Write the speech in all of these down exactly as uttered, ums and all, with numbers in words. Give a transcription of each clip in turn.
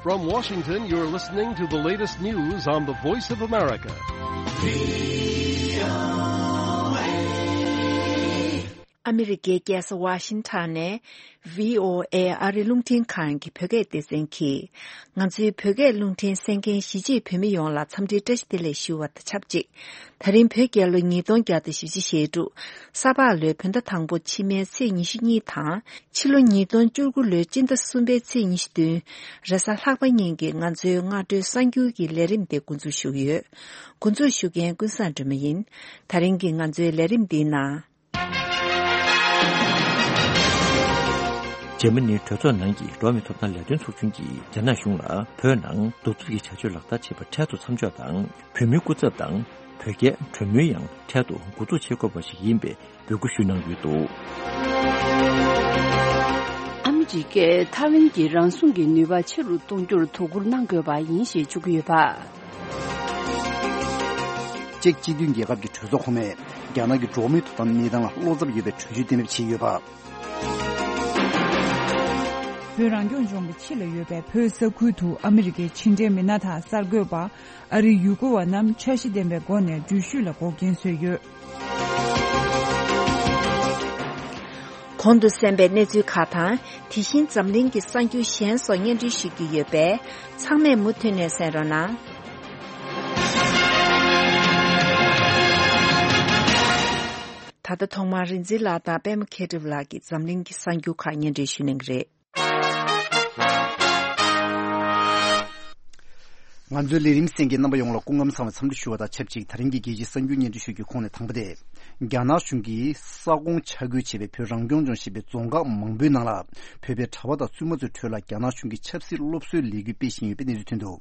From Washington, you're listening to the latest news on the Voice of America. ཨ་མི་རི་ཀའི་རྒྱལ་ས་ཝ་ཤིང་ཊོན་ནས་བྷི་ཨོ་ཨེ་ཨ་རི་རླུང་འཕྲིན་ཁང་གི་བོད་སྐད་སྡེ་ཚན་གྱིས། ང་ཚོའི་བོད་སྐད་རླུང་འཕྲིན་གསན་མཁན་གཞིས་བྱེས་བོད་མི་ཡོངས་ལ་འཚམས་འདྲིའི་བཀྲ་ཤིས་བདེ་ལེགས་ཞུ་བ་དང་ཆབས་ཅིག་ད་རིང་བོད་རྒྱལ་ལོ་ཉིས་སྟོང་བརྒྱ་དང་བཞི་བཅུ་ཞེ་དྲུག་ས་ཕག་ལོའི་བོད་ཟླ་དང་པོ་ཕྱི་མའི་ཚེས་ཉི་ཤུ་གཉིས་དང་། ཕྱི་ལོ་ཉིས་སྟོང་བཅུ་དགུ་ལོའི་སྤྱི་ཟླ་གསུམ་པའི་ཚེས་ཉི་ཤུ་བདུན། རེས་གཟའ་ལྷག་པ་ཉིན་གྱི་ང་ཚོའི་སྔ་དྲོའི་གསར་འགྱུར་གྱི་ལས་རིམ་དེ་འགོ་འཛུགས་ཞུ་གི་ཡོད། འགོ་འཛུགས་ཞུ་མཁན་ཀུན་བཟང་སྒྲོལ་མ་ཡིན། ད་རིང་གི་ང་ཚོའི་ལས་རིམ་འདིའི་ནང་། འཇར་མ་ནིའི་གྲོས་ཚོགས་ནང་གི་འགྲོ་བ་མིའི་ཐོབ་ཐང་ལས་དོན་ཚོགས་ཆུང་གིས་རྒྱ་ནག་གཞུང་ལ་བོད་ནང་གདུག་རྩུབ་ཀྱི་བྱ་སྤྱོད་ལག་བསྟར་བྱས་པར་འཕྲལ་དུ་མཚམས་འཇོག་དང་། བོད་མིའི་སྐུ་ཚབ་དང་བོད་རྒྱའི་གྲོས་མོལ་ཡང་འཕྲལ་དུ་འགོ་འཛུགས་བྱེད་དགོས་པ་ཞིག་ཡིན་པའི་འབོད་སྐུལ་ཞུས་གནང་ཡོད་འདུག། ཨ་མི་རི་ཀས་ཐའེ་ཝན་གྱི་རང་སྲུང་གི་ནུས་པ་ཆེ་རུ་གཏོང་རྒྱུར་དོ་ཁུར་གནང་དགོས་པ་ཡིན་ཞེས་བརྗོད་ཀྱི་ཡོད་པ། ཅེཀ་སྤྱི་མཐུན་རྒྱལ་ཁབ་ཀྱི་གྲོས་ཚོགས་ཁོངས་མས་རྒྱ་ནག་གི་འགྲོ་བ་མིའི་ཐོབ་ཐང་གནས་སྟངས་ལ་བློ་འཚབ་ཡོད་པའི་གྲོས་ཆོད་གཏན་འབེབས་བྱས་ཡོད་པ། བོད་རང་སྐྱོང་ལྗོངས་ཀྱི་ཕྱི་ལ་ཡོད་པའི་བོད་ས་ཁུལ་དུ་ཨ་མི་རི་ཀའི་ཕྱི་འབྲེལ་མི་སྣ་དང་གསར་འགོད་པ། ཨ་རིའི་ཡུལ་སྐོར་བ་རྣམས་འཆར་གཞི་ལྡན་པའི་སྒོ་ནས་འགྲུལ་བཞུད་ལ་འགོག་རྐྱེན་བཟོས་ཡོད། གོང་དུ་གསན་པའི་གནས་ཚུལ་ཁག་དང་། དེ་བཞིན་འཛམ་གླིང་གི་གསར་འགྱུར་གཞན་སོགས་སྙན་སྒྲོན་ཞུ་རྒྱུ་ཡོད་པས། ཚང་མས་མུ་མཐུད་ནས་གསན་རོགས་གནང་། ད་ལྟ་ཐོག་མར་རིག་འཛིན་ལགས་དང་པད་མ་མཁས་གྲུབ་ལགས་ཀྱིས་འཛམ་གླིང་གི་གསར་འགྱུར་ཁག་སྙན་སྒྲོན་ཞུ་གནང་གི་རེད། ང་ཚོའི་ལས་རིམ་གསན་མཁན་རྣམ་པ་ཡོངས་ལ་སྐུ་ཁམས་བཟང་བའི་འཚམས་འདྲི་ཞུ་བ་དང་ཆབས་ཅིག་ད་རིང་གི་རྒྱལ་སྤྱིའི་གསར་འགྱུར་སྙན་སྒྲོན་ཞུ་རྒྱུའི་ཁོངས་ནས་དང་པོ་དེ། རྒྱ་ནག་གཞུང་གིས་ས་ཁོངས་ཆ་བགོས་བྱས་པའི་བོད་རང་སྐྱོང་ལྗོངས་ཞེས་པའི་རྫོང་ཁག་མང་པོའི་ནང་ལ་བོད་པའི་གྲྭ་པ་དང་བཙུན་མ་ཚོའི་ཁྲོད་ལ་རྒྱ་ནག་གཞུང་གིས་ཆབ་སྲིད་སློབ་གསོའི་ལས་འགུལ་སྤེལ་བཞིན་ཡོད་པའི་གནས་ཚུལ་ཐོན་འདུག།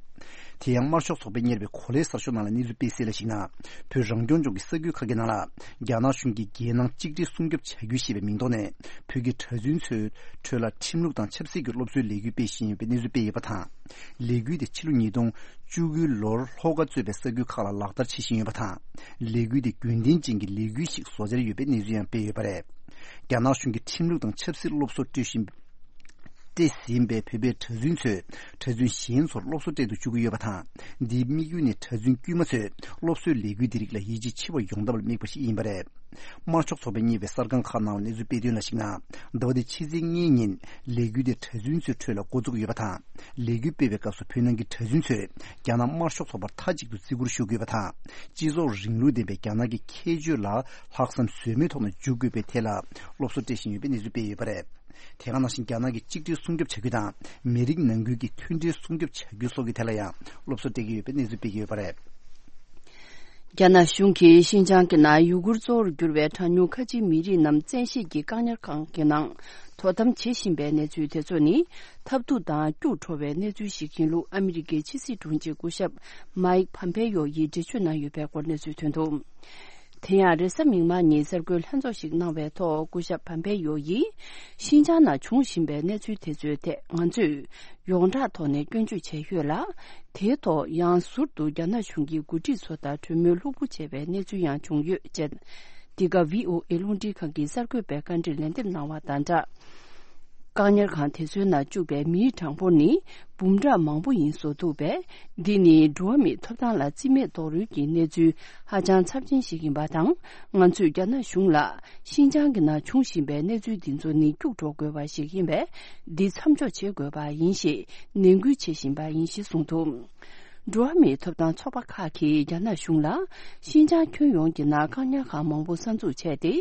དེ་ཡང་དམར་ཤོག་ཚོགས་པས་གཉེར་བའི་གོ་ལའི་གསར་ཤོག་ནང་ལ་གནས་ཚུལ་སྤེལ་གསལ་ལ་གཞིགས་ན། བོད་རང་སྐྱོང་ལྗོངས་ཀྱི་ས་ཁུལ་ཁག་གི་ནང་ལ་རྒྱ་ནག་གཞུང་གིས་རྒྱལ་ནང་གཅིག་སྒྲིལ་སྲུང་སྐྱོབ་བྱ་རྒྱུ་ཞེས་པའི་མིང་ཐོག་ནས་བོད་ཀྱི་གྲྭ་བཙུན་ཚོའི་ཁྲོད་ལ་ཁྲིམས་ལུགས་དང་ཆབ་སྲིད་ཀྱི་སློབ་གསོའི་ལས་འགུལ་སྤེལ་བཞིན་ཡོད་པའི་གནས་ཚུལ་སྤེལ་ཡོད་པ་དང་། ལས་འགུལ་དེ་ཕྱི་ལོ་ཉིས་སྟོང་བཅུ་དགུའི་ལོར་ལྷོ་ཁ་གཙོས་པའི་ས་ཁུལ་ཁག་ལ་ལག་བསྟར་བྱེད་བཞིན་ཡོད་པ་དང་། ལས་འགུལ་དེ་རྒྱུན་ལྡན་ཅན་གྱི་ལས་འགུལ་ཞིག་བཟོ་འཆར་ཡོད་པའི་གནས་ཚུལ་ཡང་སྤེལ་ཡོད་པ་རེད། རྒྱ་ནག་གཞུང་གིས་ཁྲིམས་ལུགས་དང་ཆབ་སྲིད་སློབ་གསོ་སྤྲོད་བཞིན་སྤྲད་ཟིན་པའི་བོད་པའི་གྲྭ་བཙུན་ཚོས་གྲྭ་བཙུན་གཞན་ཚོར་སློབ་གསོ་སྤྲད་དུ་བཅུག་གི་ཡོད་པ་དང་། འདིའི་དམིགས་ཡུལ་ནི་གྲྭ་བཙུན་དཀྱུས་མ་ཚོས་སློབ་གསོའི་ལས་འགུལ་འདི་རིགས་ལ་ཡིད་ཆེས་ཆེ་བ་ཡོང་ཐབས་ལ་དམིགས་པ་ཞིག་ཡིན་པ་རེད། དམར་ཤོག་ཚོགས་པས་གཉེར་བའི་གསར་ཁང་ཁག་ནང་ལ་གནས་ཚུལ་སྤེལ་དོན་ལ་གཞིགས་ན། ཟླ་བ་འདིའི་ཕྱི་ཚེས་ལྔའི་ཉིན་ལས་འགུལ་དེ་གྲྭ་བཙུན་ཚོའི་ཁྲོད་ལ་འགོ་བཙུགས་ཡོད་པ་དང་། ལས་འགུལ་སྤེལ་བའི་སྐབས་སུ་བོད་ནང་གི་གྲྭ་བཙུན་ཚོས་རྒྱ་ནག་དམར་ཤོག་ཚོགས་པར་མཐའ་གཅིག་ཏུ་བརྩི་བཀུར་ཞུ་དགོས་པ་དང་། སྤྱི་ཚོགས་རིང་ལུགས་ལྡན་པའི་རྒྱ་ནག་གི་ཁྱད་ཆོས་ལ་ལྷག་བསམ་ཟོལ་མེད་ཐོག་ནས་འཇུག་དགོས་པའི་ཐད་ལ་སློབ་གསོ་སྤྲད་བཞིན་ཡོད་པའི་གནས་ཚུལ་སྤེལ་ཡོད་པ་རེད། དེ་ག་ནང་བཞིན་རྒྱ་ནག་གི་གཅིག་སྒྲིལ་སྲུང་སྐྱོབ་བྱ་རྒྱུ་དང་། མི་རིགས་ནང་ཁུལ་གྱི་མཐུན་སྒྲིལ་སྲུང་སྐྱོབ་བྱ་རྒྱུ་སོགས་ཀྱི་ཐད་ལ་ཡང་སློབ་གསོ་སྤྲད་ཀྱི་ཡོད་པའི་གནས་ཚུལ་སྤེལ་གྱི་ཡོད་པ་རེད། རྒྱ་ནག་གཞུང་གིས་ཤིན་ཅང་གི་ནང་ཡུ་གུར་གཙོ་བོར་གྱུར་བའི་གྲངས་ཉུང་ཁ་ཆེའི་མི་རིགས་རྣམས་བཙན་ཤེད་ཀྱིས་བཀག་ཉར་ཁང་གི་ནང་དོ་དམ་བྱེད་བཞིན་པའི་གནས་ཚུལ་དེ་ཚོ་ནི་ཐབས་སྡུག་དང་སྐྱུག་བྲོ་བའི་གནས་ཚུལ་ཞིག་ཡིན་ལུགས་ཨ་མི་རི་ཀའི་ཕྱི་སྲིད་དྲུང་ཆེ་སྐུ་ཞབས་མཱིག་ཕམ་པེ་ཡོ་ཡིས་འགྲེལ་བརྗོད་གནང་ཡོད་པའི་སྐོར་གནས་ཚུལ་ཐོན་འདུག། དེ་ཡང་རེས་གཟའ་མིག་དམར་ཉིན་གསར་འགོད་ལྷན་ཚོགས་ཤིག་གནང་བའི་ཐོག་སྐུ་ཞབས་ཕམ་པེ་ཡོ་ཡིས། ཤིན་ཅང་ནང་འབྱུང་བཞིན་པའི་གནས་ཚུལ་དེ་ཚོའི་ཐད་ང་ཚོས་ཡོངས་གྲགས་ཐོག་ནས་སྐྱོན་བརྗོད་བྱས་ཡོད་ལ། དེའི་ཐོག་ཡང་ཟུར་དུ་རྒྱ་ནག་གཞུང་གི་འགོ་ཁྲིད་ཚོ་དང་གྲོས་མོལ་ལྷུག་པོ་བྱས་པའི་གནས་ཚུལ་ཡང་བྱུང་ཡོད་ཅེས། འདི་ག་བྷི་ཨོ་ཨེ་རླུང་འཕྲིན་ཁང་གི་གསར་འགོད་པས་བཀའ་འདྲི་ལན་འདེབས་གནང་བ་དང་སྦྲགས། བཀག་ཉར་ཁང་དེ་ཚོའི་ནང་བཅུག་པའི་མིའི་གྲངས་འབོར་ནི་འབུམ་ཕྲག་མང་པོ་ཡིན་བཟོ་འདུག་པས། འདི་ནི་འགྲོ་བ་མིའི་ཐོབ་ཐང་ལ་རྩིས་མེད་རྡོག་རོལ་གྱི་གནས་ཚུལ་ཧ་ཅང་ཚབས་ཆེན་ཞིག་ཡིན་པ་དང་། ང་ཚོས་རྒྱ་ནག་གཞུང་ལ་ཤིན་ཅང་གི་ནང་བྱུང་བཞིན་པའི་གནས་ཚུལ་འདི་ཚོ་ནི་སྐྱུག་བྲོ་དགོས་པ་ཞིག་ཡིན་པས། འདི་མཚམས་འཇོག་བྱེད་དགོས་པ་ཡིན་ཞེས་ནན་སྐུལ་བྱེད་བཞིན་པ་ཡིན་ཞེས་གསུངས་འདུག། འགྲོ་བ་མིའི་ཐོབ་ཐང་ཚོགས་པ་ཁག་གིས་རྒྱ་ནག་གཞུང་ལ་ཤིན་ཅང་ཁྱོན་ཡོངས་ཀྱི་ནང་བཀག་ཉར་ཁང་མང་པོ་གསར་འཛུགས་བྱས་ཏེ།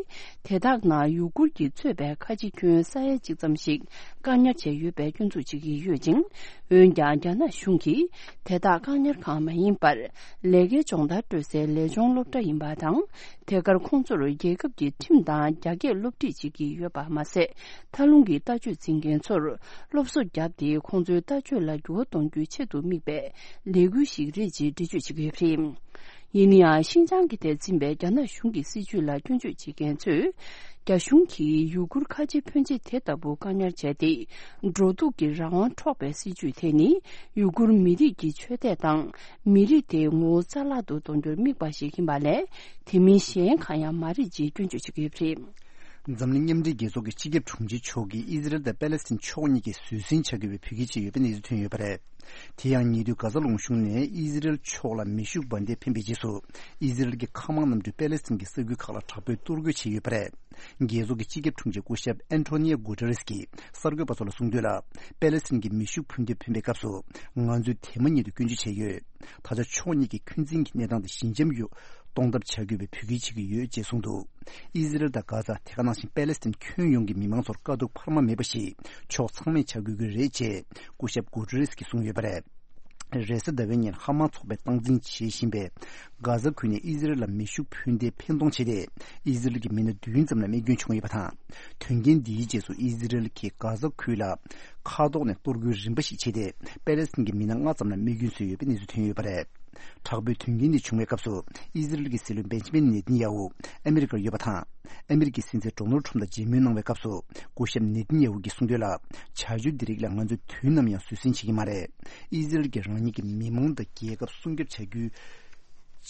དེ་དག་ནང་ཡུ་གུར་གྱིས་གཙོས་པའི་ཁ་ཆེ་ཁྱོན་ས་ཡ་གཅིག་ཙམ་ཞིག་བཀག་ཉར་བྱས་ཡོད་པའི་སྐྱོན་འཛུགས་བྱེད་ཀྱི་ཡོད་ཅིང་། འོན་ཀྱང་རྒྱ་ནག་གཞུང་གིས་དེ་དག་བཀག་ཉར་ཁང་མ་ཡིན་པར། ལས་ཀའི་སྦྱོང་བརྡར་སྤྲོད་སའི་ལས་སྦྱོང་སློབ་གྲྭ་ཡིན་པ་དང་། དེ་གར་ཁོང་ཚོར་རྒྱལ་ཁབ་ཀྱི་ཁྲིམས་དང་རྒྱ་སྐད་སློབ་ཁྲིད་བྱེད་ཀྱི་ཡོད་པ་མ་ཟད། མཐའ་ལྷུང་གི་ལྟ་སྤྱོད་འཛིན་མཁན་ཚོར་སློབ་གསོ་བརྒྱབ་སྟེ། ཁོང་ཚོའི་ལྟ་སྤྱོད་ལ་འགྱུར་བ་གཏོང་རྒྱུའི་ཆེད་དུ་དམིགས་པའི་ལས་འགུལ་ཞིག་རེད་ཅེས་འགྲེལ་བརྗོད་བྱེད་ཀྱི་ཡོད་པ་རེད། ཡིན་ན་ཡང་། ཤིན་ཅང་གི་ཐད་འཛིན་པའི་རྒྱ་ནག་གཞུང་གི་སྲིད་བྱུས་ལ་སྐྱོན་བརྗོད་བྱེད་མཁན་ཚོས། རྒྱ་གཞུང་གིས་ཡུ་གུར་ཁ་ཆེ་ཕོན་ཆེ་དེ་ལྟ་བུ་བཀག་ཉར་བྱས་ཏེ། འགྲོ་འདུག་གི་རང་དབང་འཕྲོག་པའི་སྲིད་བྱུས་དེ་ནི། ཡུ་གུར་མི་རིགས་ཀྱི་ཆོས་དད་དང་། མི་རིགས་དེའི་ངོ་བོ་རྩ་བརླག་ཏུ་གཏོང་རྒྱུར་དམིགས་པ་ཞིག་ཡིན་པ་ལས། དེ་མིན་གཞན་གང་ཡང་མ་རེད་ཅེས་སྐྱོན་བརྗོད་བྱེད་ཀྱི་ཡོད་པ་རེད། འཛམ་གླིང་མཉམ་འབྲེལ་རྒྱལ་ཚོགས་ཀྱི་སྤྱི་ཁྱབ་དྲུང་ཆེ་མཆོག་གིས་ཨི་ཟི་རེལ་དང་པེ་ལེ་སི་ཐན་ཕྱོགས་གཉིས་ཀྱིས་བཟོད་བསྲན་བྱ་དགོས་པའི་འབོད་སྐུལ་བྱས་ཡོད་པའི་གནས་ཚུལ་ཐོན་ཡོད་པ་རེད། དེ་ཡང་ཉེ་དུས་གྷ་ཟ་ལུང་གཞུང་ནས་ཨི་ཟི་རེལ་ཕྱོགས་ལ་མེ་ཤུགས་འབར་མདེལ་འཕེན་པའི་རྗེས་སུ། ཨི་ཟི་རེལ་གྱི་མཁའ་དམག་གནམ་གྲུས་པེ་ལེ་སི་ཐན་གྱི་ས་ཁུལ་ཁག་ལ་དྲག་པོའི་གཏོར་རྒོལ་བྱས་ཡོད་པ་རེད། རྒྱལ་ཚོགས་ཀྱི་སྤྱི་ཁྱབ་དྲུང་ཆེ་སྐུ་ཞབས་ཨན་ཐོ་ནི་ཡ་གུ་ཏེ་རེས་ཀྱིས་གསར་འགོད་པ་ཚོ་ལ་གསུངས་དོན་ལ། པེ་ལེ་སི་ཐན་གྱི་མེ་ཤུགས་འཕུར་མདེལ་འཕེན་པའི་སྐབས་སུ། ང་ཚོས་དེ་མ་ཉིད་དུ་སྐྱོན་བརྗོད་བྱས་ཡོད། ད་ཆ་ཕྱོགས་གཉིས་ཀྱིས་འཁོན་འཛིན་གྱི་གནས་སྟངས་དེ་ཞི་འཇམ་དུ་གཏོང་ཐབས་བྱ་དགོས་པའི་འབོད་སྐུལ་བྱེད་ཀྱི་ཡོད་ཅེས་གསུངས་འདུག་ཨི་ཟི་རེལ་དང་གྷ་ཟ། དེ་ག་ནང་བཞིན་པེ་ལེ་སི་ཐན་ཁྱོན་ཡོངས་ཀྱི་མི་མང་ཚོར་དཀའ་སྡུག་འཕར་མ་མེད་པ་ཞིག་ཕྱོགས་ཚང་མས་བྱ་དགོས་ཀྱི་རེད་ཅེས་སྐུ་ཞབས་གུ་ཏེ་རེས་ཀྱིས་གསུངས་ཡོད་པ་རེད། རེས་གཟའ་ཟླ་བའི་ཉིན་ཧ་མ་ཚོགས་པས་སྟངས་འཛིན་བྱེད་བཞིན་པའི་གྷ་ཟ་ཁུལ་ནས་ཨི་ཟི་རེལ་ལ་མེ་ཤུགས་འཕུར་མདེལ་འཕེན་གཏོང་བྱས་ཏེ། ཨི་ཟི་རེལ་གྱི་མི་སྣ་བདུན་ཙམ་ལ་རྨས་སྐྱོན་བྱུང་ཡོད་པ་དང་། དོན་རྐྱེན་འདིའི་རྗེས་སུ་ཨི་ཟི་རེལ་གྱིས་གྷ་ཟ་ཁུལ་ལ་མཁའ་ཐོག་ནས་གཏོར་རྒོལ་རིམ་པ་ཞིག་བྱས་ཏེ། པེ་ལེ་སི་ཐན་གྱི་མི་སྣ་ལྔ་ཙམ་ལ་རྨས་སྐྱོན་བཟོས་ཡོད་པའི་གནས་ཚུལ་ཐོན་ཡོད་པ་རེད། དྲག་པོའི་དོན་རྐྱེན་འདི་བྱུང་བའི་སྐབས་སུ། ཨི་ཟི་རེལ་གྱི་སྲིད་བློན་བེན་ཇི་མིན་ནེ་ཐན་ཡ་ཧུ་ཨ་མི་རི་ཀར་ཡོད་པ་དང་། ཨ་མི་རི་ཀའི་སྲིད་འཛིན་ཌོ་ནལ་ཁྲམ་དང་མཇལ་མོལ་གནང་བའི་སྐབས་སུ། སྐུ་ཞབས་ནེ་ཐན་ཡ་ཧུ་གིས་གསུངས་དོན་ལ། བྱ་སྤྱོད་འདི་རིགས་ལ་ང་ཚོས་དུས་ནམ་ཡང་བཟོད་བསྲན་བྱེད་ཀྱི་མ་རེད། ཨི་ཟི་རེལ་གྱིས་རང་ཉིད་ཀྱི་མི་མང་དང་རྒྱལ་ཁབ་སྲུང་སྐྱོབ་བྱ་རྒྱུའི་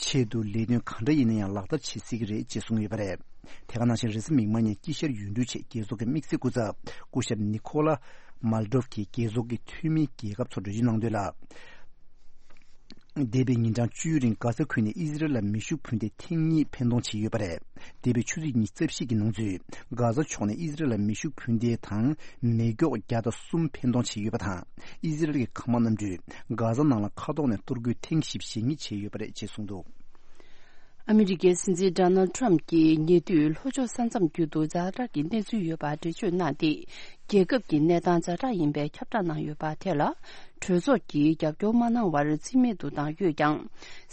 ཆེད་དུ་ལས་དོན་གང་འདྲ་ཡིན་ན་ཡང་ལག་བསྟར་བྱེད་སྲིད་ཀྱི་རེད་ཅེས་གསུངས་ཡོད་པ་རེད། དེ་ག་ནང་བཞིན་རེས་གཟའ་མིག་དམར་ཉིན་དཀྱིལ་ཤར་ཡུལ་གྲུའི་ཆེད་རྒྱལ་ཚོགས་ཀྱི་དམིགས་བསལ་སྐུ་ཚབ་སྐུ་ཞབས་ནི་ཁོ་ལ་མལ་ཏོབ་ཀྱིས་རྒྱལ་ཚོགས་ཀྱི་འཐུས་མི་རྒྱལ་ཁབ་ཚོར་གྲོས་ཆོད་གནང་དོན་ལ། འདས་པའི་ཉིན་གྲངས་བཅུའི་རིང་གྷ་ཟ་ཁུལ་ནས་ཨི་ཟི་རེལ་ལ་མེ་ཤུགས་འཕུར་མདེལ་ཐེངས་གཉིས་འཕེན་གཏོང་བྱས་ཡོད་པ་རེད། འདས་པའི་ཆུ་ཚོད་ཉི་ཤུ་རྩ་བཞི་གི་ནང་ཚུད། གྷ་ཟ་ཕྱོགས་ནས་ཨི་ཟི་རེལ་ལ་མེ་ཤུགས་འཕུར་མདེལ་དང་མེ་སྒྱོགས་བརྒྱ་དང་གསུམ་འཕེན་གཏོང་བྱས་ཡོད་པ་དང་། ཨི་ཟི་རེལ་གྱི་མཁའ་དམག་གནམ་གྲུས་གྷ་ཟ་ནང་ལ་མཁའ་ཐོག་ནས་གཏོར་རྒོལ་ཐེངས་བཞི་བཅུ་ཞེ་གཉིས་བྱས་ཡོད་པ་རེད་ཅེས་གསུངས་འདུག་ཨ་མི་རི་ཀའི་སྲིད་འཛིན་ཌོ་ནལ་ཁྲམ་གྱིས་ཉེ་དུས་ལྷོ་ཕྱོགས་ས་མཚམས་རྒྱུད་དུ་ཛ་དྲག་གི་གནས་ཚུལ་ཡོད་པར་འགྲེལ་བརྗོད་གནང་སྟེ། རྒྱལ་ཁབ་ཀྱི་གནས་སྟངས་ཛ་དྲག་ཡིན་པའི་ཁྱབ་བསྒྲགས་གནང་ཡོད་པ་དེ་ལ། གྲོས་ཚོགས་ཀྱིས་རྒྱབ་སྐྱོར་མ་གནང་བར་རྩིས་མེད་དུ་བཏང་ཡོད་ཀྱང་།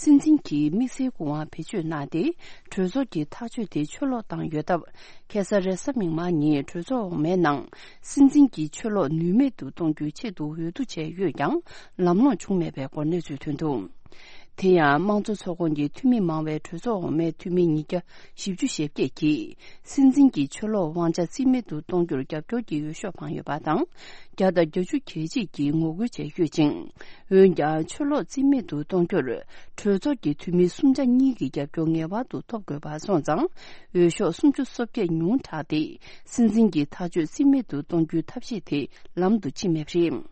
སྲིད་འཛིན་གྱིས་དམིགས་བསལ་སྐུ་དབང་བེད་སྤྱོད་གནང་སྟེ། གྲོས་ཚོགས་ཀྱི་ཐག་གཅོད་དེ་ཆུ་ལོག་བཏང་ཡོད་སྟབས། ཁ་སང་རེས་གཟའ་མིག་དམར་ཉིན་གྲོས་ཚོགས་འོག་མའི་ནང་། སྲིད་འཛིན་གྱི་ཆུ་ལོག་ནུས་མེད་དུ་གཏོང་རྒྱུའི་ཆེད་དུ་འོས་བསྡུ་བྱས་ཡོད་ཀྱང་། ལམ་ལྷོང་བྱུང་མེད་པའི་སྐོར་གནས་ཚུལ་ཐོན་འདུག་དེ་ཡང་དམངས་གཙོ་ཚོགས་ཁོངས་ཀྱི་འཐུས་མི་མང་བའི་གྲོས་ཚོགས་འོག་མའི་འཐུས་མི་ཉིས་བརྒྱ་བཞི་བཅུ་ཞེ་བརྒྱད་ཀྱིས། སྲིད་འཛིན་གྱི་ཆུ་ལོག་དབང་ཆ་རྩིས་མེད་དུ་གཏོང་རྒྱུར་རྒྱབ་སྐྱོར་གྱི་འོས་ཤོག་འཕངས་ཡོད་པ་དང་། བརྒྱ་དང་བརྒྱད་ཅུ་གྱ་གཅིག་གིས་ངོ་རྒོལ་བྱས་ཡོད་ཅིང་། འོན་ཀྱང་། ཆུ་ལོག་རྩིས་མེད་དུ་གཏོང་རྒྱུར། གྲོས་ཚོགས་ཀྱི་འཐུས་མི་སུམ་ཆ་གཉིས་ཀྱི་རྒྱབ་སྐྱོར་ངེས་པར་དུ་ཐོབ་དགོས་པ་སོང་ཙང་། འོས་ཤོག་སུམ་ཅུ་སོ་བརྒྱད་ཉུང་དྲགས་ཏེ། སྲིད་འཛིན་གྱི་ཐག་གཅོད་རྩིས་མེད་དུ་གཏོང་རྒྱུའི་ཐབས་ཤེས་དེ་ལམ་དུ་ཕྱིན་མེད་པ་རེད།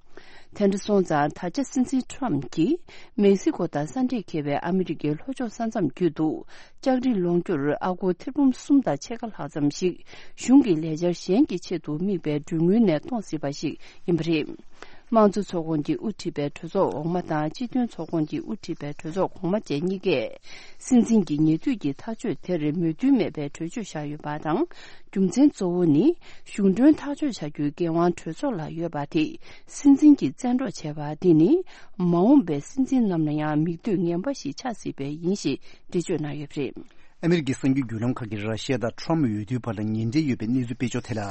དེ་འདྲ་སོང་ཙང་། ད་ཆ་སྲིད་འཛིན་ཁྲོམ་གྱིས་མེག་སི་ཀོ་དང་ས་འདྲེས་འཁེལ་བའི་ཨ་མི་རི་ཀའི་ལྷོ་ཕྱོགས་ས་མཚམས་རྒྱུད་དུ་ལྕགས་རི་སློང་རྒྱུར་ཨ་སྒོར་ཐེར་འབུམ་གསུམ་དང་ཕྱེད་ཀ་ལྷག་ཙམ་ཞིག་གཞུང་གི་ལས་འཆར་གཞན་གྱི་ཆེད་དུ་དམིགས་པའི་གྲོན་དངུལ་ནས་གཏོང་སྲིད་པ་ཞིག་ཡིན་པ་རེད། དམངས་གཙོ་ཚོགས་ཁོངས་ཀྱིས་དབུ་ཁྲིད་པའི་གྲོས་ཚོགས་འོག་མ་དང་སྤྱི་མཐུན་ཚོགས་ཁོངས་ཀྱིས་དབུ་ཁྲིད་པའི་གྲོས་ཚོགས་གོང་མ་བཅས་གཉིས་ཀས། སྲིད་འཛིན་གྱི་ཉེ་དུས་ཀྱི་ཐག་གཅོད་དེར་མོས་མཐུན་མེད་པའི་གྲོས་ཆོད་བཞག་ཡོད་པ་དང་། རྒྱུ་མཚན་གཙོ་བོ་ནི། གཞུང་གྲོན་ཐག་གཅོད་བྱ་རྒྱུའི་འགན་དབང་གྲོས་ཚོགས་ལ་ཡོད་པ་དེ། སྲིད་འཛིན་གྱིས་བཙན་འཕྲོག་བྱས་པ་འདི་ནི། མ་འོངས་པའི་སྲིད་འཛིན་རྣམས་ལ་ཡང་མིག་ལྟོས་ངན་པ་ཞིག་ཆགས་སྲིད་པས་ཡིན་ཞེས་འགྲེལ་བརྗོད་གནང་ཡོད་པ་རེད། ཨ་མི་རི་ཀའི་གསར་འགྱུར་བརྒྱུད་ལམ་ཁག་གིས་ར་ཤི་ཡ་དང་ཁྲོམ་འོས་བསྡུའི་བར་ལ་ངན་འབྲེལ་ཡོད་པའི་གནས་ཚུལ་སྤེལ་ཕྱོགས་དེ་ལ།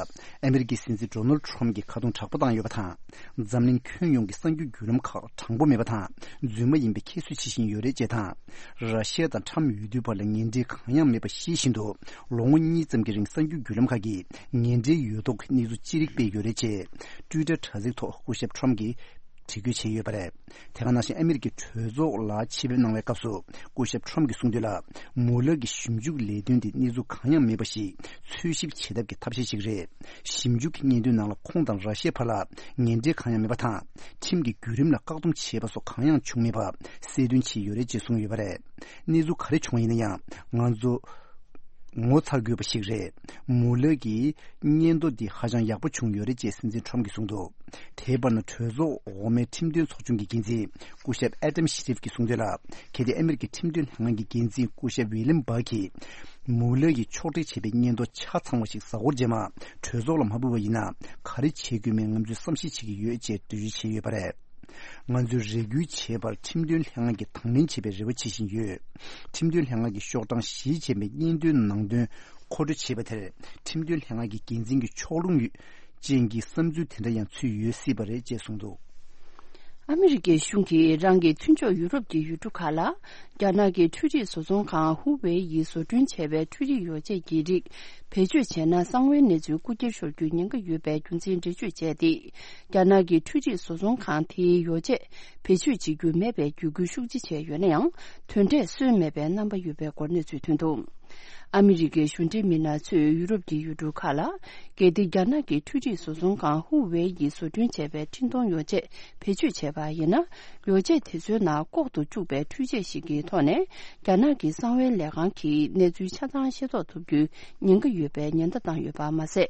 ཨ་མི་རི་ཀའི་སྲིད་འཛིན་ཌོ་ནལ་ཁྲོམ་གྱིས་ཁ་རྡུང་དྲག་པོ་བཏང་ཡོད་པ་དང་། འཛམ་གླིང་ཁྱོན་ཡོངས་ཀྱི་གསར་འགྱུར་བརྒྱུད་ལམ་ཁག་དྲང་པོ་མེད་པ་དང་། རྫུན་མ་ཡིན་པའི་ཁྱད་གསོད་བྱེད་བཞིན་ཡོད་རེད་ཅེས་དང་། ར་ཤི་ཡ་དང་ཁྲོམ་འོས་བསྡུའི་བར་ལ་ངན་འབྲེལ་གང་ཡང་མེད་པ་ཤེས་བཞིན་དུ། ལོ་ངོ་གཉིས་ཙམ་གྱི་རིང་གསར་འགྱུར་བརྒྱུད་ལམ་ཁག་གིས་ངན་འབྲེལ་ཡོད་མདོག་གི་གནས་ཚུལ་ཅི་རིགས་སྤེལ་ཡོད་རེད་ཅེས། ཊུའི་ཊར་དྲ་ཚིགས་ཐོག་སྐུ་ཞབས་ཁྲོམ་གྱིས། དྲི་བཀོད་བྱས་ཡོད་པ་རེད། དེ་ག་ནང་བཞིན་ཨ་མི་རི་ཀའི་གྲོས་ཚོགས་ལ་ཆེད་ཕེབས་གནང་བའི་སྐབས་སུ། སྐུ་ཞབས་ཁྲོམ་གྱིས་གསུངས་དོན་ལ། མུ་ལར་གྱི་ཞིབ་འཇུག་ལས་དོན་དེ་གནས་ཚུལ་གང་ཡང་མེད་པ་ཞིག་འཚོལ་ཞིབ་བྱེད་ཐབས་ཀྱི་ཐབས་ཤེས་ཤིག་རེད། ཞིབ་འཇུག་གི་སྙན་ཐོའི་ནང་ལ་ཁོང་དང་ར་ཤི་ཡའི་བར་ལ་ངན་འབྲེལ་གང་ཡང་མེད་པ་དང་། ཁྲིམས་ཀྱི་བརྒྱུད་རིམ་ལ་བཀག་སྡོམ་བྱས་པ་སོགས་གང་ཡང་བྱུང་མེད་པ་གསལ་སྟོན་བྱས་ཡོད་རེད་ཅེས་གསུངས་ཡོད་པ་རེད། གནས་ཚུལ་ག་རེ་བྱུང་བ་ཡིན་ན་ཡང་། ང་ཚོ། ངོ་ཚ་དགོས་པ་ཞིག་རེད། མུ་ལར་གྱི་སྙན་ཐོ་འདི་ཧ་ཅང་ཡག་པོ་བྱུང་ཡོད་རེད་ཅེས་སྲིད་འཛིན་ཁྲོམ་གྱིས་གསུངས་འདུག་དེའི་བར་ན་གྲོས་ཚོགས་འོག་མའི་ཁྲིམས་དོན་ཚོགས་ཆུང་གི་འགན་འཛིན་སྐུ་ཞབས་ཨེ་ཏམ་ཤི་རིབ་ཀྱིས་གསུངས་དོན་ལ། གལ་ཏེ་ཨ་མི་རི་ཀའི་ཁྲིམས་དོན་ལྷན་ཁང་གི་འགན་འཛིན་སྐུ་ཞབས་ཝི་ལིམ་བྷག་གིས་མུ་ལར་གྱིས་ཕྱོགས་སྒྲིག་བྱས་པའི་སྙན་ཐོ་ཆ་ཚང་བ་ཞིག་གཟའ་འཁོར་རྗེས་མ་གྲོས་ཚོགས་ལ་མ་ཕུལ་བ་ཡིན་ན། ག་རེ་བྱེད་དགོས་མིན་ང་ཚོས་བསམ་ཤེས་བྱེད་ཀྱི་ཡོད་ཅེས་འགྲེལ་བརྗོད་བྱས་ཡོད་པ་རེད། ང་ཚོས་རེ་སྐུལ་བྱེད་པར་ཁྲིམས་དོན་ལྷན་ཁང་གིས་དང་ལེན་བྱེད་པའི་རེ་བ་བྱེད་བཞིན་ཡོད། ཁྲིམས་དོན་ལྷན་ཁང་གིས་ཤོག་གྲངས་བཞི་ཅན་པའི་སྙན་ཐོའི་ནང་དོན་མཁོ་སྤྲོད་བྱས་པ་དེར་ཁྲིམས་དོན་ལྷན་ཁང་གི་འགན་འཛིན་གྱི་ཕྱོགས་ལྷུང་ཡོད་ཅན་གྱི་བསམ་ཚུལ་དེ་འདྲ་ཡང་ཚུད་ཡོད་སྲིད་པ་རེད་ཅེས་གསུངས་འདུག་ཨ་མི་རི་ཀའི་གཞུང་གིས་རང་གི་མཐུན་ཕྱོགས་ཡུ་རོབ་ཀྱི་ཡུལ་གྲུ་ཁག་ལ། རྒྱ་ནག་གི་འཕྲུལ་རིག་བཟོ་ཚོང་ཁང་ཧུ་ཝེ་ཡིས་བཟོ་སྐྲུན་བྱས་པའི་འཕྲུལ་རིག་ཡོ་བྱད་ཀྱི་རིགས་བེད་སྤྱོད་བྱས་ན་གསང་བའི་གནས་ཚུལ་རྐུ་འཁྱེར་ཤོར་རྒྱུའི་ཉེན་ཁ་ཡོད་པའི་རྒྱུ་མཚན་འགྲེལ་བརྗོད་བྱས་ཏེ། རྒྱ་ནག་གི་འཕྲུལ་རིག་བཟོ་ཚོང་ཁང་དེའི་ཡོ་བྱད་བེད་སྤྱོད་བྱེད་རྒྱུ་མེད་པའི་བརྒྱུད་སྐུལ་ཤུགས་ཆེ་བྱས་ཡོད་ན་ཡང་། དོན་འབྲས་སོན་མེད་པའི་རྣམ་པ་ཡོད་པའི་སྐོར་གནས་ཚུལ་ཐོན་འདུག་ཨ་མི་རི་ཀའི་གཞུང་འབྲེལ་མི་སྣ་ཚོས་ཡུ་རོབ་ཀྱི་ཡུལ་གྲུ་ཁག་ལ། གལ་ཏེ་རྒྱ་ནག་གི་འཕྲུལ་རིག་བཟོ་ཚོང་ཁང་ཧུ་ཝེ་ཡིས་བཟོ་སྐྲུན་བྱས་པའི་འཕྲིན་གཏོང་ཡོ་བྱད་བེད་སྤྱོད་བྱས་པ་ཡིན་ན། ཡོ་བྱད་དེ་ཚོའི་ནང་ལྐོག་ཏུ་བཅུག་པའི་འཕྲུལ་ཆས་ཤིག་གི་ཐོག་ནས། རྒྱ་ནག་གི་གསང་བའི་ལས་ཁང་གིས་གནས་ཚུལ་ཆ་ཚང་ཤེས་རྟོགས་ཐུབ་རྒྱུའི་ཉེན་ཁ་ཡོད་པའི་ཉེན་བརྡ་བཏང་ཡོད་པ་མ་ཟད།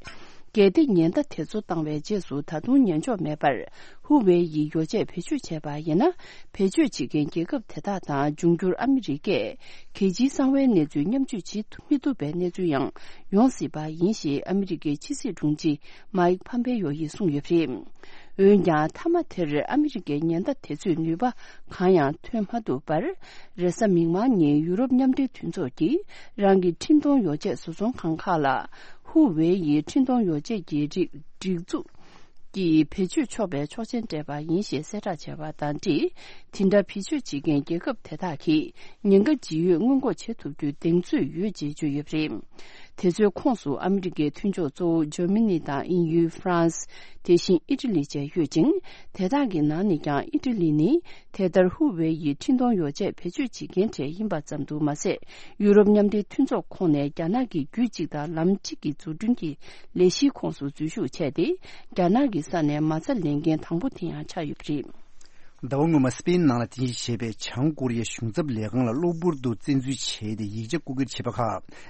གལ་ཏེ་ཉེན་བརྡ་དེ་ཚོ་བཏང་བའི་རྗེས་སུ་ད་དུང་ཉན་འཇོག་མེད་པར། ཧུ་ཝེ་ཡིས་ཡོ་བྱད་བེད་སྤྱོད་བྱས་པ་ཡིན་ན། བེད་སྤྱོད་བྱེད་མཁན་རྒྱལ་ཁབ་དེ་དག་དང་། འབྱུང་འགྱུར་ཨ་མི་རི་ཀས་གལ་ཆེའི་གསང་བའི་གནས་ཚུལ་མཉམ་སྤྱོད་བྱེད་མི་ཐུབ་པའི་གནས་ཚུལ་ཡང་ཡོང་སྲིད་པ་ཡིན་ཞེས། ཨ་མི་རི་ཀའི་ཕྱི་སྲིད་དྲུང་ཆེ་མཱིག་ཕམ་པེ་ཡོ་ཡིས་གསུངས་ཡོད་པ་རེད། འོན་ཀྱང་། མཐའ་མ་དེར་ཨ་མི་རི་ཀའི་ཉེན་བརྡ་དེ་ཚོས་ནུས་པ་གང་ཡང་ཐོན་མ་ཐུབ་པར། རེས་གཟའ་མིག་དམར་ཉིན་ཡུ་རོབ་མཉམ་འབྲེལ་མཐུན་ཚོགས་ཀྱིས་རང་གི་འཕྲིན་གཏོང་ཡོ་བྱད་བཟོ་ཚོང་ཁང་ཁག་ལ། ཧུ་ཝེ་ཡི་འཕྲིན་གཏོང་ཡོ་བྱད་ཀྱི་རིགས་སྒྲིག་འཛུགས་ཀྱིས་བེད་སྤྱོད་ཆོག་པའི་ཆོག་མཆན་སྤྲད་པ་ཡིན་ཞེས་གསལ་བསྒྲགས་བྱས་པ་དང་འབྲེལ། དེ་འདྲ་བེད་སྤྱོད་བྱེད་མཁན་རྒྱལ་ཁབ་དེ་དག་གིས་ཉེན་ཁ་ཇི་ཡོད་སྔོན་འགོག་བྱེད་ཐུབ་རྒྱུའི་གདེང་ཚོད་ཡོད་ཅེས་བརྗོད་ཡོད་པ་རེད། དེ་ཚོའི་ཁོངས་སུ་ཨ་མི་རི་ཀའི་མཐུན་ཕྱོགས་གཙོ་བོ་འཇར་མ་ནི་དང་དབྱིན་ཡུལ། ཧྥ་རན་སི། དེ་བཞིན་ཨི་ཊ་ལི་བཅས་ཡོད་ཅིང་། དེ་དག་གི་ནང་ནས་ཀྱང་ཨི་ཊ་ལི་ནི། དེ་ལྟར་ཧུ་ཝེ་ཡི་འཕྲིན་གཏོང་ཡོ་བྱད་བེད་སྤྱོད་བྱེད་མཁན་གྲས་ཡིན་པ་ཙམ་དུ་མ་ཟད། ཡུ་རོབ་མཉམ་འབྲེལ་མཐུན་ཚོགས་ཁོངས་ནས་རྒྱ་ནག་གི་རྒྱུད་གཅིག་དང་ལམ་གཅིག་གི་འཛུགས་སྐྲུན་གྱི་ལས་གཞིའི་ཁོངས་སུ་འཛུལ་ཞུགས་བྱས་ཏེ། རྒྱ་ནག་གི་ས་ནས་མ་རྩ་ལེན་མཁན་དང་པོ་དེ་ཡང་ཆགས་ཡོད་པ་རེད། ཟླ་བ་སྔོན་མ་སི་པེན་ནང་ལ་རྟེན་གཞི་བྱས་པའི་བྱང་ཀོ་རི་ཡའི་གཞུང་ཚབ་ལས་ཁང་ལ་གློ་བུར་དུ་བཙན་འཛུལ་བྱས་ཏེ། ཡིག་ཆ་རྐུ་འཁྱེར་བྱས་པ་ཁག་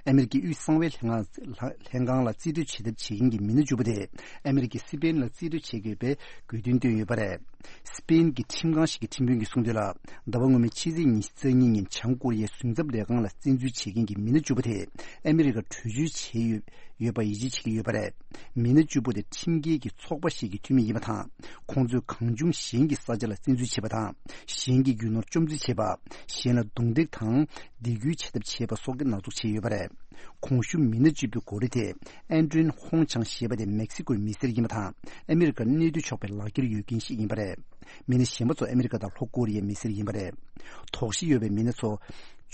ཨ་མེ་རི་ཀའི་དབུས་གསང་བའི་ལྷན་ཁང་ལ་རྩིས་སྤྲོད་བྱེད་ཐབས་བྱེད་མཁན་གྱི་མི་སྣ་བཅུ་པོ་དེ་ཨ་མེ་རི་ཀའི་སི་པེན་ལ་རྩིས་སྤྲོད་བྱེད་དགོས་པའི་དགོས་འདུན་བཏོན་ཡོད་པ་རེད། སི་པེན་གྱི་ཁྲིམས་ཁང་ཞིག་གི་ཁྲིམས་དཔོན་གྱིས་གསུངས་དོན་ལ། ཟླ་བ་སྔོན་མའི་ཕྱི་ཚེས་ཉི་ཤུ་རྩ་གཉིས་ཉིན་བྱང་ཀོ་རི་ཡའི་གཞུང་ཚབ་ལས་ཁང་ལ་བཙན་འཛུལ་བྱེད་མཁན་གྱི་མི་སྣ་བཅུ་པོ་དེ་ཨ་མེ་རི་ཀར་བྲོས་བྱོལ་བྱས་ཡོད་ཡོད་པ་ཡིད་ཆེས་བྱེད་ཀྱི་ཡོད་པ་རེད། མི་སྣ་བཅུ་པོ་དེ་ཁྲིམས་འགལ་གྱི་ཚོགས་པ་ཞིག་གི་འཐུས་མི་ཡིན་པ་དང་། ཁོང་ཚོས་གང་བྱུང་གཞན་གྱི་ས་ཆ་ལ་བཙན་འཛུལ་བྱེད་པ་དང་། གཞན་གྱི་རྒྱུ་ནོར་བཅོམ་རྩིས་བྱེད་པ། གཞན་ལ་རྡུང་རྡེག་དང་སྡིགས་སྐུལ་བྱེད་ཐབས་བྱེད་པ་སོགས་ཀྱི་ནག་འཛུགས་བྱས་ཡོད་པ་རེད། གོང་ཞུས་མི་སྣ་བཅུ་པོའི་མགོ་རིལ་དེ་ཨན་ཏྲིན་ཧོང་ཆང་ཞེས་པ་དེ་མེག་སི་ཀོའི་མི་སེར་ཡིན་པ་དང་། ཨ་མེ་རི་ཀར་གནས་སྡོད་ཆོག་པའི་ལག་འཁྱེར་ཡོད་མཁན་ཞིག་ཡིན་པ་རེད། མི་སྣ་གཞན་པ་ཚོ་ཨ་མེ་རི་ཀ་དང་ལྷོ་ཀོ་རི་ཡའི་མི་སེར་ཡིན་པ་རེད། དོགས་གཞི་ཡོད་པའི་མི་སྣ་ཚོ།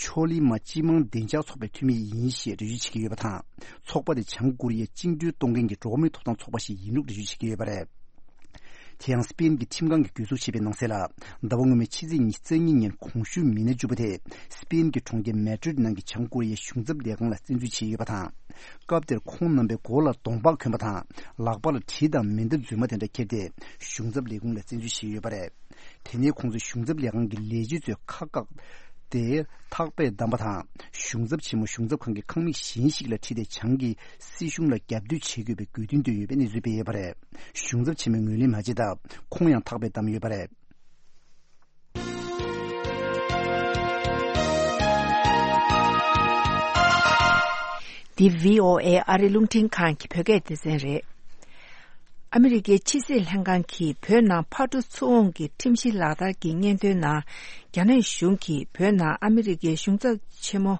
ཆོ་ལི་མ་སྤྱི་དམངས་བདེ་འཇགས་ཚོགས་པའི་འཐུས་མི་ཡིན་ཞེས་འགྲེལ་བརྗོད་བྱེད་ཀྱི་ཡོད་པ་དང་། ཚོགས་པ་དེ་བྱང་ཀོ་རི་ཡའི་བཅིངས་འགྲོལ་གཏོང་མཁན་གྱི་འགྲོ་བ་མིའི་ཐོབ་ཐང་ཚོགས་པ་ཞིག་ཡིན་ལུགས་འགྲེལ་བརྗོད་བྱེད་ཀྱི་ཡོད་པ་རེད། དེ་ཡང་སི་པེན་གྱི་ཁྲིམས་ཁང་གིས་གྱོད་འཛུགས་བྱས་པའི་ནང་གསལ་ལ། ཟླ་བ་སྔོན་མའི་ཕྱི་ཚེས་ཉི་ཤུ་རྩ་གཉིས་ཉིན་གོང་ཞུས་མི་སྣ་བཅུ་པོ་དེ་སི་པེན་གྱི་གྲོང་ཁྱེར་མེ་ཌྲིད་ནང་གི་བྱང་ཀོ་རི་ཡའི་གཞུང་ཚབ་ལས་ཁང་ལ་བཙན་འཛུལ་བྱས་ཡོད་པ་དང་། སྐབས་དེར་ཁོང་རྣམ་པའི་མགོ་ལ་གདོང་པགས་གོན་པ་དང་། ལག་པ་ལ་གྲི་དང་མེ་མདའ་རྫུན་མ་དེ་འདྲ་འཁྱེར་ཏེ། གཞུང་ཚབ་ལས་ཁུངས་ལ་བཙན་འཛུལ་བྱས་ཡོད་པ་རེད། དེ་ནས་ཁོང་ཚོས་གཞུང་ཚབ་ལས་ཁང་གི་ལས་བྱེད་ཚོའི་ཁ་བཀག་སྟེ། ཐག་པས་བསྡམས་པ་དང་། གཞུང་ཚབ་ཆེན་མོ་གཞུང་ཚབ་ཁང་གི་ཁང་མིག་གཞན་ཞིག་ལ་ཁྲིད་དེ། བྱང་གི་སྲིད་གཞུང་ལ་རྒྱབ་གཏོད་བྱེད་དགོས་པའི་དགོས་འདུན་བཏོན་ཡོད་པའི་གནས་ཚུལ་སྤེལ་ཡོད་པ་རེད། གཞུང་ཚབ་ཆེན་མོས་ངོས་ལེན་མ་བྱས་སྟབས། ཁོང་ཡང་ཐག་པས་བསྡམས་ཡོད་པ་རེད། འདི་བྷི་ཨོ་ཨེ་ཨ་རི་རླུང་འཕྲིན་ཁང་གི་བོད་སྐད་སྡེ་ཚན་རེད། ཨ་མི་རི་ཀའི་ཕྱི་སྲིད་ལྷན་ཁང་གིས་བོད་ནང་ཕག་གྲུ་ཚུར་འོང་གི་ཁྲིམས་གཞི་ལག་བསྟར་གྱི་སྙན་ཐོའི་ནང་། རྒྱ་ནག་གཞུང་གིས་བོད་ནང་ཨ་མི་རི་ཀའི་གཞུང་ཚབ་ཆེན་མོ་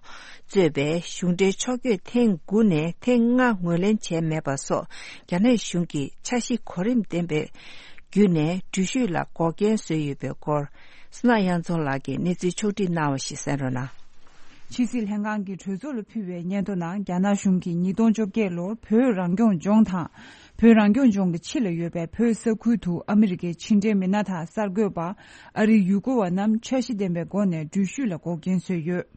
གཙོས་པའི་གཞུང་འབྲེལ་ཕྱོགས་བསྐྱོད་ཐེངས་དགུ་ནས་ཐེངས་ལྔ་ངོས་ལེན་བྱས་མེད་པ་སོགས། རྒྱ་ནག་གཞུང་གི་འཆར་གཞི་གོ་རིམ་ལྡན་པའི་བརྒྱུད་ནས་འགྲུལ་བཞུད་ལ་འགོག་རྐྱེན་བཟོས་ཡོད་པའི་སྐོར། སྣ་དབྱངས་འཛོམས་ལགས་ཀྱིས་གནས་ཚུལ་ཕྱོགས་བསྒྲིགས་གནང་བ་ཞིག་གསན་རོགས་གནང་། ཕྱི་སྲིད་ལྷན་ཁང་གིས་གྲོས་ཚོགས་ལ་ཕུལ་བའི་སྙན་ཐོ་ནང་། རྒྱ་ནག་གཞུང་གིས་ཉིས་སྟོང་བཅོ་བརྒྱད་ལོར་བོད་རང་སྐྱོང་ལྗོངས་དང་། བོད་རང་སྐྱོང་ལྗོངས་ཀྱི་ཕྱི་ལ་ཡོད་པའི་བོད་ས་ཁུལ་དུ་ཨ་མི་རི་ཀའི་ཕྱི་འབྲེལ་མི་སྣ་དང་གསར་འགོད་པ། ཨ་རིའི་ཡུལ་སྐོར་བ་རྣམས་འཆར་གཞི་ལྡན་པའི་སྒོ་ནས་འགྲུལ་བཞུད་ལ་འགོག་རྐྱེན་བཟོས་ཡོད།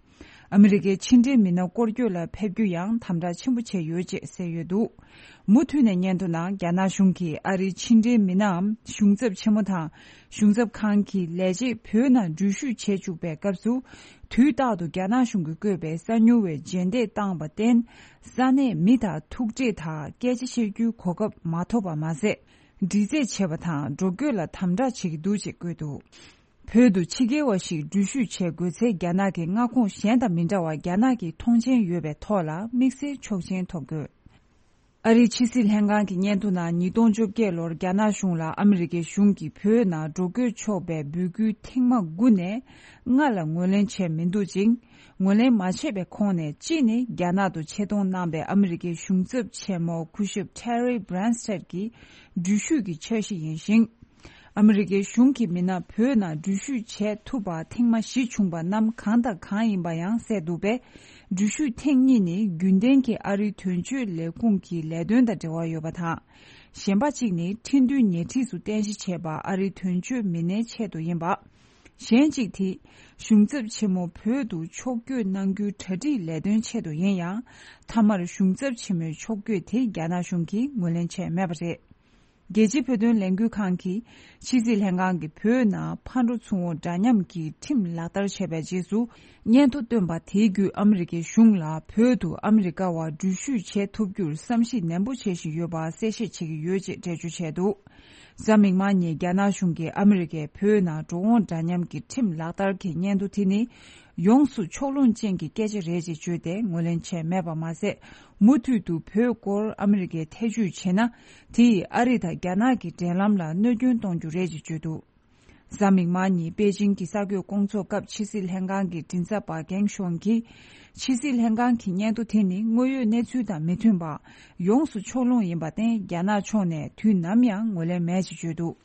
ཨ་མི་རི་ཀའི་ཕྱི་འབྲེལ་མི་སྣ་སྐོར་སྐྱོད་ལ་ཕེབས་རྒྱུ་ཡང་དམ་དྲག་ཆེན་པོ་བྱས་ཡོད་ཅེས་གསལ་ཡོད་འདུག། མུ་མཐུད་ནས་སྙན་ཐོ་ནང་། རྒྱ་ནག་གཞུང་གིས་ཨ་རིའི་ཕྱི་འབྲེལ་མི་སྣའམ་གཞུང་ཚབ་ཆེན་མོ་དང་། གཞུང་ཚབ་ཁང་གི་ལས་བྱེད་བོད་ནང་འགྲུལ་བཞུད་བྱེད་བཅུག་པའི་སྐབས་སུ། དུས་རྟག་ཏུ་རྒྱ་ནག་གཞུང་གིས་བཀོད་པའི་གསར་འགྱུར་བའི་རྗེས་འདེད་བཏང་བར་བརྟེན། ས་གནས་མི་དང་ཐུག་འཕྲད་དང་སྐད་ཆ་བཤད་རྒྱུའི་གོ་སྐབས་མ་ཐོབ་པ་མ་ཟད། འདྲི་རྩད་བྱེད་པ་དང་འགྲོ་སྐྱོད་ལ་དམ་དྲག་བྱེད་ཀྱི་འདུག་ཅེས་བཀོད་འདུག། བོད་དུ་ཕྱི་རྒྱལ་བ་ཞིག་འགྲུལ་བཞུད་བྱེད་དགོས་ཚེ། རྒྱ་ནག་གི་མངའ་ཁོངས་གཞན་དང་མི་འདྲ་བར་རྒྱ་ནག་གི་མཐོང་མཆན་ཡོད་པའི་ཐོག་ལ་དམིགས་བསལ་ཆོག་མཆན་ཐོབ་དགོས། ཨ་རིའི་ཕྱི་སྲིད་ལྷན་ཁང་གི་སྙན་ཐོ་ནང་། ཉིས་སྟོང་བཅོ་བརྒྱད་ལོར་རྒྱ་ནག་གཞུང་ལ་ཨ་མི་རི་ཀའི་གཞུང་གིས་བོད་ནང་འགྲོ་སྐྱོད་ཆོག་པའི་འབོད་སྐུལ་ཐེངས་མ་དགུ་ནས་ལྔ་ལ་ངོས་ལེན་བྱས་མི་འདུག་ཅིང་། ངོས་ལེན་མ་བྱས་པའི་ཁོངས་ནས་གཅིག་ནི། རྒྱ་ནག་ཏུ་ཆེད་གཏོང་གནང་པའི་ཨ་མི་རི་ཀའི་གཞུང་ཚབ་ཆེན་མོ་སྐུ་ཞབས་Terry Branstad་གྱི་འགྲུལ་བཞུད་ཀྱི་འཆར་གཞི་ཡིན་ཞིང་། ཨ་མི་རི་ཀའི་གཞུང་གི་མི་སྣ་བོད་ནང་འགྲུལ་བཞུད་བྱེད་ཐུབ་པ་ཐེངས་མ་བཞི་བྱུང་བ་རྣམས་གང་དང་གང་ཡིན་པ་ཡང་གསལ་འདུག་པས། འགྲུལ་བཞུད་ཐེངས་གཉིས་ནི་རྒྱུན་ལྡན་གྱི་ཨ་རིའི་དོན་གཅོད་ལས་ཁུངས་ཀྱི་ལས་དོན་དང་འབྲེལ་བ་ཡོད་པ་དང་། གཞན་པ་གཅིག་ནི་ཁྲིན་ཏུའུ་ཉེ་འཁྲིས་སུ་རྟེན་གཞི་བྱས་པ་ཨ་རིའི་དོན་གཅོད་མི་སྣའི་ཆེད་དུ་ཡིན་པ། གཞན་གཅིག་དེ། གཞུང་ཚབ་ཆེན་མོ་བོད་དུ་ཕྱོགས་བསྐྱོད་གནང་རྒྱུའི་གྲ་སྒྲིག་ལས་དོན་ཆེད་དུ་ཡིན་ཡང་། མཐའ་མར་གཞུང་ཚབ་ཆེན་མོའི་ཕྱོགས་བསྐྱོད་དེ་རྒྱ་ནག་གཞུང་གིས་ངོས་ལེན་བྱས་མེད་པ་རེད། རྒྱལ་སྤྱིའི་བོད་དོན་ལས་འགུལ་ཁང་གིས་ཕྱི་སྲིད་ལྷན་ཁང་གིས་བོད་ནང་ཕར་འགྲོ་ཚུར་འོང་འདྲ་མཉམ་གྱི་ཁྲིམས་ལག་བསྟར་བྱས་པའི་རྗེས་སུ། སྙན་ཐོ་བཏོན་པ་དེའི་བརྒྱུད་ཨ་མི་རི་ཀའི་གཞུང་ལ་བོད་དུ་ཨ་མི་རི་ཀ་བ་འགྲུལ་བཞུད་བྱེད་ཐུབ་རྒྱུར་བསམ་གཞིག་ནན་པོ་བྱེད་བཞིན་ཡོད་པ་གསལ་བཤད་བྱེད་ཀྱི་ཡོད་ཅེས་འགྲེལ་བརྗོད་བྱས་འདུག་གཟའ་མིག་དམར་ཉིན་རྒྱ་ནག་གཞུང་གིས་ཨ་མི་རི་ཀས་བོད་ནང་འགྲོ་འོང་འདྲ་མཉམ་གྱི་ཁྲིམས་ལག་བསྟར་གྱི་སྙན་ཐོ་དེ་ནི། ཡོངས་སུ་ཕྱོགས་ལྷུང་ཅན་གྱི་སྐད་ཆ་རེད་ཅེས་བརྗོད་དེ་ངོས་ལེན་བྱས་མེད་པ་མ་ཟད། མུ་མཐུད་དུ་བོད་སྐོར་ཨ་མི་རི་ཀས་ཐེ་བྱུས་བྱས་ན། དེ་ཡིས་ཨ་རི་དང་རྒྱ་ནག་གི་འབྲེལ་ལམ་ལ་གནོད་སྐྱོན་གཏོང་རྒྱུ་རེད་ཅེས་བརྗོད་འདུག་གཟའ་མིག་དམར་ཉིན་པེ་ཅིང་གི་གསར་འགོད་སྐོང་ཚོགས་སྐབས་ཕྱི་སྲིད་ལྷན་ཁང་གི་མགྲིན་ཚབ་པ་གེང་ཤོང་གིས། ཕྱི་སྲིད་ལྷན་ཁང་གི་སྙན་ཐོ་དེ་ནི་དངོས་ཡོད་གནས་ཚུལ་དང་མི་མཐུན་པ། ཡོངས་སུ་ཕྱོགས་ལྷུང་ཡིན་པར་བརྟེན། རྒྱ་ནག་ཕྱོགས་ནས་དུས་ནམ་ཡང་ངོས་ལེན་མེད་ཅེས་བརྗོད་འདུག་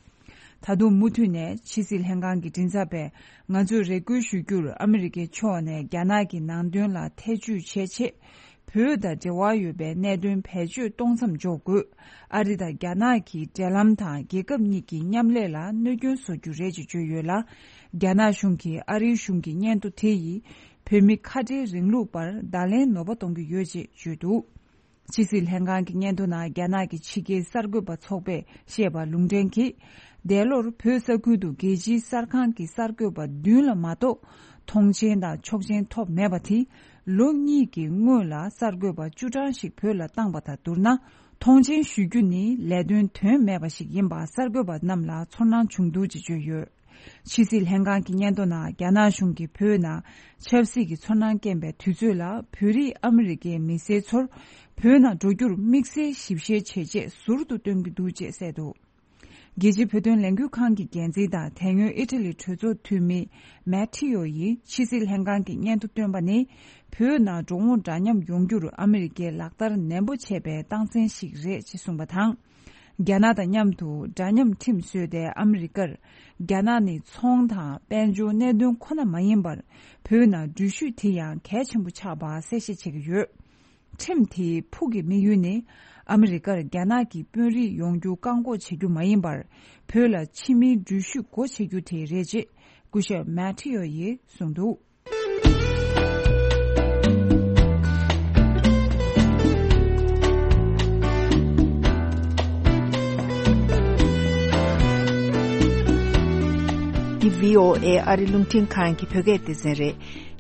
ད་དུང་མུ་མཐུད་ནས་ཕྱི་སྲིད་ལྷན་ཁང་གི་མགྲིན་ཚབ་པས། ང་ཚོས་རེ་སྐུལ་ཞུ་རྒྱུར། ཨ་མི་རི་ཀའི་ཕྱོགས་ནས་རྒྱ་ནག་གི་ནང་དོན་ལ་ཐེ་བྱུས་བྱེད་ཆེད། བོད་དང་འབྲེལ་བ་ཡོད་པའི་གནད་དོན་བེད་སྤྱོད་གཏོང་མཚམས་འཇོག་དགོས། ཨ་རི་དང་རྒྱ་ནག་གི་འབྲེལ་ལམ་དང་། རྒྱལ་ཁབ་གཉིས་ཀྱི་མཉམ་ལས་ལ་གནོད་སྐྱོན་བཟོ་རྒྱུ་རེད་ཅེས་བརྗོད་ཡོད་ལ། རྒྱ་ནག་གཞུང་གིས་ཨ་རིའི་གཞུང་གི་སྙན་ཐོ་དེ་ཡིས། བོད་མི་ཁ་བྲལ་རིང་ལུགས་པར་བརྡ་ལན་ནོར་བ་གཏོང་གི་ཡོད་ཅེས་བརྗོད་འདུག་ཕྱི་སྲིད་ལྷན་ཁང་གི་སྙན་ཐོ་ནང་རྒྱ་ནག་གི་ཕྱི་རྒྱལ་གསར་འགོད་པ་ཚོགས་པས་བཤད་པ་ལུང་འདྲེན་གྱིས། འདས་ལོར་བོད་ས་ཁུལ་དུ་རྒྱལ་སྤྱིའི་གསར་ཁང་གི་གསར་འགོད་པ་བདུན་ལ་མ་གཏོགས། མཐོང་མཆན་དང་ཆོག་མཆན་ཐོབ་མེད་པ་དེས། ལོ་གཉིས་ཀྱི་སྔོན་ལ་གསར་འགོད་པ་བཅུ་གྲངས་ཤིག་བོད་ལ་བཏང་པ་དང་བསྡུར་ན། མཐོང་མཆན་ཞུ་རྒྱུ་ནི་ལས་དོན་དོན་མེད་པ་ཞིག་ཡིན་པ་གསར་འགོད་པ་རྣམས་ལ་ཚོར་སྣང་བྱུང་འདུག་ཅེས་བརྗོད་ཡོད། ཕྱི་སྲིད་ལྷན་ཁང་གི་སྙན་ཐོ་ནང་རྒྱ་ནག་གཞུང་གིས་བོད་ནང་ཆབ་སྲིད་ཀྱི་ཚོར་སྣང་སྐྱེན་པའི་དུས་ཚོད་ལ། བོད་རིགས་ཨ་མི་རི་ཀའི་མི་སེར་ཚོར་བོད་ནང་འགྲོ་རྒྱུར་དམིགས་བསལ་ཞིབ་བཤེར་བྱེད་ཆེད་ཟུར་དུ་སྟོན་གྱི་འདུག་ཅེས་གསལ་འདུག་རྒྱལ་སྤྱིའི་བོད་དོན་ལས་འགུལ་ཁང་གི་འགན་འཛིན་དང་དེ་སྔོན་ཨི་ཊ་ལི་གྲོས་ཚོགས་འཐུས་མི་མེ་ཐི་ཡོ་ཡིས་ཕྱི་སྲིད་ལྷན་ཁང་གི་སྙན་ཐོ་བཏོན་པ་ནི། བོད་ནང་འགྲོ་འོང་འདྲ་མཉམ་ཡོང་རྒྱུར་ཨ་མི་རི་ཀས་ལག་བསྟར་ནན་པོ་བྱས་པའི་རྟགས་མཚན་ཞིག་རེད་ཅེས་གསུངས་པ་དང་། རྒྱ་ནག་དང་མཉམ་དུ་འདྲ་མཉམ་ཁྲིམས་བཟོས་ཏེ། ཨ་མི་རི་ཀར་རྒྱ་ནག་ནི་ཚོང་དང་དཔལ་འབྱོར་གནད་དོན་ཁོ་ན་མ་ཡིན་པར། བོད་ནང་འགྲུལ་བཞུད་དེ་ཡང་གལ་ཆེན་པོ་ཆགས་པ་གསལ་བཤད་བྱེད་ཀྱི་ཡོད། ཁྲིམས་དེའི་ཕུགས་ཀྱི་དམིགས་ཡུལ་ནི། ཨ་མི་རི་ཀར་རྒྱ་ནག་གི་དཔོན་རིགས་ཡོང་རྒྱུ་བཀག་འགོག་བྱེད་རྒྱུ་མ་ཡིན་པར། བོད་ལ་ཕྱི་མིའི་འགྲུལ་བཞུད་སྒོ་ཕྱེ་རྒྱུ་དེ་རེད་ཅེས་སྐུ་ཞབས་མེ་ཐི་ཡོ་ཡིས་གསུངས་འདུག་འདི་བྷི་ཨོ་ཨེ་ཨ་རི་རླུང་འཕྲིན་ཁང་གི་བོད་སྐད་སྡེ་ཚན་རེད།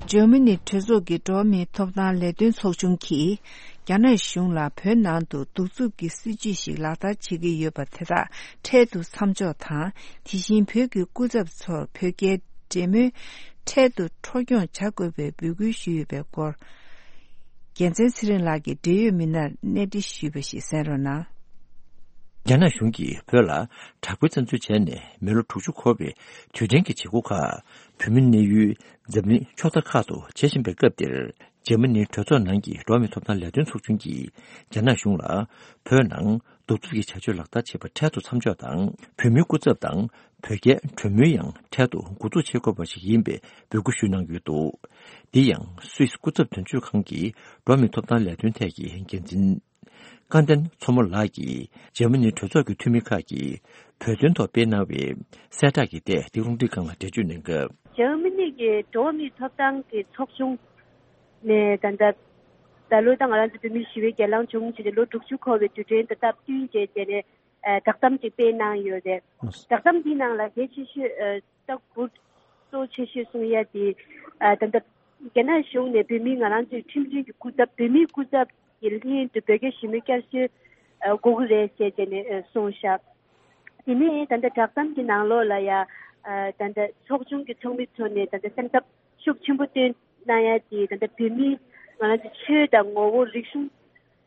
འཇར་མ་ནི་གྲོས་ཚོགས་ཀྱི་འགྲོ་བ་མིའི་ཐོབ་ཐང་ལས་དོན་ཚོགས་ཆུང་གིས། རྒྱ་ནག་གཞུང་ལ་བོད་ནང་དུ་གདུག་རྩུབ་ཀྱི་སྲིད་བྱུས་ཤིག་ལག་བསྟར་བྱེད་ཀྱི་ཡོད་པ་དེ་དག་འཕྲལ་དུ་མཚམས་འཇོག་དང་། དེ་བཞིན་བོད་ཀྱི་སྐུ་ཚབ་ཚོར་བོད་རྒྱའི་འབྲེལ་མོལ་འཕྲལ་དུ་འཕྲོ་སྐྱོང་བྱ་དགོས་པའི་འབོད་སྐུལ་ཞུས་ཡོད་པའི་སྐོར། རྒྱལ་མཚན་ཚེ་རིང་ལགས་ཀྱིས་འབྲེལ་ཡོད་མི་སྣར་གནས་འདྲི་ཞུས་པ་ཞིག་གསན་རོགས་གནང་། རྒྱ་ནག་གཞུང་གིས་བོད་ལ་དྲག་པོའི་བཙན་འཛུལ་བྱས་ནས་མི་ལོ་དྲུག་ཅུ་འཁོར་བའི་དུས་དྲན་གྱི་བྱེད་སྒོ་ཁག་བོད་མིའི་གནས་ཡུལ་འཛམ་གླིང་ཕྱོགས་མཐའ་ཁག་ཏུ་བྱེད་བཞིན་པའི་སྐབས་འདིར། འཇར་མ་ནིའི་གྲོས་ཚོགས་ནང་གི་འགྲོ་བ་མིའི་ཐོབ་ཐང་ལས་དོན་ཚོགས་ཆུང་གིས་རྒྱ་ནག་གཞུང་ལ་བོད་ནང་གདུག་རྩུབ་ཀྱི་བྱ་སྤྱོད་ལག་བསྟར་བྱེད་པ་འཕྲལ་དུ་མཚམས་འཇོག་དང་། བོད་མིའི་སྐུ་ཚབ་དང་བོད་རྒྱའི་གྲོས་མོལ་ཡང་འཕྲལ་དུ་འགོ་འཛུགས་བྱེད་དགོས་པ་ཞིག་ཡིན་པའི་འབོད་སྐུལ་ཞུས་གནང་ཡོད་འདུག་འདི་ཡང་སུད་སི་སྐུ་ཚབ་དོན་གཅོད་ཁང་གི་འགྲོ་བ་མིའི་ཐོབ་ཐང་ལས་དོན་ཐད་ཀྱི་འགན་འཛིན། སྐལ་ལྡན་མཚོ་མོ་ལགས་ཀྱིས་འཇར་མ་ནིའི་གྲོས་ཚོགས་ཀྱི་འཐུས་མི་ཁག་གིས་བོད་དོན་ཐོག་སྤེལ་གནང་བའི་གསལ་བསྒྲགས་ཀྱི་ཐད་འདི་རླུང་འཕྲིན་ཁང་ལ་འགྲེལ་བརྗོད་གནང་སྐབས། འཇར་མ་ནི་གི་འགྲོ་བ་མིའི་ཐོབ་ཐང་གི་ཚོགས་ཆུང་ནས་ད་ལྟ་ད་ལོ་ད་ང་རང་ཚོ་བོད་མིའི་ཞི་བའི་གྱེན་ལངས་བྱུང་བྱས་ཏེ་ལོ་དྲུག་ཅུ་འཁོར་བའི་དུས་དྲན་དང་སྟབས་བསྟུན་བྱས་བྱས་ནས་བསྒྲགས་གཏམ་ཅིག་སྤེལ་གནང་ཡོད་རེད། བསྒྲགས་གཏམ་འདིའི་ནང་ལ་གལ་ཆེ་ཤོས་ད་འུ་གཙོ་ཆེ་ཤོས་གསུང་ཡ་དེ་ད་ལྟ་རྒྱ་ནག་གཞུང་ནས་བོད་མིའི་ང་རང་ཚོའི་ཁྲིམས་མཐུན་གྱི་སྐུ་ཚབ་བོད་མིའི་སྐུ་ཚབ་ཀྱི་ལྷན་དུ་བོད་རྒྱ་ཞི་མོལ་བསྐྱར་གསོའི་དགོས་ཀྱི་རེད་ཟེར་བྱས་ནས་གསུངས་ཤག་དེ་ནས་ད་ལྟ་བསྒྲགས་གཏམ་གྱི་ནང་ལོགས་ལ་ཡ་ད་ལྟ་ཚོགས་ཆུང་གི་ཚོགས་མི་ཚོ་ནས་ད་ལྟ་སེམས་འཚབ་ཤུགས་ཆེན་པོ་བཏོན་གནང་ཡ་དེ་ད་ལྟ་བོད་མིའི་ང་རང་ཚོ་ཆོས་དང་ངོ་བོ་རིག་གཞུང་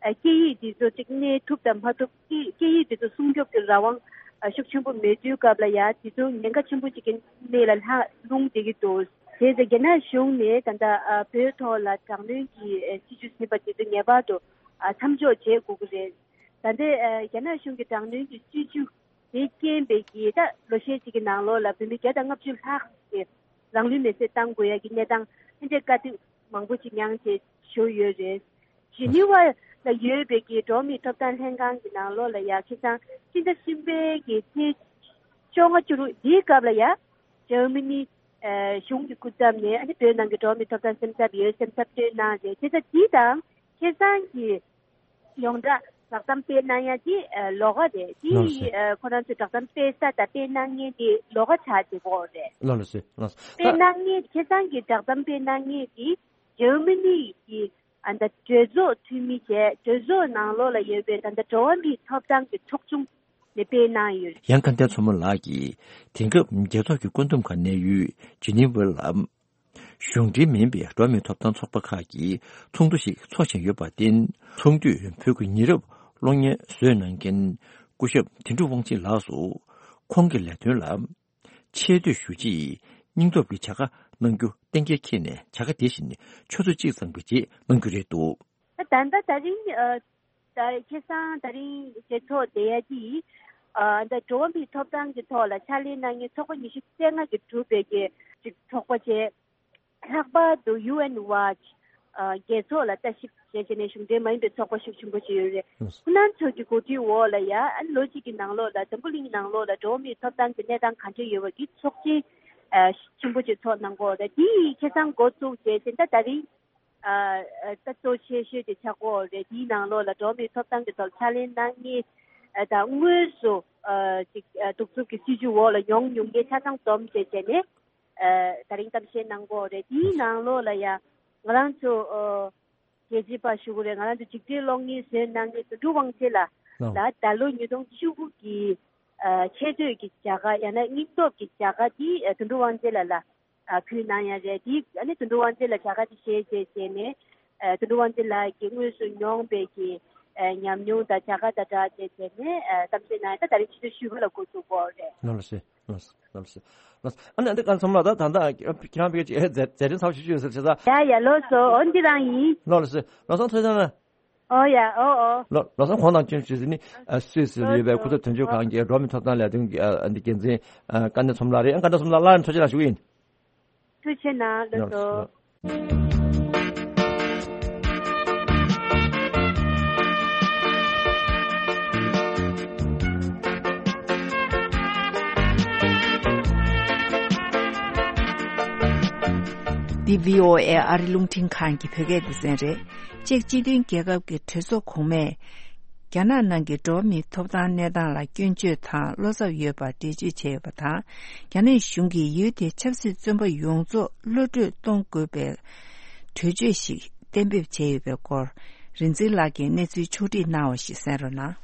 སྐད་ཡིག་འདི་ཚོ་གཅིག་གནས་ཐུབ་དང་མ་ཐུབ་སྐད་སྐད་ཡིག་འདི་ཚོ་སྲུང་སྐྱོབ་ཀྱི་རང་དབང་ཤུགས་ཆེན་པོ་མེད་དུས་སྐབས་ལ་ཡ་དེ་ཚོ་ཉེན་ཁ་ཆེན་པོ་ཅིག་གི་གནས་ལ་ལྷག་ལྷུང་བསྡད་ཀྱི་འདུག་དེ་ཚེ་རྒྱ་ནག་གཞུང་ནས་ད་ལྟ་བོད་ཐོག་ལ་དྲག་གནོན་གྱི་སྲིད་བྱུས་ཟིན་པ་དེ་ཚོ་ངེས་པར་དུ་མཚམས་འཇོག་བྱེད་དགོས་ཀྱི་རེད། ད་ལྟའི་རྒྱ་ནག་གཞུང་གི་དྲག་གནོན་གྱི་སྲིད་བྱུས་དེ་རྐྱེན་པས་ཀྱིས་ད་ལོ་ཤས་ཅིག་གི་ནང་ལོགས་ལ་བོད་མི་བརྒྱ་དང་ལྔ་བཅུ་ལྷག་ཅིག་རང་ལུས་མེར་སྲེག་བཏང་དགོས་ཡ་གི་གནས་སྟངས་ཕན་ཆད་དཀའ་སྡུག་མང་པོ་ཅིག་མྱངས་བྱས་བཞུགས་ཡོད་རེད། ཇི་ནི་ཝ་ལ་ཡོད་པའི་གི་འགྲོ་བ་མིའི་ཐོབ་ཐང་ལྷན་ཁང་གི་ནང་ལོགས་ལ་ཡ་ཁ་སང་སྤྱི་ཟླ་གསུམ་པའི་གི་ཚེས་བཅོ་ལྔ་བཅུ་དྲུག་འདིའི་སྐབས་ལ་ཡ་འཇར་མ་ནི་ ཨ་གཞུང་གི་སྐུ་ཚབ་ནས་ཨ་ནི་བོད་ནང་གི་འགྲོ་བ་མིའི་ཐོབ་ཐང་སེམས་འཚབ་ཡོད་སེམས་འཚབ་བཏོན་གནང་རེད། བྱས་ཙང་འདི་དང་ཁེ་སང་གི་ཡོངས་གྲགས་བསྒྲགས་གཏམ་སྤེལ་གནང་ཡ་དེ་ཨ་ལོགས་ཀ་རེད། དེ་ལགས་སོ། ཨ་ཁོ་རང་ཚོས་བསྒྲགས་གཏམ་སྤེལ་ས་དང་སྤེལ་གནང་མཁན་དེ་ལོགས་ཀ་ཆགས་བསྡད་ཀྱི་ཡོད་རེད། ལགས་ལགས་སོ། ལགས་སོ། སྤེལ་གནང་མཁན་ཁེ་སང་གི་བསྒྲགས་གཏམ་སྤེལ་གནང་མཁན་དེ་འཇར་མ་ནི་གི་ཨ་ད་གྲོས་ཚོགས་འཐུས་མི་བྱས། གྲོས་ཚོགས་ནང་ལོགས་ལ་ཡོད་པའི་ད་ལྟ་འགྲོ་བ་མིའི་ཐོབ་ཐང་གི་ཚོགས་ཆུང་ནས་སྤེལ་གནང་ཡོད། ཡང་སྐལ་ལྡན་མཚོ་མོ་ལགས་ཀྱིས་དེང་སྐབས་རྒྱལ་ཚོགས་ཀྱི་བཀོད་འདོམས་ཁང་གནས་ཡུལ་ཇི་ནི་ཝར་ལ་གཞུང་འབྲེལ་མིན་པའི་འགྲོ་བ་མིའི་ཐོབ་ཐང་ཚོགས་པ་ཁག་གི་ཚོགས་འདུ་ཞིག་འཚོགས་བཞིན་ཡོད་པར་བརྟེན། ཚོགས་འདུས་བོད་ཀྱི་ཉེ་རབས་གློག་བརྙན་བཟོས་གནང་མཁན་སྐུ་ཞབས་དོན་གྲུབ་དབང་ཆེན་ལགས་སུ་ཁོང་གི་ལས་དོན་ལ་ཆེ་བསྟོད་ཞུ་ཆེད་སྙིང་སྟོབས་ཀྱི་བྱ་དགའ་གནང་རྒྱུ་གཏན་འཁེལ་འཁེལ་ནས་བྱ་དགའ་དེ་བཞིན་ཆུ་ཚོད་གཅིག་ཙམ་གྱི་རྗེས་གནང་རྒྱུ་རེད་འདུག། ད་ད་ལྟ་ད་རིང་ཨ་ད་ཁེ་སང་ད་རིང་རྒྱལ་ཚོགས་བསྡད་ཡ་དེ་ཨ་ད་འགྲོ་བ་མིའི་ཐོབ་ཐང་གི་ཐོག་ལ་ཕྱག་ལས་གནང་མཁན་ཚོགས་པ་ཉི་ཤུ་རྩ་ལྔ་གིས་གྲུབ་པའི་གི་ཅིག་ཚོགས་པ་བྱས། ལྷག་པར་དུ་ཡུ་ཨེན་ཝཱཆ་ཨ་རྒྱལ་ཚོགས་ལ་ལྟ་ཞིབ་བྱས་བྱས་ནས་གཞུང་འབྲེལ་མ་ཡིན་པའི་ཚོགས་པ་ཤུགས་ཆེན་པོ་ཞིག་ཡོད་རེད། ཁོ་རང་ཚོ་གི་གོ་སྒྲིག་འོག་ལ་ཡ་ཨ་ནི་ལོ་གཅིག་གི་ནང་ལོགས་ལ་འཛམ་བུ་གླིང་ནང་ལོགས་ལ་འགྲོ་བ་མིའི་ཐོབ་ཐང་གི་གནས་སྟངས་ག་འདྲ་ཡོད་པ་གི་ཚོགས་ཆེན་ཨ་ཆེན་པོ་ཅིག་ཚོགས་གནང་གི་ཡོད་རེད། དེ་ཡི་ཁེ་སང་འགོ་བཙུགས་བྱས་ཟིན་ད་ད་རིང་ཨ་ཨ་ད་གཙོ་ཆེ་ཤོས་དེ་ཆགས་ཀྱི་ཡོད་རེད། དེའི་ནང་ལོགས་ལ་འགྲོ་བ་མིའི་ཐོབ་ཐང་གི་ཐོག་ཕྱག་ལས་གནང་མཁན་ཨ་ད་དངོས་སུ་ཨ་ཅིག་ཨ་གདུག་རྩུབ་ཀྱི་སྲིད་བྱུས་འོག་ལ་མྱོང་མྱོང་མཁན་ཆ་ཚང་འཛོམས་བྱས་བྱས་ནས། ཨ་ད་རིང་གཏམ་བཤད་གནང་གི་ཡོད་རེད། དེའི་ནང་ལོགས་ལ་ཡ་ང་རང་ཚོ་ཨ་རྒྱལ་གཅེས་པ་ཞུ་གི་རེད། ང་རང་ཚོ་འཇིགས་བྲལ་གློག་བརྙན་བཟོས་གནང་མཁན་དོན་གྲུབ་དབང་ཆེན་ལགས་ལ་ད་ལོ་ཉིས་སྟོང་བཅུ་དགུ་གི་ཨ་ཆེ་བསྟོད་ཀྱི་བྱ་དགའ་ཡང་ན་སྙིང་སྟོབས་ཀྱི་བྱ་དགའ་འདི་ཨ་དོན་གྲུབ་དབང་ཆེན་ལགས་ལ་ཨ་ཕུལ་གནང་ཡ་རེད། དེ་ཨ་ནི་དོན་གྲུབ་དབང་ཆེན་ལགས་བྱ་དགའ་དེ་བཞེས་བྱས་བྱས་ནས་ཨ་དོན་གྲུབ་དབང་ཆེན་ལགས་ཀྱིས་དངོས་སུ་མྱོང་བའི་གི་ཨ་ཉམས་མྱོང་དང་བྱ་དགའ་དང་སྦྲགས་བྱས་བྱས་ནས་ཨ་གཏམ་བཤད་གནང་ཡ་ད་ད་རིང་ཕྱི་ཚེས་བཞི་པ་ལ་འགོ་འཛུགས་ཀྱི་ཡོད་རེད། ལགས་སོ། ལགས་སོ། ལགས་སོ། ལགས་སོ། ཨ་ནི་ཨ་འདི་ག་ཚོམ་ལ་ད་ད་ད་ཁྱེད་རང་བེད་ཀྱི་མཛད་མཛད་རིམ་ཚབས་ཆེ་ཤོས་ཟེར་བྱས་ཙང་། ཡ་ཡ་ལགས་སོ། འོ་འདི་རང་ཡིན། ལགས་སོ། ལགས་སོ་ཐུགས་རྗེ་གནང་། ཨོ་ཡ་ཨོ་ཨོ། ལགས་ལགས་སོ། ཁོང་དང་ཁྱོད་ཆུ་ཟིན་ནི་ཨ་སུད་སི་ལ་ཡོད་པའི་སྐུ་ཚབ་དོན་གཅོད་ཁང་གི་འགྲོ་བ་མིའི་ཐོབ་ཐང་ལས་དོན་གྱི་ཨ་འདི་འགན་འཛིན་ཨ་སྐལ་ལྡན་ཚོམ་ལགས་རེད། ཨ་སྐལ་ལྡན་ཚོམ་ལགས་སླར་ཡང་ཐུགས་རྗེ་གནང་ཞུ་གི་ཡིན། ཐུགས་རྗེ་གནང་། ལགས་སོ། འདི་བྷི་ཨོ་ཨེ་ཨ་རི་རླུང་འཕྲིན་ཁང་གི་བོད་སྐད་སྡེ་ཚན་རེད། ཅེཀ་སྤྱི་མཐུན་རྒྱལ་ཁབ་ཀྱི་གྲོས་ཚོགས་གོང་མས། རྒྱ་ནག་ནང་གི་འགྲོ་བ་མིའི་ཐོབ་ཐང་གནས་སྟངས་ལ་སྐྱོན་བརྗོད་དང་བློ་འཚབ་ཡོད་པར་འགྲེལ་བརྗོད་བྱས་ཡོད་པ་དང་། རྒྱ་ནག་གཞུང་གིས་ཡུལ་དེའི་ཆབ་སྲིད་བཙོན་པ་ཡོངས་རྫོགས་གློད་བཀྲོལ་གཏོང་དགོས་པའི་གྲོས་ཆོད་ཞིག་གཏན་འབེབས་བྱས་ཡོད་པའི་སྐོར། རིག་འཛིན་ལགས་ཀྱིས་གནས་ཚུལ་ཕྱོགས་བསྒྲིགས་གནང་བ་ཞིག་གསན་རོགས་གནང་།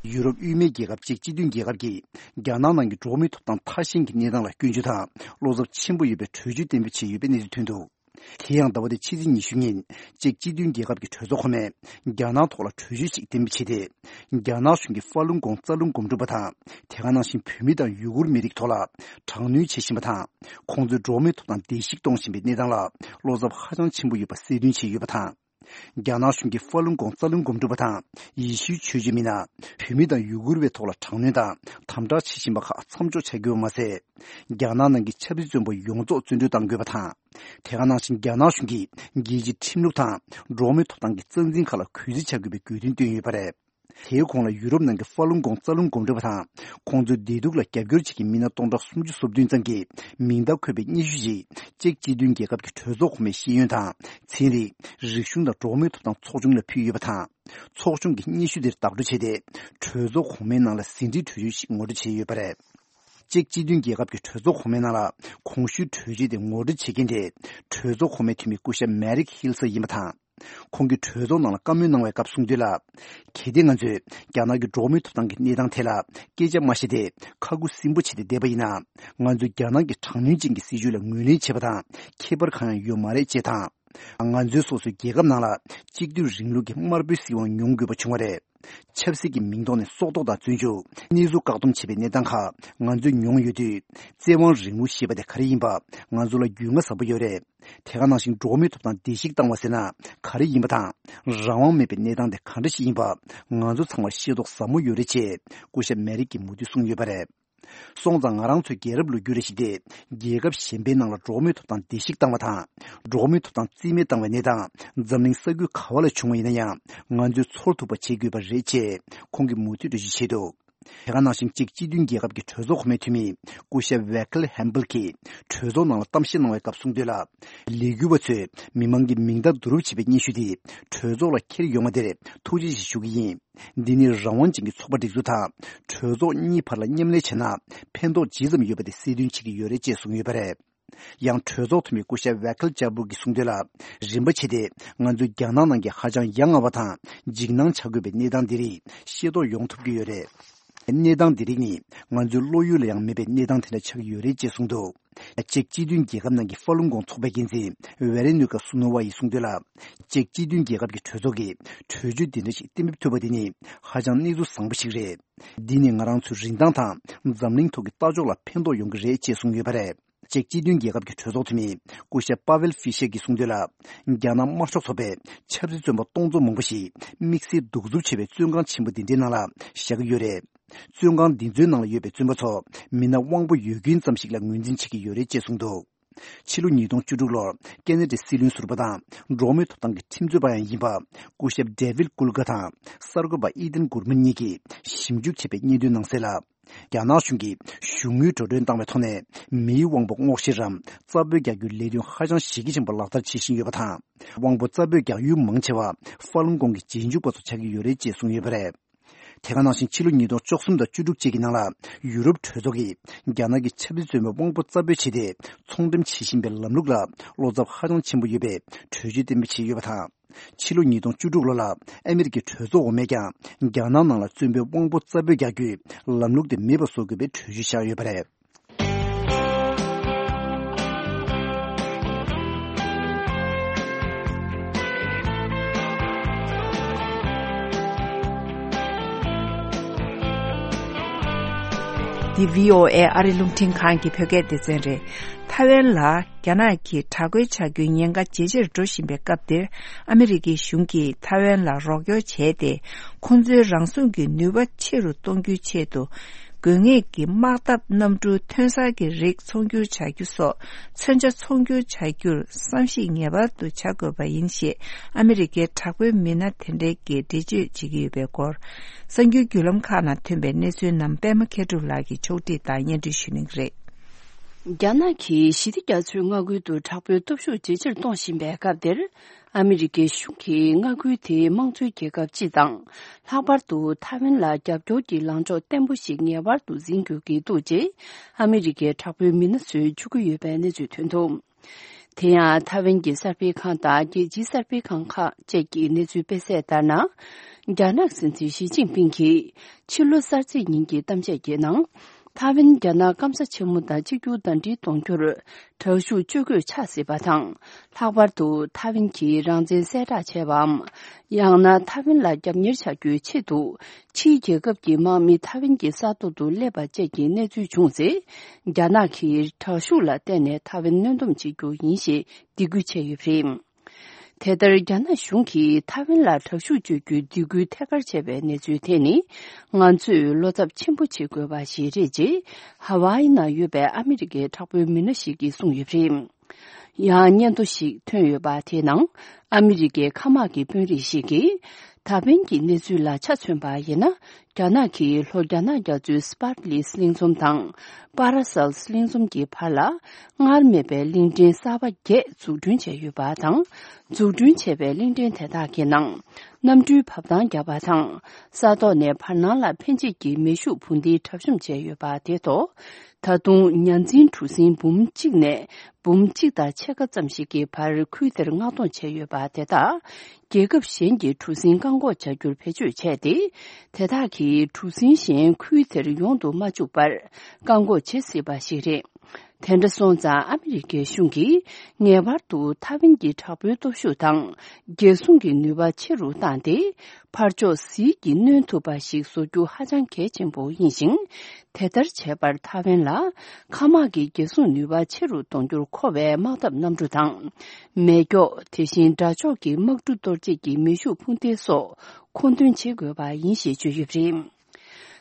ཡུ་རོབ་དབུས་མའི་རྒྱལ་ཁབ་ཅེཀ་སྤྱི་མཐུན་རྒྱལ་ཁབ་ཀྱིས་རྒྱ་ནག་ནང་གི་འགྲོ་བ་མིའི་ཐོབ་ཐང་ཐ་ཞན་གྱི་གནས་སྟངས་ལ་སྐྱོན་བརྗོད་དང་བློ་འཚབ་ཆེན་པོ་ཡོད་པའི་གྲོས་ཆོད་གཏན་འབེབས་བྱས་ཡོད་པའི་གནས་ཚུལ་ཐོན་འདུག། དེ་ཡང་ཟླ་བ་འདིའི་ཕྱི་ཚེས་ཉི་ཤུ་ཉིན་ཅེཀ་སྤྱི་མཐུན་རྒྱལ་ཁབ་ཀྱི་གྲོས་ཚོགས་གོང་མས་རྒྱ་ནག་ཐོག་ལ་གྲོས་ཆོད་ཅིག་གཏན་འབེབས་བྱས་ཏེ། རྒྱ་ནག་གཞུང་གིས་ཧྥ་ལུན་གོང་རྩ་རླུང་སྒོམ་སྒྲུབ་པ་དང་། དེ་ག་ནང་བཞིན་བོད་མི་དང་ཡུ་གུར་མི་རིགས་ཐོག་ལ་དྲག་གནོན་བྱེད་བཞིན་པ་དང་། ཁོང་ཚོའི་འགྲོ་བ་མིའི་ཐོབ་ཐང་བརྡལ་བཤིག་གཏོང་བཞིན་པའི་གནས་སྟངས་ལ་བློ་འཚབ་ཧ་ཅང་ཆེན་པོ་ཡོད་པ་གསལ་སྟོན་བྱས་ཡོད་པ་དང་། རྒྱ་ནག་གཞུང་གིས་ཧྥ་ལུན་གོང་རྩ་རླུང་སྒོམ་སྒྲུབ་པ་དང་ཡེ་ཤུའི་ཆོས་བརྒྱུད་མི་སྣ། བོད་མི་དང་ཡུ་གུར་བའི་ཐོག་ལ་དྲག་གནོན་དང་དམ་དྲག་བྱེད་བཞིན་པ་ཁག་མཚམས་འཇོག་བྱ་དགོས་པ་མ་ཟད། རྒྱ་ནག་ནང་གི་ཆབ་སྲིད་བཙོན་པ་ཡོངས་རྫོགས་བཙོན་གྲོལ་གཏང་དགོས་པ་དང་། དེ་ག་ནང་བཞིན་རྒྱ་ནག་གཞུང་གིས་རྒྱལ་སྤྱིའི་ཁྲིམས་ལུགས་དང་འགྲོ་བ་མིའི་ཐོབ་ཐང་གི་རྩ་འཛིན་ཁག་ལ་གུས་བརྩི་བྱ་དགོས་པའི་དགོས་འདུན་བཏོན་ཡོད་པ་རེད། དེའི་གོང་ལ་ཡུ་རོབ་ནང་གི་ཧྥ་ལུན་གོང་རྩ་རླུང་སྒོམ་སྒྲུབ་པ་དང་། ཁོང་ཚོའི་བདེ་སྡུག་ལ་རྒྱབ་སྐྱོར་བྱེད་མཁན་མི་སྣ་སྟོང་ཕྲག་སུམ་ཅུ་སོ་བདུན་ཙམ་གྱི་མིང་རྟགས་འཁོད་པའི་སྙན་ཞུ་ཞིག་ཅེཀ་སྤྱི་མཐུན་རྒྱལ་ཁབ་ཀྱི་གྲོས་ཚོགས་གོང་མའི་ཤེས་ཡོན་དང་། ཚན་རིག་རིག་གཞུང་དང་འགྲོ་བ་མིའི་ཐོབ་ཐང་ཚོགས་ཆུང་ལ་ཕུལ་ཡོད་པ་དང་། ཚོགས་ཆུང་གིས་སྙན་ཞུ་དེར་བདག་སྤྲོད་བྱས་ཏེ། གྲོས་ཚོགས་གོང་མའི་ནང་ལ་ཟིན་བྲིས་གྲོས་ཆོད་ཞིག་ངོ་སྤྲོད་བྱས་ཡོད་པ་རེད། ཅེཀ་སྤྱི་མཐུན་རྒྱལ་ཁབ་ཀྱི་གྲོས་ཚོགས་གོང་མའི་ནང་ལ་གོང་ཞུས་གྲོས་ཆོད་དེ་ངོ་སྤྲོད་བྱེད་མཁན་དེ་གྲོས་ཚོགས་གོང་མའི་འཐུས་མི་སྐུ་ཞབས་མེ་རིག་ཧིལ་སར་ཡིན་པ་དང་། ཁོང་གིས་གྲོས་ཚོགས་ནང་ལ་བཀའ་མོལ་གནང་བའི་སྐབས་གསུངས་དོན་ལ། གལ་ཏེ་ང་ཚོས་རྒྱ་ནག་གི་འགྲོ་བ་མིའི་ཐོབ་ཐང་གི་གནས་སྟངས་ཐད་ལ་སྐད་ཆ་མ་བཤད་དེ་ཁ་ཁུ་སིམ་པོ་བྱས་ཏེ་བསྡད་པ་ཡིན་ན། ང་ཚོས་རྒྱ་ནག་གི་དྲག་གནོན་ཅན་གྱི་སྲིད་བྱུས་ལ་ངོས་ལེན་བྱེད་པ་དང་ཁྱད་པར་གང་ཡང་ཡོད་མ་རེད་ཅེས་དང་། ང་ཚོའི་སོ་སོའི་རྒྱལ་ཁབ་ནང་ལ་གཅིག་སྡུད་རིང་ལུགས་ཀྱི་དམར་པོའི་སྲིད་དབང་མྱོང་དགོས་པ་བྱུང་བ་རེད། ཆབ་སྲིད་ཀྱི་མིང་ཐོག་ནས་སྲོག་ཐོག་དང་བཙོན་འཇུག་གནས་ཚུལ་བཀག་སྡོམ་བྱེད་པའི་གནས་སྟངས་ཁག་ང་ཚོས་མྱོང་ཡོད་དུས། བཙན་དབང་རིང་ལུགས་ཞེས་པ་དེ་ག་རེ་ཡིན་པ། ང་ཚོ་ལ་རྒྱུས་མངའ་ཟབ་པོ་ཡོད་རེད། དེ་ག་ནང་བཞིན་འགྲོ་བ་མིའི་ཐོབ་ཐང་བརྡལ་བཤིག་བཏང་བ་ཟེར་ན་ག་རེ་ཡིན་པ་དང་། རང་དབང་མེད་པའི་གནས་སྟངས་དེ་ག་འདྲ་ཞིག་ཡིན་པ། ང་ཚོ་ཚང་མར་ཤེས་རྟོགས་ཟབ་མོ་ཡོད་རེད་ཅེས་སྐུ་ཞབས་མེ་རིག་གིས་མུ་མཐུད་གསུངས་ཡོད་པ་རེད། སོང་ཙང་ང་རང་ཚོའི་རྒྱལ་རབས་ལོ་རྒྱུས་རེ་ཞིག་སྟེ། རྒྱལ་ཁབ་གཞན་པའི་ནང་ལ་འགྲོ་བ་མིའི་ཐོབ་ཐང་བརྡལ་བཤིག་བཏང་བ་དང་། འགྲོ་བ་མིའི་ཐོབ་ཐང་རྩིས་མེད་བཏང་བའི་གནས་སྟངས་འཛམ་གླིང་ས་ཁུལ་ག་བ་ལ་བྱུང་བ་ཡིན་ན་ཡང་། ང་ཚོས་ཚོར་ཐུབ་པ་བྱེད་དགོས་པ་རེད་ཅེས་ཁོང་གིས་མུ་མཐུད་འགྲེལ་བརྗོད་བྱས་འདུག། དེ་ག་ནང་བཞིན་གཅིག་སྤྱི་མཐུན་རྒྱལ་ཁབ་ཀྱི་གྲོས་ཚོགས་གོང་མའི་འཐུས་མི་སྐུ་ཞབས་ཝེ་ཁལ་ཧེམ་བལ་གྱིས་གྲོས་ཚོགས་ནང་ལ་གཏམ་བཤད་གནང་བའི་སྐབས་གསུངས་དོན་ལ། ལས་འགུལ་བ་ཚོས་མི་མང་གི་མིང་རྟགས་བསྡུ་རུབ་བྱས་པའི་སྙན་ཞུ་དེ་གྲོས་ཚོགས་ལ་འཁྱེར་ཡོང་བ་དེར་ཐུགས་རྗེ་ཆེ་ཞུ་གི་ཡིན། འདི་ནི་རང་དབང་ཅན་གྱི་ཚོགས་པ་སྒྲིག་འཛུགས་དང་གྲོས་ཚོགས་གཉིས་བར་ལ་མཉམ་ལས་བྱས་ན་ཕན་ཐོགས་ཇི་ཙམ་ཡོད་པ་དེ་གསལ་སྟོན་བྱེད་ཀྱི་ཡོད་རེད་ཅེས་གསུངས་ཡོད་པ་རེད། ཡང་གྲོས་ཚོགས་འཐུས་མི་སྐུ་ཞབས་ཝེ་ཁལ་ཅར་བུར་གྱིས་གསུངས་དོན་ལ། རིམ་པ་བྱས་ཏེ་ང་ཚོའི་རྒྱ་ནག་ནང་གི་ཧ་ཅང་ཡ་ང་བ་དང་འཇིགས་སྣང་བྱ་དགོས་པའི་གནས་སྟངས་འདི་རིགས་ཤེས་རྟོགས་ཡོང་ཐུབ་ཀྱི་ཡོད་རེད། གནས་སྟངས་འདི་རིགས་ནི་ང་ཚོའི་བློ་ཡུལ་ལ་ཡང་མེད་པའི་གནས་སྟངས་དེ་འདྲ་ཆགས་ཀྱི་ཡོད་རེད་ཅེས་གསུངས་འདུག་ཅེཀ་སྤྱི་མཐུན་རྒྱལ་ཁབ་ནང་གི་ཧྥ་ལུན་གོང་ཚོགས་པའི་འགན་འཛིན་ཝེ་རེ་ནུ་ཀ་སུ་ནོ་ཝ་ཡིས་གསུངས་དོན་ལ། ཅེཀ་སྤྱི་མཐུན་རྒྱལ་ཁབ་ཀྱི་གྲོས་ཚོགས་ཀྱིས་གྲོས་ཆོད་འདི་འདྲ་ཞིག་གཏན་འབེབས་ཐུབ་པ་དེ་ནི་ཧ་ཅང་གནས་ཚུལ་བཟང་པོ་ཞིག་རེད། འདི་ནི་ང་རང་ཚོའི་རིན་ཐང་དང་འཛམ་གླིང་ཐོག་གི་ལྟ་ཕྱོགས་ལ་ཕན་ཐོགས་ཡོང་གི་རེད་ཅེས་གསུངས་ཡོད་པ་རེད། ཅེཀ་སྤྱི་མཐུན་རྒྱལ་ཁབ་ཀྱི་གྲོས་ཚོགས་འཐུས་མི་སྐུ་ཞབས་པ་ཝེལ་ཧྥི་ཤེར་གྱིས་གསུངས་དོན་ལ། རྒྱ་ནག་དམར་ཤོག་ཚོགས་པས་ཆབ་སྲིད་བཙོན་པ་སྟོང་ཚོ་མང་པོ་ཞིག་དམིགས་བསལ་གདུག་རྩུབ་ཆེ་བའི་བཙོན་ཁང་ཆེན་པོ་འདི་འདྲའི་ནང་ལ་བཞག་གི་ཡོད་རེད། བཙོན་ཁང་འདི་ཚོའི་ནང་ལ་ཡོད་པའི་བཙོན་པ་ཚོ་མི་སྣ་དབང་པོ་ཡོད་རྒྱུན་ཙམ་ཞིག་ལ་ངོས་འཛིན་བྱེད་ཀྱི་ཡོད་རེད་ཅེས་གསུངས་འདུག་ཕྱི་ལོ་ཉིས་སྟོང་བཅུ་དྲུག་ལོར་ཀེ་ན་ཌའི་སྲིད་བློན་ཟུར་པ་དང་འགྲོ་བ་མིའི་ཐོབ་ཐང་གི་ཁྲིམས་རྩོད་པ་ཡང་ཡིན་པ་སྐུ་ཞབས་ཌེ་ཝིད་ཀུལ་གྷ་དང་གསར་འགོད་པ་ཨི་ཏན་གུར་མན་གཉིས་ཀྱིས་ཞིབ་འཇུག་བྱས་པའི་སྙན་ཐོའི་ནང་གསལ་ལ། རྒྱ་ནག་གཞུང་གིས་གཞུང་དངུལ་འགྲོ་གྲོན་བཏང་བའི་ཐོག་ནས་མིའི་དབང་པོ་སྔོག་བཤེར་རམ་རྩ་དཔོད་རྒྱག་རྒྱུའི་ལས་དོན་ཧ་ཅང་གཞི་རྒྱ་ཆེན་པོ་ལག་བསྟར་བྱེད་བཞིན་ཡོད་པ་དང་། དབང་པོ་རྩ་དཔོད་རྒྱག་ཡུལ་མང་ཆེ་བ་ཧྥ་ལུན་གོང་གི་རྗེས་འཇུག་པ་ཚོ་ཆགས་ཀྱི་ཡོད་རེད་ཅེས་གསུངས་ཡོད་པ་རེད། དེ་ག་ནང་བཞིན་ཕྱི་ལོ་ཉིས་སྟོང་བཅུ་གསུམ་དང་བཅུ་དྲུག་བཅས་ཀྱི་ནང་ལ་ཡུ་རོབ་གྲོས་ཚོགས་ཀྱིས་རྒྱ་ནག་གི་ཆབ་སྲིད་བཙོན་པའི་དབང་པོ་རྩ་དཔོད་བྱས་ཏེ་ཚོང་འགྲེམས་བྱེད་བཞིན་པའི་ལམ་ལུགས་ལ་བློ་འཚབ་ཧ་ཅང་ཆེན་པོ་ཡོད་པའི་གྲོས་ཆོད་གཏན་འབེབས་བྱས་ཡོད་པ་དང་། ཕྱི་ལོ་ཉིས་སྟོང་བཅུ་དྲུག་ལོ་ལ་ཨ་མི་རི་ཀའི་གྲོས་ཚོགས་འོག་མས་ཀྱང་རྒྱ་ནག་ནང་ལ་བཙོན་པའི་དབང་པོ་རྩ་དཔོད་རྒྱག་རྒྱུའི་ལམ་ལུགས་དེ་མེད་པ་བཟོ་དགོས་པའི་གྲོས་ཆོད་བཞག་ཡོད་པ་རེད། འདི་བྷི་ཨོ་ཨེ་ཨ་རི་རླུང་འཕྲིན་ཁང་གི་བོད་སྐད་སྡེ་ཚན་རེད། ཐའེ་ཝན་ལ་རྒྱ་ནག་གིས་དྲག་རྒོལ་བྱ་རྒྱུའི་ཉེན་ཁ་ཇེ་ཆེར་འགྲོ་བཞིན་པའི་སྐབས་འདིར། ཨ་མི་རི་ཀའི་གཞུང་གིས་ཐའེ་ཝན་ལ་རོགས་སྐྱོར་བྱས་ཏེ། ཁོང་ཚོའི་རང་སྲུང་གི་ནུས་པ་ཆེ་རུ་གཏོང་རྒྱུའི་ཆེད་དུ། དགོས་ངེས་ཀྱི་དམག་འཐབ་གནམ་གྲུ་ཐོན་གསར་གྱི་རིགས་ཚོང་སྒྱུར་བྱ་རྒྱུ་སོགས་མཚོན་ཆ་ཚོང་སྒྱུར་བྱ་རྒྱུར་བསམ་གཞིག་ངེས་པར་དུ་བྱ་དགོས་པ་ཡིན་ཞེས་ཨ་མི་རི་ཀའི་དྲག་པོའི་མི་སྣ་དེ་འདྲས་ཀྱིས་འགྲེལ་བརྗོད་བྱེད་ཀྱི་ཡོད་པའི་སྐོར། གསར་འགྱུར་བརྒྱུད་ལམ་ཁག་ནང་ཐོན་པའི་གནས་ཚུལ་རྣམས་པད་མ་མཁས་གྲུབ་ལགས་ཀྱིས་ཕྱོགས་སྒྲིག་དང་སྙན་སྒྲོན་ཞུ་གནང་གི་རེད། རྒྱ་ནག་གིས་ཞི་བདེ་རྒྱ་མཚོའི་མངའ་ཁུལ་དུ་དྲག་པོའི་སྟོབས་ཤུགས་ཇེ་ཆེར་གཏོང་བཞིན་པའི་སྐབས་འདིར། ཨ་མི་རི་ཀའི་གཞུང་གིས་མངའ་ཁུལ་དེའི་དམངས་གཙོའི་རྒྱལ་ཁབ་སྤྱི་དང་། ལྷག་པར་དུ་ཐའེ་ཝན་ལ་རྒྱབ་སྐྱོར་གྱི་ལངས་ཕྱོགས་བརྟན་པོ་ཞིག་ངེས་པར་དུ་འཛིན་དགོས་ཀྱི་འདུག་ཅེས་ཨ་མི་རི་ཀའི་དྲག་པོའི་མི་སྣ་ཚོས་བརྗོད་ཀྱི་ཡོད་པའི་གནས་ཚུལ་ཐོན་འདུག་དེ་ཡང་ཐའེ་ཝན་གྱི་གསར་སྤེལ་ཁང་དང་རྒྱལ་སྤྱིའི་གསར་སྤེལ་ཁང་ཁག་བཅས་ཀྱི་གནས་ཚུལ་སྤེལ་གསལ་ལྟར་ན། རྒྱ་ནག་སྲིད་འཛིན་ཞི་ཅིན་ཕིང་གིས་ཕྱི་ལོ་གསར་ཚེས་ཉིན་གྱི་གཏམ་བཤད་ཀྱི་ནང་། ཐའེ་ཝན་རྒྱ་ནག་སྐམ་ས་ཆེན་མོ་དང་གཅིག་གྱུར་ཟླ་སྒྲིལ་གཏོང་རྒྱུར་དྲག་ཤུགས་སྤྱོད་དགོས་ཆགས་སྲིད་པ་དང་། ལྷག་པར་དུ་ཐའེ་ཝན་གྱིས་རང་བཙན་གསལ་བསྒྲགས་བྱས་པའམ། ཡང་ན་ཐའེ་ཝན་ལ་རྒྱབ་གཉེར་བྱ་རྒྱུའི་ཆེད་དུ། ཕྱིའི་རྒྱལ་ཁབ་ཀྱི་དམག་མི་ཐའེ་ཝན་གྱི་ས་ཐོག་ཏུ་སླེབས་པ་བཅས་ཀྱི་གནས་ཚུལ་བྱུང་ཚེ། རྒྱ་ནག་གིས་དྲག་ཤུགས་ལ་བརྟེན་ནས་ཐའེ་ཝན་གནོན་སྡོམ་བྱེད་རྒྱུ་ཡིན་ཞེས་སྡིགས་སྐུལ་བྱས་ཡོད་པ་རེད། དེ་ལྟར་རྒྱ་ནག་གཞུང་གིས་ཐའེ་ཝན་ལ་དྲག་ཤུགས་སྤྱོད་རྒྱུའི་སྡིགས་སྐུལ་ཐད་ཀར་བྱས་པའི་གནས་ཚུལ་དེ་ནི། ང་ཚོས་བློ་འཚབ་ཆེན་པོ་བྱེད་དགོས་པ་ཞིག་རེད་ཅེས། ཧ་ཝཱ་ཡི་ནང་ཡོད་པའི་ཨ་མི་རི་ཀའི་དྲག་པོའི་མི་སྣ་ཞིག་གིས་གསུངས་ཡོད་པ་རེད། ཡང་སྙན་ཐོ་ཞིག་ཐོན་ཡོད་པ་དེའི་ནང་། ཨ་མི་རི་ཀའི་མཁའ་དམག་གི་དཔོན་རིགས་ཤིག་གིས། ད་ཕན་གྱི་གནས་ཚུལ་ལ་ཆ་མཚོན་པ་ཡིན་ན། རྒྱ་ནག་གིས་ལྷོ་རྒྱ་ནག་རྒྱ་མཚོའི་སི་པར་ལི་གླིང་ཚོམ་དང་། པ་ར་སལ་གླིང་ཚོམ་གྱི་བར་ལ། སྔར་མེད་པའི་གླིང་ཕྲན་གསར་པ་བརྒྱད་འཛུགས་སྐྲུན་བྱས་ཡོད་པ་དང་། འཛུགས་སྐྲུན་བྱས་པའི་གླིང་ཕྲན་དེ་དག་གི་ནང་། གནམ་གྲུའི་བབས་ཐང་བརྒྱབ་པ་དང་། ས་ཐོག་ནས་བར་སྣང་ལ་འཕེན་བྱེད་ཀྱི་མེ་ཤུགས་འཕུར་མདེལ་གྲབས་གཤོམ་བྱས་ཡོད་པ་དེ་ཐོག་ད་དུང་ཉ་འཛིན་གྲུ་གཟིངས་འབུམ་གཅིག་ནས་འབུམ་གཅིག་དང་ཕྱེད་ཀ་ཙམ་ཞིག་གི་བར་ཁུལ་དེར་མངགས་གཏོང་བྱས་ཡོད་པ་དེ་དག་རྒྱལ་ཁབ་གཞན་གྱི་གྲུ་གཟིངས་བཀག་འགོག་བྱ་རྒྱུར་བེད་སྤྱོད་བྱས་ཏེ། དེ་དག་གིས་གྲུ་གཟིངས་གཞན་ཁུལ་དེར་ཡོང་དུ་མ་བཅུག་པར་བཀག་འགོག་བྱེད་སྲིད་པ་ཞིག་རེད། དེ་འདྲ་སོང་ཙང་ཨ་མི་རི་ཀའི་གཞུང་གིས་ངེས་པར་དུ་ཐའེ་ཝན་གྱི་དྲག་པོའི་སྟོབས་ཤུགས་དང་། རྒྱལ་སྲུང་གི་ནུས་པ་ཆེ་རུ་བཏང་སྟེ། ཕར་ཕྱོགས་ཟིལ་གྱིས་གནོན་ཐུབ་པ་ཞིག་བཟོ་རྒྱུ་ཧ་ཅང་གལ་ཆེན་པོ་ཡིན་ཞིང་། དེ་ལྟར་བྱས་པར་ཐའེ་ཝན་ལ་མཁའ་དམག་གི་རྒྱལ་སྲུང་ནུས་པ་ཆེ་རུ་གཏོང་རྒྱུར་མཁོ་བའི་དམག་འཐབ་གནམ་གྲུ་དང་། མེ་སྒྱོགས། དེ་བཞིན་དགྲ་ཕྱོགས་ཀྱི་དམག་གྲུ་གཏོར་བྱེད་ཀྱི་མེ་ཤུགས་འཕུར་མདེལ་སོགས་མཁོ་འདོན་བྱེད་དགོས་པ་ཡིན་ཞེས་བརྗོད་ཡོད་པ་རེད།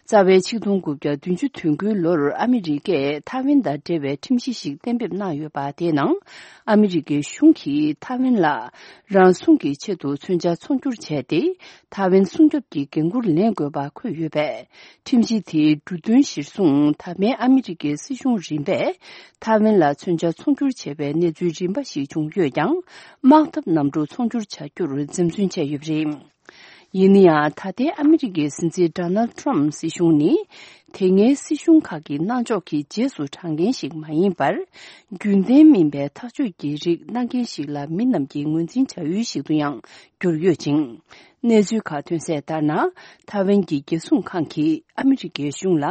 རྩ་བའི་ཆིག་སྟོང་དགུ་བརྒྱ་བདུན་ཅུ་དོན་དགུའི་ལོར་ཨ་མི་རི་ཀས་ཐའེ་ཝན་དང་འབྲེལ་བའི་ཁྲིམས་གཞི་ཞིག་གཏན་འབེབས་གནང་ཡོད་པ། དེའི་ནང་ཨ་མི་རི་ཀའི་གཞུང་གིས་ཐའེ་ཝན་ལ་རང་སྲུང་གི་ཆེད་དུ་མཚོན་ཆ་ཚོང་སྒྱུར་བྱས་ཏེ། ཐའེ་ཝན་སྲུང་སྐྱོབ་ཀྱི་འགན་འཁུར་ལེན་དགོས་པ་འཁོད་ཡོད་པས། ཁྲིམས་གཞི་དེའི་འབྲུ་དོན་གཞིར་བཟུང་། ད་ཕན་ཨ་མི་རི་ཀའི་སྲིད་གཞུང་རིམ་པས་ཐའེ་ཝན་ལ་མཚོན་ཆ་ཚོང་སྒྱུར་བྱས་པའི་གནས་ཚུལ་རིམ་པ་ཞིག་བྱུང་ཡོད་ཀྱང་། དམག་འཐབ་གནམ་གྲུ་ཚོང་སྒྱུར་བྱ་རྒྱུར་འཛེམ་ཟོན་བྱས་ཡོད་པ་རེད། ཡིན་ན་ཡང་། ད་ལྟའི་ཨ་མི་རི་ཀའི་སྲིད་འཛིན་ཌོ་ནལ་ཊྲམ་སྲིད་གཞུང་ནི། དེ་སྔའི་སྲིད་གཞུང་ཁག་གི་གནང་ཕྱོགས་ཀྱི་རྗེས་སུ་འབྲང་མཁན་ཞིག་མ་ཡིན་པར། རྒྱུན་ལྡན་མིན་པའི་ཐག་གཅོད་ཀྱི་རིགས་གནང་མཁན་ཞིག་ལ་མི་རྣམས་ཀྱིས་ངོས་འཛིན་བྱ་ཡུལ་ཞིག་ཏུ་ཡང་གྱུར་ཡོད་ཅིང་། གནས་ཚུལ་ཁག་ཐོན་གསལ་ལྟར་ན། ཐའེ་ཝན་གྱི་རྒྱལ་སྲུང་ཁང་གིས་ཨ་མི་རི་ཀའི་གཞུང་ལ།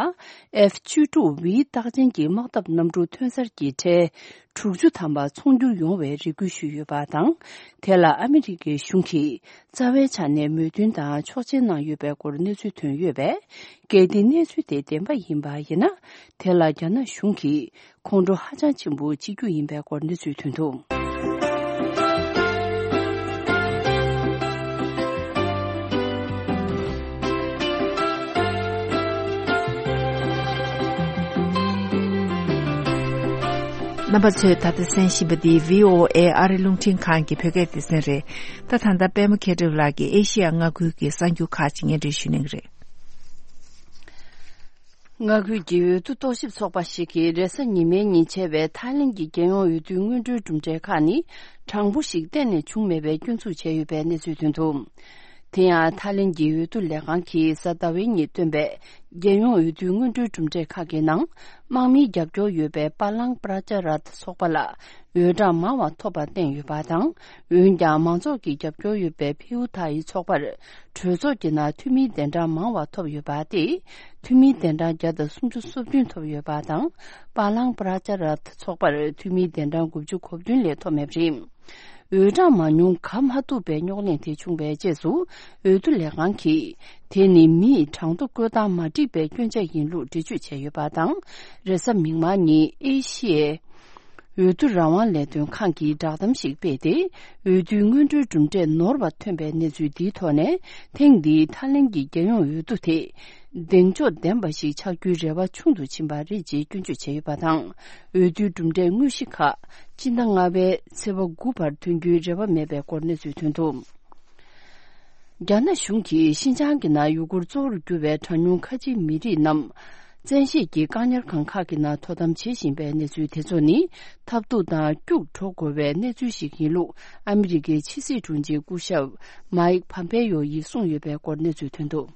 ཨེཕ་བཅུ་དྲུག་ཝི་རྟགས་ཅན་གྱི་དམག་འཐབ་གནམ་གྲུ་ཐོན་གསར་གྱི་ཁྲལ། དྲུག་ཅུ་ཐམ་པ་ཚོང་སྒྱུར་ཡོང་བའི་རེ་སྐུལ་ཞུས་ཡོད་པ་དང་། དེ་ལ་ཨ་མི་རི་ཀའི་གཞུང་གིས་རྩ་བའི་ཆ་ནས་མོས་མཐུན་དང་ཆོག་མཆན་གནང་ཡོད་པའི་སྐོར་གནས་ཚུལ་ཐོན་ཡོད་པས། གལ་ཏེ་གནས་ཚུལ་དེ་བདེན་པ་ཡིན་པ་ཡིན་ན། དེ་ལ་རྒྱ་ནག་གཞུང་གིས་ཁོང་ཁྲོ་ཧ་ཅང་ཆེན་པོ་བྱེད་རྒྱུ་ཡིན་པའི་སྐོར་གནས་ཚུལ་ཐོན་འདུག། རྣམ་པ་ཚོས་ད་ལྟ་གསན་བཞིན་པ་འདི་བྷི་ཨོ་ཨེ་ཨ་རི་རླུང་འཕྲིན་ཁང་གི་བོད་སྐད་སྡེ་ཚན་རེད། ད་ད་ལྟ་པད་མ་མཁས་གྲུབ་ལགས་ཀྱིས་ཨེ་ཤི་ཡ་མངའ་ཁུལ་གྱི་གསར་འགྱུར་ཁག་ཅིག་སྙན་སྒྲོན་ཞུ་གནང་གི་རེད། མངའ་ཁུལ་གྱི་འོས་བསྡུ་རྟོག་ཞིབ་ཚོགས་པ་ཞིག་གིས་རེས་གཟའ་ཉི་མའི་ཉིན་བྱས་པའི་ཐའི་ལེན་གྱི་རྒྱལ་ཡོངས་འོས་བསྡུའི་སྔོན་འགྲོའི་གྲུབ་འབྲས་ཁག་ནི་དྲང་པོ་ཞིག་གཏན་ནས་བྱུང་མེད་པའི་སྐྱོན་འཛུགས་བྱས་ཡོད་པའི་གནས་ཚུལ་ཐོན་འདུག། དེ་ཡང་ཐའི་ལེན་གྱི་འོས་བསྡུ་ལས་ཁང་གིས་གཟའ་ཟླ་བའི་ཉིན་བཏོན་པའི་རྒྱལ་ཡོངས་འོས་བསྡུའི་སྔོན་འགྲོའི་གྲུབ་འབྲས་ཁག་གི་ནང་། དམག་མིའི་རྒྱབ་སྐྱོར་ཡོད་པའི་པ་ལང་པྲ་ཅ་ར་ཐ་ཚོགས་པ་ལ་འོས་གྲངས་མང་བ་ཐོབ་པ་བསྟན་ཡོད་པ་དང་། འོན་ཀྱང་མང་ཚོགས་ཀྱི་རྒྱབ་སྐྱོར་ཡོད་པའི་ཕིའུ་ཐ་ཡི་ཚོགས་པར་གྲོས་ཚོགས་ཀྱི་ནང་འཐུས་མིའི་གདན་གྲངས་མང་བ་ཐོབ་ཡོད་པ་སྟེ། འཐུས་མིའི་གདན་གྲངས་བརྒྱ་དང་སུམ་ཅུ་སོ་བདུན་ཐོབ་ཡོད་པ་དང་། པ་ལང་པྲ་ཅ་ར་ཐ་ཚོགས་པར་འཐུས་མིའི་གདན་གྲངས་དགུ་བཅུ་གོ་བདུན་ལས་ཐོབ་མེད་པ་རེད། འོས་གྲངས་མ་ཉུང་ག་མ་ཐུབ་པའི་རྙོག་གླེང་དེ་བྱུང་བའི་རྗེས་སུ། འོས་བསྡུ་ལས་ཁང་གིས་དེ་ནི་མིས་གྲངས་ཐོ་བཀོད་སྟངས་མ་འགྲིག་པའི་སྐྱོན་ཆ་ཡིན་ལུགས་འགྲེལ་བརྗོད་བྱས་ཡོད་པ་དང་། རེས་གཟའ་མིག་དམར་ཉིན་ཨེ་ཤི་ཡའི་འོས་བསྡུ་རང་དབང་ལས་དོན་ཁང་གིས་བསྒྲགས་གཏམ་ཞིག་སྤེལ་ཏེ། འོས་བསྡུའི་སྔོན་འགྲོའི་གྲུབ་འབྲས་ནོར་བ་ཐོན་པའི་གནས་ཚུལ་འདིའི་ཐོག་ནས། ཐེངས་འདིའི་ཐའི་ལེན་གྱི་རྒྱལ་ཡོངས་འོས་བསྡུ་དེ། གདེང་འཇོག་ལྡན་པ་ཞིག་ཆགས་རྒྱུའི་རེ་བ་ཆུང་དུ་ཕྱིན་པ་རེད་ཅེས་སྐྱོན་བརྗོད་བྱས་ཡོད་པ་དང་། འོས་བསྡུའི་གྲུབ་འབྲས་དངོས་གཞི་ཁག་སྤྱི་ཟླ་ལྔ་པའི་ཚེས་པ་དགུ་བར་ཐོན་རྒྱུའི་རེ་བ་མེད་པའི་སྐོར་གནས་ཚུལ་ཐོན་འདུག། རྒྱ་ནག་གཞུང་གིས་ཤིན་ཅང་གི་ནང་ཡུ་གུར་གཙོ་བོར་གྱུར་བའི་གྲངས་ཉུང་ཁ་ཆེའི་མི་རིགས་རྣམས། བཙན་ཤེད་ཀྱིས་བཀག་ཉར་ཁང་ཁག་གི་ནང་དོ་དམ་བྱེད་བཞིན་པའི་གནས་ཚུལ་དེ་ཚོ་ནི། ཐབས་སྡུག་དང་སྐྱུག་བྲོ་དགོས་པའི་གནས་ཚུལ་ཞིག་ཡིན་ལུགས། ཨ་མི་རི་ཀའི་ཕྱི་སྲིད་དྲུང་ཆེ་སྐུ་ཞབས་མའིག་ཕམ་པེ་ཡོ་ཡིས་གསུངས་ཡོད་པའི་སྐོར་གནས་ཚུལ་ཐོན་འདུག།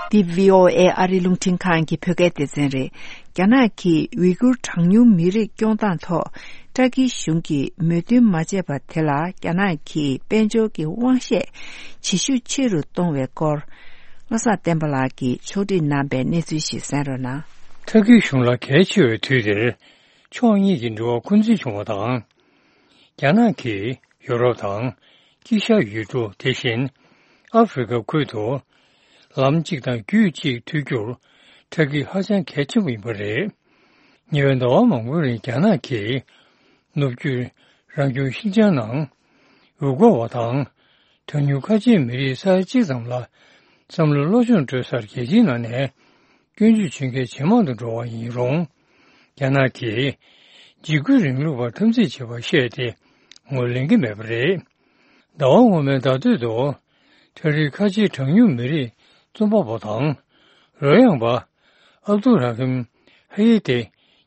འདི་བྷི་ཨོ་ཨེ་ཨ་རི་རླུང་འཕྲིན་ཁང་གི་བོད་སྐད་སྡེ་ཚན་རེད། རྒྱ་ནག་གིས་ཝི་གུར་གྲངས་ཉུང་མི་རིགས་སྐྱོང་སྟངས་ཐོག་ཏྲ་ཀི་གཞུང་གིས་མོས་མཐུན་མ་བྱས་པ་དེ་ལ། རྒྱ་ནག་གིས་དཔལ་འབྱོར་གྱི་དབང་ཤེད་ཇེ་ཤུགས་ཆེ་རུ་གཏོང་བའི་སྐོར། བློ་བཟང་བསྟན་པ་ལགས་ཀྱིས་ཕྱོགས་སྒྲིག་གནང་པའི་གནས་ཚུལ་ཞིག་གསན་རོགས་གནང་། ཏྲ་ཀི་གཞུང་ལ་གལ་ཆེ་བའི་དུས་དེར། ཕྱོགས་གཉིས་ཀྱི་འབྲེལ་བ་འཁོན་འཛིན་བྱུང་བ་དང་། རྒྱ་ནག་གིས་ཡོ་རོབ་དང་དཀྱིལ་ཤར་ཡུལ་གྲུ། དེ་བཞིན་ཨ་ཧྥེ་རི་ཁ་ཁུལ་དུ་ལམ་གཅིག་དང་རྒྱུད་གཅིག་མཐུད་རྒྱུར་ཏྲ་ཀི་ཧ་ཅང་གལ་ཆེན་པོ་ཡིན་པ་རེད། ཉེ་བའི་ཟླ་བ་མང་པོའི་རིང་རྒྱ་ནག་གིས་ནུབ་རྒྱུད་རང་སྐྱོང་ཤིན་ཅང་ནང་ཡུ་གུར་བ་དང་། གྲངས་ཉུང་ཁ་ཆེའི་མི་རིགས་ས་ཡ་གཅིག་ཙམ་ལ་བསམ་བློའི་སློབ་སྦྱོང་སྤྲོད་སར་རྒྱལ་སྤྱིའི་ནང་ནས་སྐྱོན་བརྗོད་བྱེད་མཁན་ཇེ་མང་དུ་འགྲོ་བ་ཡིན་རུང་། རྒྱ་ནག་གིས་འཇིགས་སྐུལ་རིང་ལུགས་པར་འཐབ་འཛིང་བྱེད་པར་བཤད་དེ་ངོས་ལེན་གྱི་མེད་པ་རེད། ཟླ་བ་སྔོན་མའི་ཟླ་སྟོད་དུ་ཏྲ་ཀིའི་ཁ་ཆེའི་གྲངས་ཉུང་མི་རིགས་རྩོམ་པ་པོ་དང་རོལ་དབྱངས་པ་ཨབ་དུ་ར་ཧིམ་ཧ་ཡེ་ཏེ་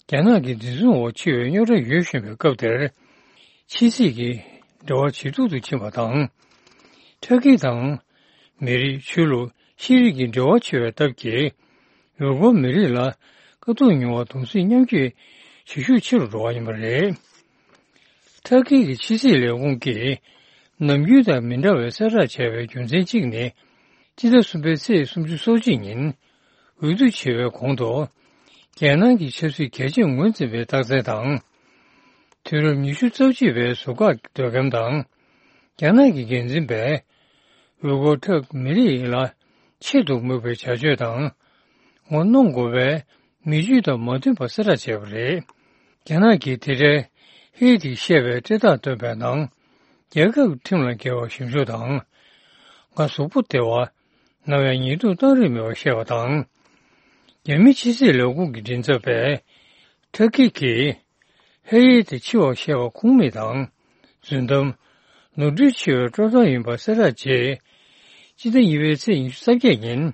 རྒྱ་ནག་གི་འཛིན་བཟུང་འོག་ཕྱི་བའི་རྙོག་དྲ་ཡོད་བཞིན་པའི་སྐབས་དེར། ཕྱི་སྲིད་ཀྱི་འབྲེལ་བ་ཇེ་སྡུག་ཏུ་ཕྱིན་པ་དང་། ཏྲ་ཀི་དང་མི་རིགས། ཆོས་ལུགས། ཤེས་རིག་གི་འབྲེལ་བ་ཆེ་བའི་སྟབས་ཀྱིས་ཡུ་གུར་མི་རིགས་ལ་དཀའ་སྡུག་མྱོང་བ་གདུང་སེམས་མཉམ་སྐྱེད་ཇེ་ཤུགས་ཆེ་རུ་འགྲོ་བ་ཡིན་པ་རེད། ཏྲ་ཀི་གི་ཕྱི་སྲིད་ལས་ཁུངས་ཀྱིས་ནམ་རྒྱུན་དང་མི་འདྲ་བའི་གསལ་བསྒྲགས་བྱས་པའི་རྒྱུ་མཚན་གཅིག་ནི། སྤྱི་ཟླ་གསུམ་པའི་ཚེས་སུམ་ཅུ་སོ་གཅིག་ཉིན་འོས་བསྡུ་བྱེད་པའི་གོང་དུ། རྒྱལ་ནང་གི་ཆབ་སྲིད་གལ་ཆེར་ངོས་འཛིན་པའི་རྟགས་མཚན་དང་། དུས་རབས་ཉི་ཤུ་རྩ་གཅིག་པའི་ཟུར་བཀག་གདོད་འགེམས་དང་། རྒྱ་ནག་གི་འགན་འཛིན་པས་ཝི་གོ་ཁྲག་མི་རིགས་ལ་ཆེད་དུ་དམིགས་པའི་བྱ་སྤྱོད་དང་། ངོ་གནོང་དགོས་པའི་མི་ཇུས་དང་མ་མཐུན་པ་གསལ་བསྒྲགས་བྱས་པ་རེད། རྒྱ་ནག་གིས་དེ་འཕྲལ་ཧེ་ཏིས་བཤད་པའི་བཀྲལ་རྟགས་བཏོན་པའི་ནང་། རྒྱལ་ཁབ་ཁྲིམས་ལ་འགལ་བ་ཞིབ་འཇུག་དང་། ང་གཟུགས་པོ་བདེ་བ། ནམ་ཡང་ཉེས་འཛུགས་བཏང་རིགས་མེད་པ་བཤད་པ་དང་། རྒྱ་མི་ཕྱི་སྲིད་ལས་ཁུངས་ཀྱི་མགྲིན་ཚབ་པས། ཐ་ཀི་གིས། ཧེ་ཡེ་དེ་འཆི་བར་བཤད་པ་ཁུངས་མེད་དང་། རྫུན་གཏམ། ནོར་འཁྲུལ་ཆེ་བའི་སྤྲོ་བརྡ་ཡིན་པ་གསལ་བསྒྲགས་རྗེས། སྤྱི་ཟླ་གཉིས་པའི་ཚེས་ཉི་ཤུ་རྩ་བརྒྱད་ཉིན།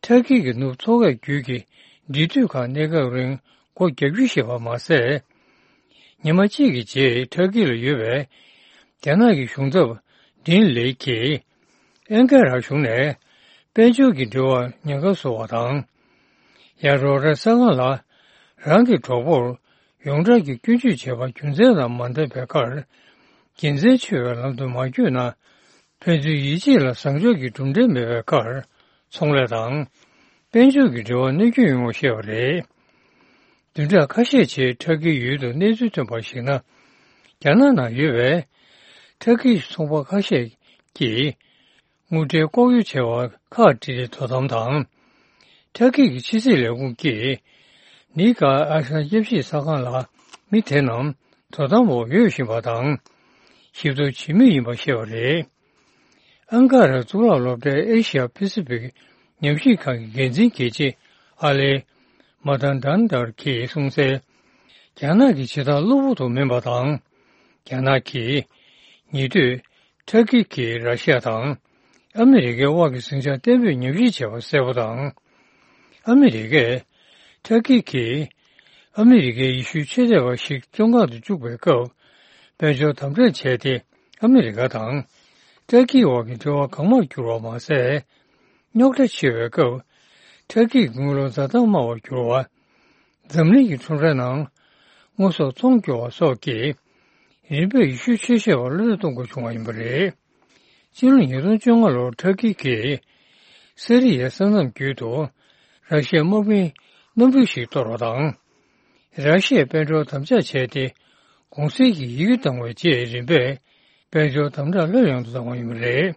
ཐ་ཀི་གི་ནུབ་མཚོ་ཁའི་རྒྱུད་ཀྱི་འབྲེལ་མཐུད་ཁང་གནས་སྐབས་རིང་སྒོ་རྒྱག་རྒྱུ་ཞེས་པ་མ་ཟད། ཉི་མ་གཅིག་གི་རྗེས་ཐ་ཀི་ལ་ཡོད་པའི་རྒྱ་ནག་གི་གཞུང་ཚབ་ཌིན་ལེ་གིས་ཨན་ཀ་ར་གཞུང་ནས་དཔལ་འབྱོར་གྱི་འབྲེལ་བར་ཉེན་ཁ་བཟོ་བ་དང་། ཡ་རོ་ར་ས་སྒང་ལ་རང་གི་གྲོགས་པོར་ཡོངས་གྲགས་ཀྱི་སྐྱོན་བརྗོད་བྱས་པ་རྒྱུ་མཚན་དང་མ་ལྡན་པའི་ཁར་དགེ་མཚན་ཆེ་བའི་ལམ་དུ་མ་བསྐྱོད་ན། ཕན་ཚུན་ཡིད་ཆེས་ལ་བཟང་ཕྱོགས་ཀྱི་གྲུབ་འབྲས་མེད་པའི་ཁར་ཚོང་ལས་དང་། དཔལ་འབྱོར་གྱི་འབྲེལ་བ་གནོད་སྐྱོན་ཡོང་བ་བཤད་པ་རེད། བདུན་ཕྲག་ཁ་ཤས་རྗེས་ཐ་ཀིའི་ཡུལ་དུ་གནས་ཚུལ་ཐོན་པར་གཞིགས་ན། རྒྱ་ནག་ནང་ཡོད་པའི་ཐ་ཀིའི་ཚོང་པ་ཁ་ཤས་ཀྱིས་དངུལ་འབྲེལ་ལྐོག་གཡོ་བྱས་པ་ཁག་དཀྲི་སྟེ་དོ་དམ་དང་། ཐ་ཀི་གི་ཕྱི་སྲིད་ལས་ཁུངས་ཀྱིས་ནི་ཀ་ཨ་ཤ་མཉམ་གཞིས་ས་ཁང་ལ་མི་དེ་རྣམས་དོ་དམ་འོག་ཡོད་བཞིན་པ་དང་། ཞིབ་ཐོ་བྱེད་མུས་ཡིན་པ་བཤད་པ་རེད། ཨན་ཀ་ར་གཙུག་ལག་སློབ་གྲྭའི་ཨེ་ཤི་ཡ་པེ་སི་ཕིག་ཉམས་ཞིབ་ཁང་གི་འགན་འཛིན་དགེ་ཆེ་ཨ་ལེ་མ་ཐན་ཌན་ཏར་གྱིས་གསུངས་གསལ། རྒྱ་ནག་གི་བྱེད་སྟངས་གློ་བུར་དུ་སྨིན་པ་དང་། རྒྱ་ནག་གིས་ཉེ་དུས་ཐ་ཀི་གིས་ར་ཤི་ཡ་དང་ཨ་མི་རི་ཀའི་དབར་གྱི་ཟིང་ཆ་བརྟན་པོས་ཉམས་ཞིབ་བྱས་པ་གསལ་པོ་དང་། ཨ་མི་རི་ཀས་ཐ་ཀི་གིས་ཨ་མི་རི་ཀའི་ཡེ་ཤུའི་ཆོས་དད་པ་ཞིག་བཙོན་ཁང་དུ་བཅུག་པའི་སྐབས། དཔལ་འབྱོར་དམ་དྲག་བྱས་ཏེ། ཨ་མི་རི་ཀ་དང་ཏུར་ཀིའི་དབར་གྱི་འབྲེལ་བ་གང་མང་བསྒྱུར་བ་མ་ཟད། རྙོག་དྲ་ཆེ་བའི་སྐབས། ཏུར་ཀིའི་དངུལ་ལོར་བཟའ་ཟླ་དམའ་བར་གྱུར་བ། འཛམ་གླིང་གི་ཁྲོམ་རའི་ནང་། དངོས་ཟོག་ཚོང་སྐྱོ་བ་སོགས་ཀྱིས། རིམ་པས་ཡེ་ཤུའི་ཆོས་བཤད་པར་བློ་གཏད་གཏོང་དགོས་བྱུང་བ་ཡིན་པ་རེད། སྤྱི་ལོ་ཉིས་སྟོང་བཅོ་ལྔ་ལོར་ཏུར་ཀི་གིས། སི་རི་ཡའི་ས་མཚམས་བརྒྱུད་དུ། ར་ཤི་ཡའི་དམག་མིའི་གནམ་གྲུ་ཞིག་གཏོར་བ་དང་། ར་ཤི་ཡའི་དཔལ་འབྱོར་དམ་དྲག་བྱས་ཏེ། གུང་གསེང་གི་ཡི་གེ་བཏང་བའི་རྗེས་རིམ་པས་དཔལ་འབྱོར་དམ་དྲག་ལྷོད་ཡངས་དུ་བཏང་བ་ཡིན་པ་རེད།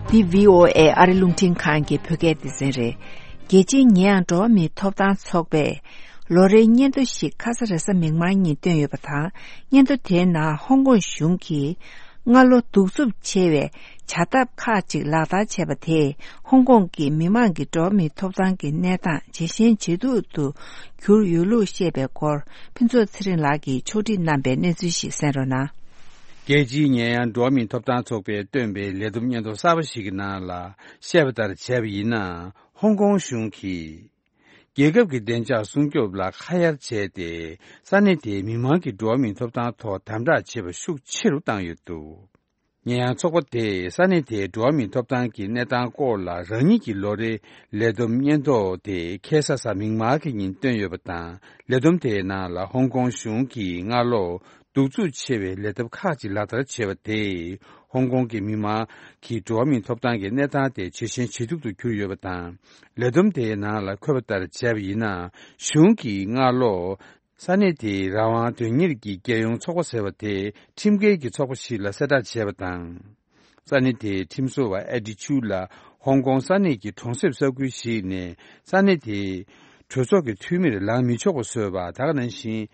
འདི་བྷི་ཨོ་ཨེ་ཨ་རི་རླུང་འཕྲིན་ཁང་གི་བོད་སྐད་སྡེ་ཚན་རེད། རྒྱལ་སྤྱིའི་ཉེ་ཡངས་འགྲོ་བ་མིའི་ཐོབ་ཐང་ཚོགས་པས། ལོ་རེའི་སྙན་ཐོ་ཞིག་ཁ་ས་རེས་གཟའ་མིག་དམར་ཉིན་བཏོན་ཡོད་པ་དང་། སྙན་ཐོ་དེའི་ནང་ཧོང་ཀོང་གཞུང་གིས་སྔ་ལོ་གདུག་རྩུབ་ཆེ་བའི་བྱ་ཐབས་ཁག་ཅིག་ལག་བསྟར་བྱས་པ་དེས། ཧོང་ཀོང་གི་མི་མང་གི་འགྲོ་བ་མིའི་ཐོབ་ཐང་གི་གནས་སྟངས་ཇེ་ཞན་ཇེ་སྡུག་ཏུ་གྱུར་ཡོད་ལུགས་བཤད་པའི་སྐོར། ཕུན་ཚོགས་ཚེ་རིང་ལགས་ཀྱིས་ཕྱོགས་སྒྲིག་གནང་པའི་གནས་ཚུལ་ཞིག་གསན་རོགས་གནང་། རྒྱལ་སྤྱིའི་ཉེ་ཡངས་འགྲོ་བ་མིའི་ཐོབ་ཐང་ཚོགས་པས་བཏོན་པའི་ལས་བསྡོམས་སྙན་ཐོ་གསར་པ་ཞིག་གི་ནང་ལ་བཤད་པ་ལྟར་བྱས་པ་ཡིན་ན། ཧོང་ཀོང་གཞུང་གིས། རྒྱལ་ཁབ་ཀྱི་བདེ་འཇགས་སྲུང་སྐྱོབ་ལ་ཁ་གཡར་བྱས་ཏེ། ས་གནས་དེའི་མི་མང་གི་འགྲོ་བ་མིའི་ཐོབ་ཐང་ཐོག་དམ་དྲག་བྱེད་པ་ཤུགས་ཆེ་རུ་བཏང་ཡོད་འདུག་ཉེ་ཡངས་ཚོགས་པ་དེས་ས་གནས་དེའི་འགྲོ་བ་མིའི་ཐོབ་ཐང་གི་གནས་སྟངས་སྐོར་ལ་རང་ཉིད་ཀྱི་ལོ་རེའི་ལས་བསྡོམས་སྙན་ཐོ་དེ་ཁ་སང་གཟའ་མིག་དམར་གྱི་ཉིན་བཏོན་ཡོད་པ་དང་། ལས་བསྡོམས་དེའི་ནང་ལ་ཧོང་ཀོང་གཞུང་གིས་སྔ་ལོ། གདུག་རྩུབ་ཆེ་བའི་ལས་ཐབས་ཁག་ཅིག་ལག་བསྟར་བྱས་པ་དེས། ཧོང་ཀོང་གི་མི་མང་གི་འགྲོ་བ་མིའི་ཐོབ་ཐང་གི་གནས་སྟངས་དེ་ཇེ་ཞན་ཇེ་སྡུག་ཏུ་གྱུར་ཡོད་པ་དང་། ལས་བསྡོམས་དེའི་ནང་ལ་འཁོད་པ་ལྟར་བྱས་པ་ཡིན་ན། གཞུང་གིས་སྔ་ལོ། ས་གནས་དེའི་རང་དབང་དོན་གཉེར་གྱི་རྒྱལ་ཡོངས་ཚོགས་པ་ཟེར་བ་དེ་ཁྲིམས་འགལ་གྱི་ཚོགས་པ་ཞིག་ལ་གསལ་བསྒྲགས་བྱས་པ་དང་། ས་གནས་དེའི་ཁྲིམས་བཟོ་བ་ཨེ་ཌི་ཆུ་ལ་ཧོང་ཀོང་ས་གནས་ཀྱི་གྲོང་གསེབ་ས་ཁུལ་ཞིག་ནས་ས་གནས་དེའི་གྲོས་ཚོགས་ཀྱི་འཐུས་མིར་ལངས་མི་ཆོག་པ་བཟོས་པ། ད་ག་ནང་བཞིན།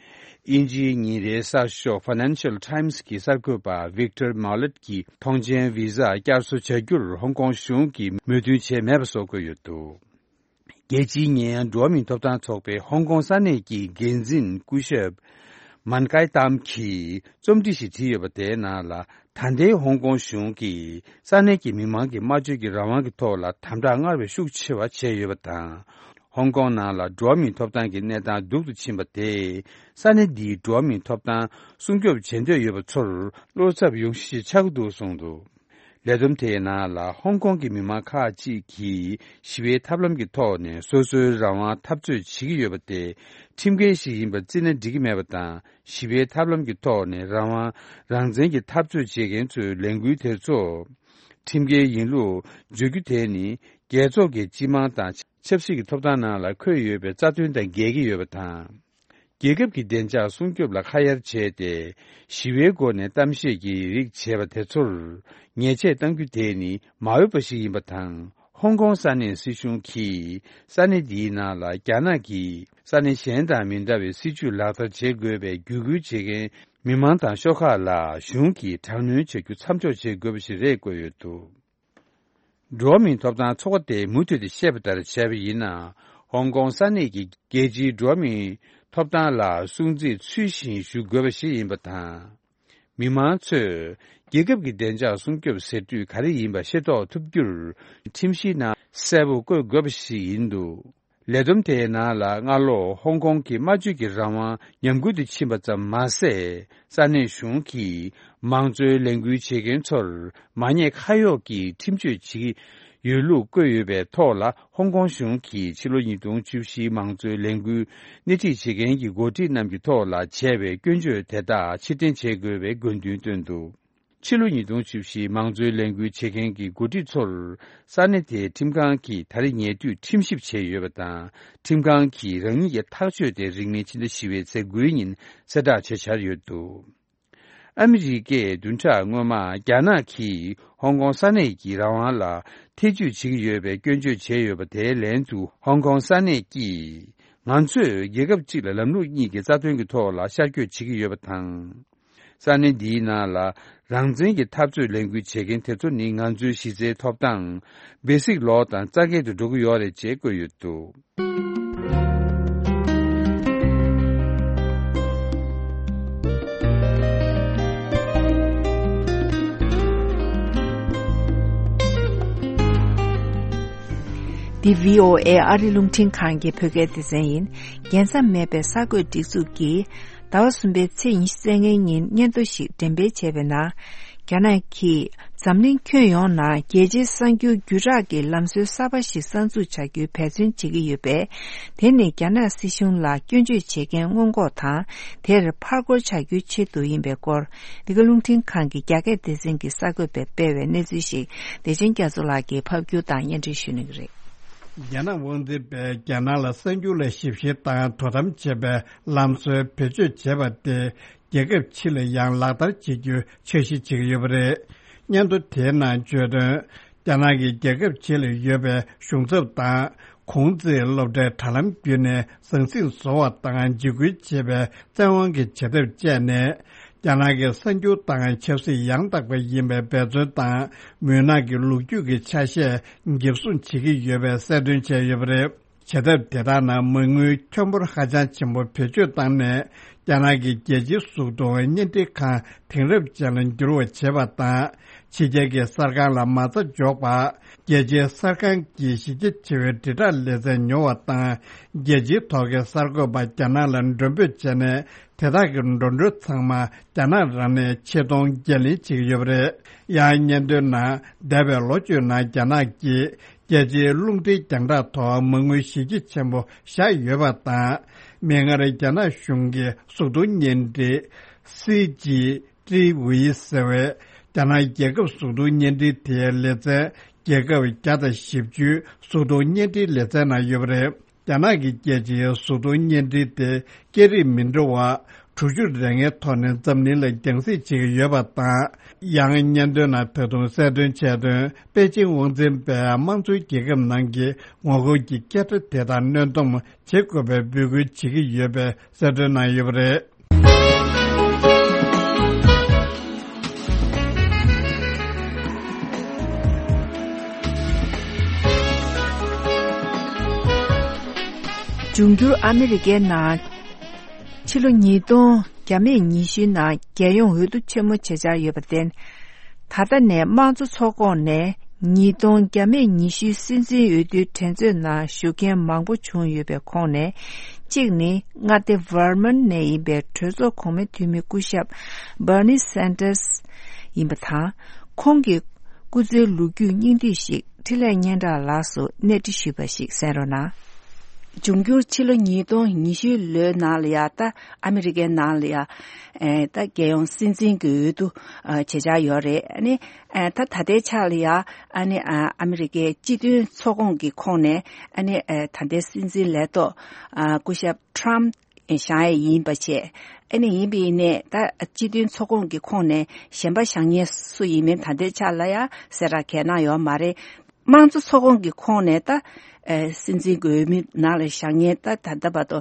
དབྱིན་ཇིའི་ཉིན་རེའི་གསར་ཤོག་Financial Times་གྱི་གསར་འགོད་པ་Victor Mallet་གྱིས་ཐོངས་མཆན་བི་ཟ་བསྐྱར་གསོ་བྱ་རྒྱུར་ཧོང་ཀོང་གཞུང་གིས་མོས་མཐུན་བྱས་མེད་པ་སོགས་བཀོད་ཡོད་འདུག་རྒྱལ་སྤྱིའི་ཉེ་ཡངས་འགྲོ་བ་མིའི་ཐོབ་ཐང་ཚོགས་པའི་ཧོང་ཀོང་ས་གནས་ཀྱི་འགན་འཛིན་སྐུ་ཞབས་མན་ཀའི་ཏམ་གྱིས་རྩོམ་བྲིས་ཤིག་བྲིས་ཡོད་པ། དེའི་ནང་ལ། ད་ལྟའི་ཧོང་ཀོང་གཞུང་གིས་ས་གནས་ཀྱི་མི་མང་གི་སྨྲ་བརྗོད་ཀྱི་རང་དབང་གི་ཐོག་ལ་དམ་དྲག་སྔར་བས་ཤུགས་ཆེ་བ་བྱས་ཡོད་པ་དང་། ཧོང་ཀོང་ནང་ལ་འགྲོ་བ་མིའི་ཐོབ་ཐང་གི་གནས་སྟངས་སྡུག་ཏུ་ཕྱིན་པ་དེས། ས་གནས་འདིའི་འགྲོ་བ་མིའི་ཐོབ་ཐང་སྲུང་སྐྱོབ་བྱེད་འདོད་ཡོད་པ་ཚོར་བློ་འཚབ་ཡོང་གཞི་ཆགས་ཀྱི་འདུག་གསུངས་འདུག་ལས་བསྡོམས་དེའི་ནང་ལ། ཧོང་ཀོང་གི་མི་མང་ཁག་ཅིག་གིས་ཞི་བའི་ཐབས་ལམ་གྱི་ཐོག་ནས་སོ་སོའི་རང་དབང་འཐབ་རྩོད་བྱེད་ཀྱི་ཡོད་པ་དེ་ཁྲིམས་འགལ་ཞིག་ཡིན་པར་བརྩིས་ན་འགྲིག་གི་མེད་པ་དང་། ཞི་བའི་ཐབས་ལམ་གྱི་ཐོག་ནས་རང་དབང་རང་བཙན་གྱི་འཐབ་རྩོད་བྱེད་མཁན་ཚོའི་ལས་འགུལ་དེ་ཚོ་ཁྲིམས་འགལ་ཡིན་ལུགས་བརྗོད་རྒྱུ་དེ་ནི། རྒྱལ་ཚོགས་ཀྱི་སྤྱི་དམངས་དང་ཆབ་སྲིད་ཀྱི་ཐོབ་ཐང་ནང་ལ་འཁོད་ཡོད་པའི་རྩ་དོན་དང་འགལ་གྱི་ཡོད་པ་དང་། རྒྱལ་ཁབ་ཀྱི་བདེ་འཇགས་སྲུང་སྐྱོབ་ལ་ཁ་གཡར་བྱས་ཏེ། ཞི་བའི་སྒོ་ནས་གཏམ་བཤད་ཀྱི་རིགས་བྱས་པ་དེ་ཚོར་ཉེས་ཆད་གཏང་རྒྱུ་དེ་ནི་མ་འོས་པ་ཞིག་ཡིན་པ་དང་། ཧོང་ཀོང་ས་གནས་སྲིད་གཞུང་གིས་ས་གནས་འདིའི་ནང་ལ་རྒྱ་ནག་གིས་ས་གནས་གཞན་དང་མི་འདྲ་བའི་སྲིད་ཇུས་ལག་བསྟར་བྱེད་དགོས་པའི་བརྒྱུད་སྐུལ་བྱེད་མཁན་མི་མང་དང་ཤོག་ཁག་ལ་གཞུང་གིས་དྲག་གནོན་བྱ་རྒྱུ་མཚམས་འཇོག་བྱེད་དགོས་པ་ཞིག་རེད་བཀོད་ཡོད་འདུག། འགྲོ་བ་མིའི་ཐོབ་ཐང་ཚོགས་པ་དེས་མུ་མཐུད་དུ་བཤད་པ་ལྟར་བྱས་པ་ཡིན་ན། ཧོང་ཀོང་ས་གནས་ཀྱི་རྒྱལ་སྤྱིའི་འགྲོ་བ་མིའི་ཐོབ་ཐང་ལ་སྲུང་བརྩི་ཚུལ་བཞིན་ཞུ་དགོས་པ་ཞིག་ཡིན་པ་དང་། མི་མང་ཚོས་རྒྱལ་ཁབ་ཀྱི་བདེ་འཇགས་སྲུང་སྐྱོབ་ཟེར་དུས་ག་རེ་ཡིན་པ་ཤེས་རྟོགས་ཐུབ་རྒྱུར། ཁྲིམས་གཞིའི་ནང་གསལ་པོ་བཀོད་དགོས་པ་ཞིག་ཡིན་འདུག། ལས་བསྡོམས་དེའི་ནང་ལ་སྔ་ལོ་ཧོང་ཀོང་གི་སྨྲ་བརྗོད་ཀྱི་རང་དབང་ཉམས་རྒུད་དུ་ཕྱིན་པ་ཙམ་མ་ཟད། ས་གནས་གཞུང་གིས་མང་གཙོའི་ལས་འགུལ་བྱེད་མཁན་ཚོར་མ་ཉེས་ཁ་གཡོགས་ཀྱི་ཁྲིམས་གཅོད་བྱེད་ཀྱི་ཡོད་ལུགས་བཀོད་ཡོད་པའི་ཐོག་ལ། ཧོང་ཀོང་གཞུང་གིས་ཕྱི་ལོ་ཉིས་སྟོང་བཅུ་བཞིའི་མང་གཙོའི་ལས་འགུལ་སྣེ་ཁྲིད་བྱེད་མཁན་གྱི་འགོ་ཁྲིད་རྣམས་ཀྱི་ཐོག་ལ་བྱས་པའི་སྐྱོན་བརྗོད་དེ་དག་ཕྱིར་འཐེན་བྱེད་དགོས་པའི་དགོས་འདུན་བཏོན་འདུག། ཕྱི་ལོ་ཉིས་སྟོང་བཅུ་བཞི་མང་གཙོའི་ལས་འགུལ་བྱེད་མཁན་གྱི་འགོ་ཁྲིད་ཚོར་ས་གནས་དེའི་ཁྲིམས་ཁང་གིས་ད་རེས་ཉེ་དུས་ཁྲིམས་ཞིབ་བྱས་ཡོད་པ་དང་། ཁྲིམས་ཁང་གིས་རང་ཉིད་ཀྱི་ཐག་གཅོད་དེ་རིང་མིན་ཕྱི་ཟླ་བཞི་པའི་ཚེས་དགུའི་ཉིན་གསལ་བསྒྲགས་བྱེད་འཆར་ཡོད་འདུག། ཨ་མི་རི་ཀས་བདུན་ཕྲག་སྔོན་མ་རྒྱ་ནག་གིས་ཧོང་ཀོང་ས་གནས་ཀྱི་རང་དབང་ལ་ཐེ་ཇུས་བྱེད་ཀྱི་ཡོད་པའི་སྐྱོན་བརྗོད་བྱས་ཡོད་པ་དེའི་ལན་དུ། ཧོང་ཀོང་ས་གནས་ཀྱིས་ང་ཚོས་རྒྱལ་ཁབ་གཅིག་ལ་ལམ་ལུགས་གཉིས་ཀྱི་རྩ་དོན་གྱི་ཐོག་ལ་ཤར་བསྐྱོད་བྱེད་ཀྱི་ཡོད་པ་དང་། ས་གནས་འདིའི་ནང་ལ་རང་བཙན་གྱི་འཐབ་རྩོད་ལས་འགུལ་བྱེད་མཁན་དེ་ཚོ་ནི་ང་ཚོའི་གཞི་རྩའི་ཐོབ་ཐང་སྦེ་སིག་ལོ་དང་རྩ་འགལ་དུ་འགྲོ་གི་ཡོད་རེད་ཅེས་བཀོད་ཡོད་འདུག། འདི་བྷི་ཨོ་ཨེ་ཨ་རི་རླུང་འཕྲིན་ཁང་གི་བོད་སྐད་སྡེ་ཚན་ཡིན། རྒྱལ་མཚམས་མེད་པའི་གསར་འགོད་སྒྲིག་འཛུགས་ཀྱིས། ཟླ་བ་གསུམ་པའི་ཚེས་ཉི་ཤུ་རྩ་ལྔའི་ཉིན་སྙན་ཐོ་ཞིག་འགྲེམས་སྤེལ་བྱས་པའི་ནང་། རྒྱ་ནག་གིས་འཛམ་གླིང་ཁྱོན་ཡོངས་ནང་རྒྱལ་སྤྱིའི་གསར་འགྱུར་བརྒྱུད་བསྒྲགས་ཀྱི་ལམ་སྲོལ་གསར་པ་ཞིག་གསར་འཛུགས་བྱ་རྒྱུའི་འབད་བརྩོན་བྱེད་ཀྱི་ཡོད་པས། དེ་ནི་རྒྱ་ནག་སྲིད་གཞུང་ལ་སྐྱོན་བརྗོད་བྱེད་མཁན་སྔོན་འགོག་དང་། དེར་ཕར་རྒོལ་བྱ་རྒྱུའི་ཆེད་དུ་ཡིན་པའི་སྐོར། འདི་ག་རླུང་འཕྲིན་ཁང་གི་རྒྱ་སྐད་སྡེ་ཚན་གྱི་གསར་འགོད་པས་སྤེལ་བའི་གནས་ཚུལ་ཞིག་བདེ་ཆེན་རྒྱ་མཚོ་ལགས་ཀྱིས་ཕབ་བསྒྱུར་དང་སྙན་སྒྲོན་ཞུ་གནང་གི་རེད། རྒྱ་ནག་དབང་འཛིན་པས་རྒྱ་ནག་ལ་གསར་འགྱུར་ལ་ཞིབ་བཤེར་དང་དོ་དམ་བྱེད་པའི་ལམ་སྲོལ་བེད་སྤྱོད་བྱས་པ་དེ་རྒྱལ་ཁབ་ཕྱི་ལ་ཡང་ལག་བསྟར་བྱེད་རྒྱུའི་འཆར་གཞི་བྱེད་ཀྱི་ཡོད་པ་རེད། སྙན་ཐོ་དེའི་ནང་བརྗོད་དོན། རྒྱ་ནག་གིས་རྒྱལ་ཁབ་ཕྱི་ལ་ཡོད་པའི་གཞུང་ཚབ་དང་གུང་ཚིགས་སློབ་གྲྭའི་དྲ་ལམ་བརྒྱུད་ནས་ཟང་ཟིང་བཟོ་བ་དང་འཇིགས་སྐུལ་བྱེད་པའི་བཙན་དབང་གི་བྱེད་ཐབས་སྤྱད་ནས། རྒྱ་ནག་གི་གསར་འགྱུར་དང་ཆབ་སྲིད་ཡང་དག་པ་ཡིན་པའི་འབད་བརྩོན་དང་། མུན་ནག་གི་ལོ་རྒྱུས་ཀྱི་ཆ་ཤས་འགེབས་སྲུང་བྱེད་ཀྱི་ཡོད་པའི་གསལ་སྟོན་བྱས་ཡོད་པ་རེད། བྱེད་ཐབས་དེ་དག་ནང་མ་དངུལ་ཁྱོན་འབོར་ཧ་ཅང་ཆེན་པོ་བེད་སྤྱོད་བཏང་ནས། རྒྱ་ནག་གི་རྒྱལ་སྤྱིའི་གཟུགས་མཐོང་བརྙན་འཕྲིན་ཁང་དེང་རབས་ཅན་ལ་འགྱུར་བ་བྱེད་པ་དང་། ཕྱི་རྒྱལ་གྱི་གསར་ཁང་ལ་མ་རྩ་འཇོག་པ། རྒྱལ་སྤྱིའི་གསར་ཁང་གི་གཞི་རྒྱ་ཆེ་བའི་དྲིལ་བསྒྲགས་ལེ་ཚན་ཉོ་བ་དང་། རྒྱལ་སྤྱིའི་ཐོག་གི་གསར་འགོད་པ་རྒྱ་ནག་ལ་མགྲོན་འབོད་བྱས་ནས། དེ་དག་གི་འགྲོ་གྲོན་ཚང་མ་རྒྱ་ནག་རང་ནས་ཆེད་གཏོང་འགན་ལེན་བྱེད་ཀྱི་ཡོད་པ་རེད། ཡང་སྙན་ཐོའི་ནང་། འདས་པའི་ལོ་བཅུའི་ནང་རྒྱ་ནག་གིས་རྒྱལ་སྤྱིའི་རླུང་འཕྲིན་རྒྱང་བསྒྲགས་ཐོག་མ་དངུལ་གཞི་རྒྱ་ཆེན་པོ་བཞག་ཡོད་པ་དང་། མིག་སྔར་རྒྱ་ནག་གཞུང་གི་གཟུགས་མཐོང་བརྙན་འཕྲིན་སི་ཇི་ཀྲི་ཝི་ཟེར་བའི་རྒྱ་ནག་རྒྱལ་ཁབ་གཟུགས་མཐོང་བརྙན་འཕྲིན་དེའི་ལེ་ཚན་རྒྱལ་ཁབ་བརྒྱ་དང་བཞི་བཅུའི་གཟུགས་མཐོང་བརྙན་འཕྲིན་ལེ་ཚན་ནང་ཡོད་པ་རེད། རྒྱ་ནག་གི་རྒྱལ་སྤྱིའི་གཟུགས་མཐོང་བརྙན་འཕྲིན་དེ་སྐད་རིགས་མི་འདྲ་བ་དྲུག་ཅུ་རེ་ལྔའི་ཐོག་ནས་འཛམ་གླིང་ལ་རྒྱང་སྲིང་བྱེད་ཀྱི་ཡོད་པ་དང་། ཡང་སྙན་ཐོའི་ནང་ད་དུང་གསལ་སྟོན་བྱས་དོན། པེ་ཅིང་དབང་འཛིན་པས་དམངས་གཙོའི་རྒྱལ་ཁབ་ནང་གི་ངོ་རྒོལ་གྱི་སྐད་སྒྲ་དེ་དག་གནོན་སྡོམ་བྱེད་དགོས་པའི་འབོད་སྐུལ་བྱེད་ཀྱི་ཡོད་པའི་གསལ་སྟོན་གནང་ཡོད་པ་རེད། འབྱུང་འགྱུར་ཨ་མི་རི་ཀའི་ནང་ཕྱི་ལོ་ཉིས་སྟོང་བརྒྱ་མེད་ཉི་ཤུའི་ནང་རྒྱལ་ཡོངས་འོས་བསྡུ་ཆེན་མོ་བྱེད་འཆར་ཡོད་པར་བརྟེན། ད་ལྟ་ནས་དམངས་གཙོ་ཚོགས་ཁོངས་ནས་ཉིས་སྟོང་བརྒྱ་མེད་ཉི་ཤུའི་སྲིད་འཛིན་འོས་བསྡུའི་འགྲན་རྩོད་ནང་ཞུགས་མཁན་མང་པོ་བྱུང་ཡོད་པའི་ཁོངས་ནས། གཅིག་ནི་མངའ་སྡེ་ཝར་མོན་ནས་ཡིན་པའི་གྲོས་ཚོགས་གོང་མའི་འཐུས་མི་སྐུ་ཞབས་Bernie Sanders་ཡིན་པ་དང་། ཁོང་གི་སྐུ་ཚེའི་ལོ་རྒྱུས་སྙིང་བསྡུས་ཤིག་འཕྲིན་ལས་སྙན་གྲགས་ལགས་སུ་གནས་འདྲི་ཞུས་པ་ཞིག་གསན་རོགས་གནང་། འབྱུང་འགྱུར་ཕྱི་ལོ་ཉིས་སྟོང་ཉི་ཤུའི་ལོའི་ནང་ལ་ཡ་ད་ཨ་མི་རི་ཀའི་ནང་ལ་ཡ། ཨེ། ད་རྒྱལ་ཡོངས་སྲིད་འཛིན་གྱི་འོས་བསྡུ་ཨ་བྱེད་འཆར་ཡོད་རེད། ཨ་ནི་ཨེ་ད་ད་ལྟའི་ཆ་ལ་ཡ་ཨ་ནི་ཨ་ཨ་མི་རི་ཀའི་སྤྱི་མཐུན་ཚོགས་ཁོངས་ཀྱི་ཁོངས་ནས་ཨ་ནི་ཨེ་ད་ལྟའི་སྲིད་འཛིན་ལས་ཐོག་ཨ་སྐུ་ཞབས་Trump་ བཞེངས་ཡས་ཡིན་པ་བྱས། ཨ་ནི་ཡིན་པ་ཡིན་ནའི་ད་སྤྱི་མཐུན་ཚོགས་ཁོངས་ཀྱི་ཁོངས་ནས་གཞན་པ་བཞེངས་མཁན་སུ་ཡིན་མིན་ད་ལྟའི་ཆ་ལ་ཡང་གསལ་བསྒྲགས་གང་ཡང་གནང་ཡོད་མ་རེད། དམངས་གཙོ་ཚོགས་ཁོངས་ཀྱི་ཁོངས་ནས་ད་ཨ་སྲིད་འཛིན་གྱི་འོས་མི་ནང་ལ་བཞེངས་མཁན་ད་ད་ལྟ་བར་དུ་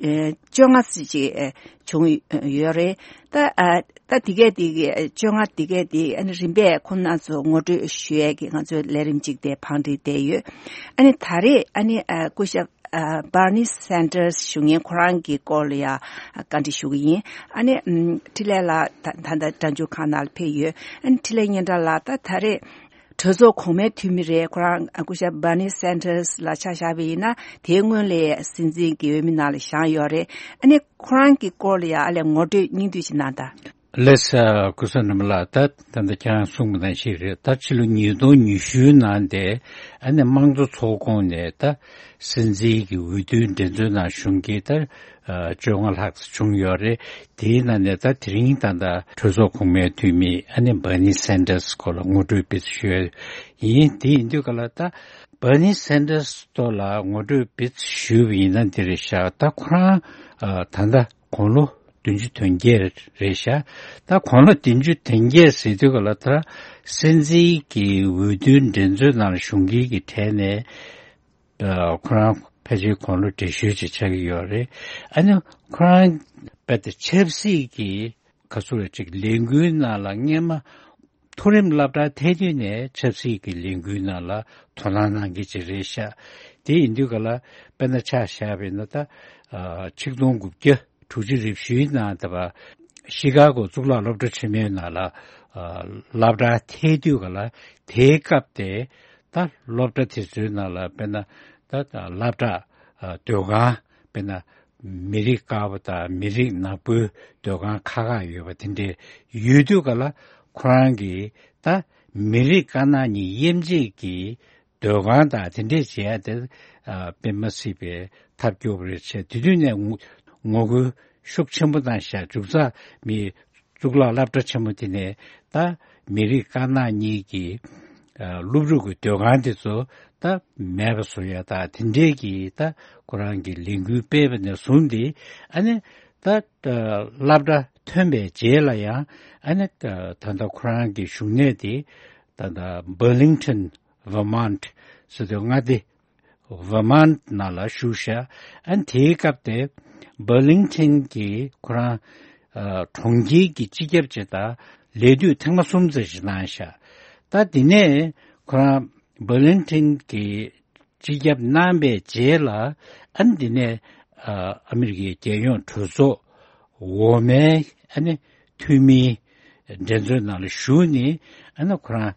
ཨ་བཅོ་ལྔ་ཙམ་ཅིག་ཨ་བྱུང་ཡོད་རེད། ད་ཨ་ད་དེ་གས་དེ་གས་བཅོ་ལྔ་དེ་གས་དེ་ཨ་ནི་རིམ་པས་ཁོང་རྣམ་ཚོ་ངོ་སྤྲོད་ཞུ་ཡས་ཀྱི་ང་ཚོའི་ལས་རིམ་ཅིག་དེ་བང་སྒྲིག་བསྡད་ཡོད། ཨ་ནི་ད་རེས་ཨ་ནི་ཨ་སྐུ་ཞབས་ཨ་Bernie Sanders་ཞུ་མཁན་ཁོ་རང་གི་སྐོར་ལ་ཡང་བཀའ་འདྲི་ཞུ་གི་ཡིན། ཨ་ནི་ཨམ་འཕྲིན་ལས་ལགས་ད་ད་ལྟ་སྒྲ་འཇུག་ཁང་ནང་ལ་ཕེབས་ཡོད། ཨ་ནི་འཕྲིན་ལས་སྙན་གྲགས་ལགས་ད་ད་རེས་གྲོས་ཚོགས་གོང་མའི་འཐུས་མི་རེད། ཁོ་རང་སྐུ་ཞབས་Bernie Sanders་ལ་ཆ་བཞག་པ་ཡིན་ན་དེའི་སྔོན་ལ་སྲིད་འཛིན་གྱི་འོས་མི་ནང་ལ་བཞེངས་ཡོད་རེད། ཨ་ནི་ཁོ་རང་གི་སྐོར་ལ་ཡང་ཨ་ལས་ངོ་སྤྲོད་སྙིང་བསྡུས་ཤིག་གནང་དང་། ལགས་སོ། སྐུ་ཞབས་སྣུམ་ལགས་ད་ད་ལྟ་ཁྱེད་རང་གསུངས་པ་ནང་བཞིན་རེད། ད་ཕྱི་ལོ་ཉིས་སྟོང་ཉི་ཤུ་ནང་དེ་ཨ་ནི་དམངས་གཙོ་ཚོགས་ཁོངས་ནས་ད་སྲིད་འཛིན་གྱི་འོས་བསྡུའི་འགྲན་རྩོད་ནང་ཞུགས་མཁན་ད་བཅོ་ལྔ་ལྷག་ཙམ་བྱུང་ཡོད་རེད། དེའི་ནང་ནས་ད་དེ་རིང་ད་ལྟ་གྲོས་ཚོགས་གོང་མའི་འཐུས་མི་ཨ་ནི་Bernie Sanders་སྐོར་ལ་ངོ་སྤྲོད་སྤེལ་ཞུ་ཡ་ཡིན། དེ་ཡིན་དུས་ག་ལ་ད་Bernie Sanders་ཐོག་ལ་ངོ་སྤྲོད་སྤེལ་ཞུས་པ་ཡིན་ན་འདི་རེད་ཤག་ད་ཁོ་རང་ད་ལྟ་དགུང་ལོ་བདུན་ཅུ་དོན་བརྒྱད་རེད་ཤག་ད་དགུང་ལོ་བདུན་ཅུ་དོན་བརྒྱད་ཟེར་དུས་ག་ལ་ད་སྲིད་འཛིན་གྱི་འོས་བསྡུའི་འགྲན་རྩོད་ནང་ཞུགས་མཁན་གྱི་གྲས་ནས། ཁོ་རང་ཕལ་ཆེར་དགུང་ལོ་བགྲེས་ཤོས་ཅིག་ཆགས་ཀྱི་ཡོད་རེད། ཨ་ནི་ཁོ་རང་རྦད་དེ་ཆབ་སྲིད་ཀྱི་ག་ཚོད་རེད་ཅིག་ལས་འགུལ་ནང་ལ་སྔན་མ་མཐོ་རིམ་སློབ་གྲྭ་ཐད་དུས་ནས་ཆབ་སྲིད་ཀྱི་ལས་འགུལ་ནང་ལ་དོ་སྣང་གནང་མཁན་ཅིག་རེད་ཤག་དེ་ཡིན་དུས་ག་ལ་དཔེར་ན་ཆ་བཞག་པ་ཡིན་ན་ད་ཆིག་སྟོང་དགུ་བརྒྱ་དྲུག་ཅུ་རེ་བཞིའི་ནང་ད་བ་ཤི་ཀ་གོ་གཙུག་ལག་སློབ་གྲྭ་ཆེན་མོའི་ནང་ལ་སློབ་གྲྭ་ཐད་དུས་ག་ལ་དེའི་སྐབས་དེ། ད་སློབ་གྲྭ་དེ་ཚོའི་ནང་ལ་དཔེར་ན་ད་ད་སློབ་གྲྭ་ཨ་སྡོད་ཁང་དཔེར་ན་མི་རིགས་དཀར་པོ་དང་མི་རིགས་ནག་པོའི་སྡོད་ཁང་ཁག་ཁག་ཡོད་པ་དེ་འདྲས་ཡོད་དུས་ག་ལ་ཁོ་རང་གིས་ད་མི་རིགས་དཀར་ནག་གཉིས་དབྱེ་འབྱེད་ཀྱི་སྡོད་ཁང་དང་དེ་འདྲས་བྱས་ཏེ་ཨ་དཔེ་མ་སྲིད་པའི་ཐབས་སྐྱོ་པོ་རེད་བྱས། དེ་དུས་ནས་ངོ་ངོ་རྒོལ་ཤུགས་ཆེན་པོ་བཏང་ཤག་མཇུག་རྩ་མི་གཙུག་ལག་སློབ་གྲྭ་ཆེན་མོ་དེ་ནས་ད་མི་རིགས་དཀར་ནག་གཉིས་ཀྱི་ཨ་སློབ་ཕྲུག་གི་སྡོད་ཁང་དེ་ཚོ་ད་མེད་པ་བཟོ་ཡ་ད་དེ་འདྲས་ཀྱི་ད་ཁོ་རང་གི་ལས་འགུལ་སྤེལ་བ་ནས་བཟུང་སྟེ་ཨ་ནི་ད་སློབ་གྲྭ་ཐོན་པའི་རྗེས་ལ་ཡང་ཨ་ནི་ད་ད་ལྟ་ཁོ་རང་གི་བཞུགས་གནས་དེ་ད་ལྟ་Burlington Vermont་ཟེར་དུས་མངའ་སྡེ་Vermont་ནང་ལ་བཞུགས་ཤག་ཨ་ནི་དེའི་སྐབས་དེ་Burlington་གྱི་ཁོ་རང་ཨ་གྲོང་ཁྱེར་གྱི་སྤྱི་ཁྱབ་ཅིག་དང་ལས་དུས་ཐེངས་མ་གསུམ་ཙམ་ཞིག་གནང་ཤག་ད་དེ་ནས་ཁོ་རང་Burlington་གྱི་སྤྱི་ཁྱབ་གནང་པའི་རྗེས་ལ་ཨ་ནི་དེ་ནས་ཨ་ཨ་མི་རི་ཀའི་རྒྱལ་ཡོངས་གྲོས་ཚོགས་འོག་མའི་ཨ་ནི་འཐུས་མིའི་འགྲན་རྩོད་ནང་ལ་ཞུགས་ནས་ཨ་ནི་ཁོ་རང་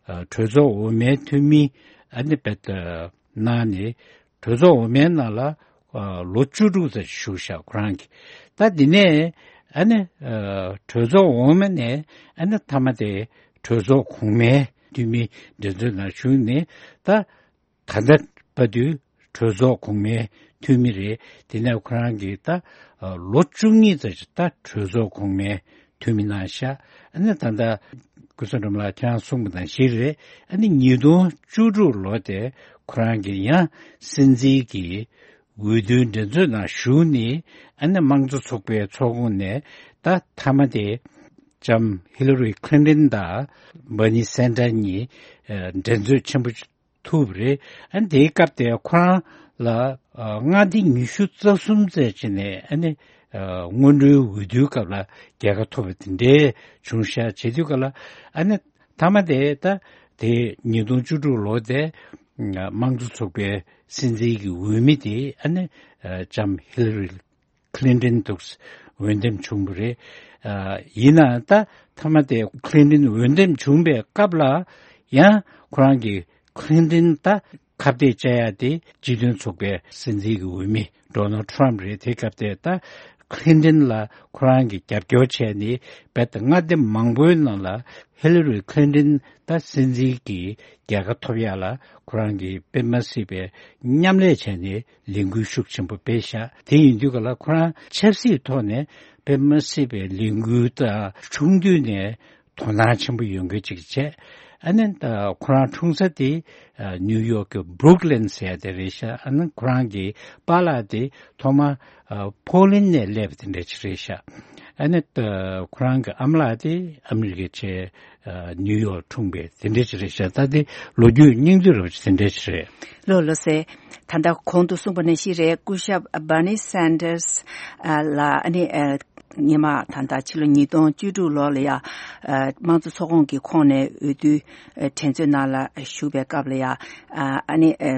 ཨ་གྲོས་ཚོགས་འོག་མའི་འཐུས་མི་ཨ་ནི་རྦད་དེ་གནང་ནས་གྲོས་ཚོགས་འོག་མའི་ནང་ལ་ཨ་ལོ་བཅུ་དྲུག་ཙམ་བཞུགས་ཤག་ཁོ་རང་གིས། ད་འདི་ནས་ཨ་ནི་ཨ་གྲོས་ཚོགས་འོག་མ་ནས་ཨ་ནི་མཐའ་མ་དེ་གྲོས་ཚོགས་གོང་མའི་འཐུས་མི་འགྲན་རྩོད་ནང་ཞུགས་ནས་ད། ད་ལྟ་བར་དུ་གྲོས་ཚོགས་གོང་མའི་འཐུས་མི་རེད། དེ་ནས་ཁོ་རང་གིས་ད་ལོ་བཅུ་གཉིས་ཙམ་ཞིག་ད་གྲོས་ཚོགས་གོང་མའི་འཐུས་མི་གནང་ཤག་ཨ་ནི་ད་ལྟ་སྐུ་ཞབས་འགྲམ་ལགས་ཁྱེད་རང་གསུངས་པ་ནང་བཞིན་རེད། ཨ་ནི་ཉིས་སྟོང་བཅུ་དྲུག་ལོ་དེ་ཁོ་རང་གིས་ཡང་སྲིད་འཛིན་གྱི་འོས་བསྡུའི་འགྲན་རྩོད་ནང་ཞུགས་ནས་ཨ་ནི་དམངས་གཙོ་ཚོགས་པའི་ཚོགས་ཁོངས་ནས་ད་མཐའ་མ་དེ་ལྕམ་ཧི་ལ་རི་ཁི་ལིན་ཏན་དང་བར་ནི་སན་ཌར་གཉིས་འགྲན་རྩོད་ཆེན་པོ་ཐུག་པ་རེད། ཨ་ནི་དེའི་སྐབས་དེ་ཁོ་རང་ལ་ཨ་མངའ་སྡེ་ཉི་ཤུ་རྩ་གསུམ་ཙམ་ཅིག་ནས་ཨ་ནི་ཨ་སྔོན་འགྲོའི་འོས་བསྡུའི་སྐབས་ལ་རྒྱལ་ཁ་ཐོབ་པ་དེ་འདྲའི་བྱུང་ཤག་བྱེད་དུས་ག་ལ་ཨ་ནི་མཐའ་མ་དེ་ད་དེ་ཉིས་སྟོང་བཅུ་དྲུག་ལོ་དེ་དམངས་གཙོ་ཚོགས་པའི་སྲིད་འཛིན་གྱི་འོས་མི་དེ་ཨ་ནི་ཨ་ལྕམ་ཧི་ལ་རི་ཁི་ལིན་ཏན་འདུག་འོས་འདེམས་བྱུང་བ་རེད། ཨ་ཡིན་ནའང་ད་མཐའ་མ་དེ་ཁི་ལིན་ཏན་འོས་འདེམས་བྱུང་བའི་སྐབས་ལ་ཡང་ཁོ་རང་གིས་ཁི་ལིན་ཏན་ད་ཁ་གཏད་བཅག་ཡ་དེ་སྤྱི་མཐུན་ཚོགས་པའི་སྲིད་འཛིན་གྱི་འོས་མི་ཌོ་ནལ་ཊམ་རེད། དེ་སྐབས་དེ་ད་ཁི་ལིན་ཏན་ལ་ཁོ་རང་གིས་རྒྱབ་སྐྱོར་བྱས་ནས་རྦད་དེ་མངའ་སྡེ་མང་པོའི་ནང་ལ་ཧི་ལ་རི་ཁི་ལིན་ཏན་ད་སྲིད་འཛིན་གྱི་རྒྱལ་ཁ་ཐོབ་ཡ་ལ་ཁོ་རང་གིས་དཔེ་མ་སྲིད་པའི་མཉམ་ལས་བྱས་ནས་ལས་འགུལ་ཤུགས་ཆེན་པོ་སྤེལ་ཤག་དེ་ཡིན་དུས་ག་ལ་ཁོ་རང་ཆབ་སྲིད་ཐོག་ནས་དཔེ་མ་སྲིད་པའི་ལས་འགུལ་དང་ཆུང་དུས་ནས་དོ་སྣང་ཆེན་པོ་ཡོང་མཁན་ཅིག་བྱས། ཨ་ནི་ད་ཁོ་རང་འཁྲུངས་ས་དེ་ཨ་ནིའུ་ཡོག་གི་བྷུ་རུག་ལིན་ཟེར་ཡ་དེ་རེད་ཤག་ཨ་ནི་ཁོ་རང་གི་པཱ་ལགས་དེ་ཐོག་མ་ཨ་པོ་ལན་ནས་སླེབས་པ་དེ་འདྲ་ཅིག་རེད་ཤག་ཨ་ནི་ད་ཁོ་རང་གི་ཨ་མ་ལགས་དེ་ཨ་མི་རི་ཀའི་ཆེ་ཨ་ནིའུ་ཡོག་འཁྲུངས་པའི་དེ་འདྲ་ཅིག་རེད་ཤག་ད་དེ་ལོ་རྒྱུས་སྙིང་བསྡུས་རབ་ཅིག་དེ་འདྲ་ཅིག་རེད། ལོ་ལོ་སེ། ད་ལྟ་གོང་དུ་གསུངས་པ་ནང་བཞིན་རེད། སྐུ་ཞབས་Bernie Sanders ལ་ཨ་ནི་ཨ་སྔོན་མ་ད་ལྟ་ཕྱི་ལོ་ཉིས་སྟོང་བཅུ་དྲུག་ལོ་ལ་ཡ་ཨ་དམངས་གཙོ་ཚོགས་ཁོངས་ཀྱི་ཁོངས་ནས་འོས་བསྡུ་ཨ་དྲན་གསོའི་ནང་ལ་ཞུགས་པའི་སྐབས་ལ་ཡ་ཨ་ཨ་ནི་ཨ་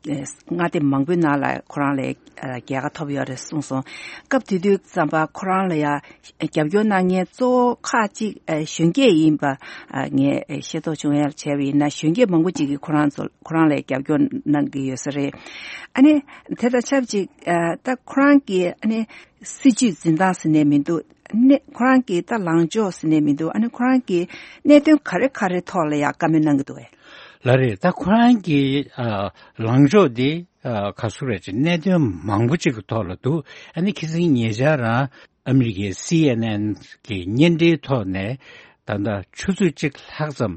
མངའ་སྡེ་མང་པོའི་ནང་ལ་ཁོ་རང་ལ་ཨ་རྒྱལ་ཁ་ཐོབ་ཡོད་རེད་གསུངས་སོང་། སྐབས་དེ་དུས་ཙམ་པ་ཁོ་རང་ལ་ཡ་རྒྱབ་སྐྱོར་གནང་མཁན་གཙོ་བོ་ཁག་ཅིག་ཨ་གཞོན་སྐྱེས་ཡིན་པ་ཨ་ངས་ཤེས་རྟོགས་བྱུང་ཡ་བྱས་པ་ཡིན་ན། གཞོན་སྐྱེས་མང་པོ་ཅིག་གིས་ཁོ་རང་ཚོ་ཁོ་རང་ལ་རྒྱབ་སྐྱོར་གནང་གི་ཡོད་ས་རེད། ཨ་ནི་དེ་དང་ཆབས་ཅིག་ཨ་ད་ཁོ་རང་གི་ཨ་ནི་སྲིད་ཇུས་འཛིན་སྟངས་ཟེར་ནས་མི་འདུག་ནས་ཁོ་རང་གི་ད་ལངས་ཕྱོགས་ཟེར་ནས་མི་འདུག་ཨ་ནི་ཁོ་རང་གི་གནད་དོན་ག་རེ་ག་རེ་ཐོག་ལ་ཡ་བཀའ་མོལ་གནང་གི་འདུག་གས། ལགས་རེད། ད་ཁོ་རང་གི་ཨ་ལངས་ཕྱོགས་དེ་ཨ་ག་ཚོད་རེད་ཅེ་གནད་དོན་མང་པོ་ཅིག་གི་ཐོག་ལ་འདུག་ཨ་ནི་ཁ་སང་ཉེ་ཆར་རང་ཨ་མི་རི་ཀའི་སི་ཨེན་ཨེན་གི་བརྙན་འཕྲིན་ཐོག་ནས་ད་ལྟ་ཆུ་ཚོད་གཅིག་ལྷག་ཙམ་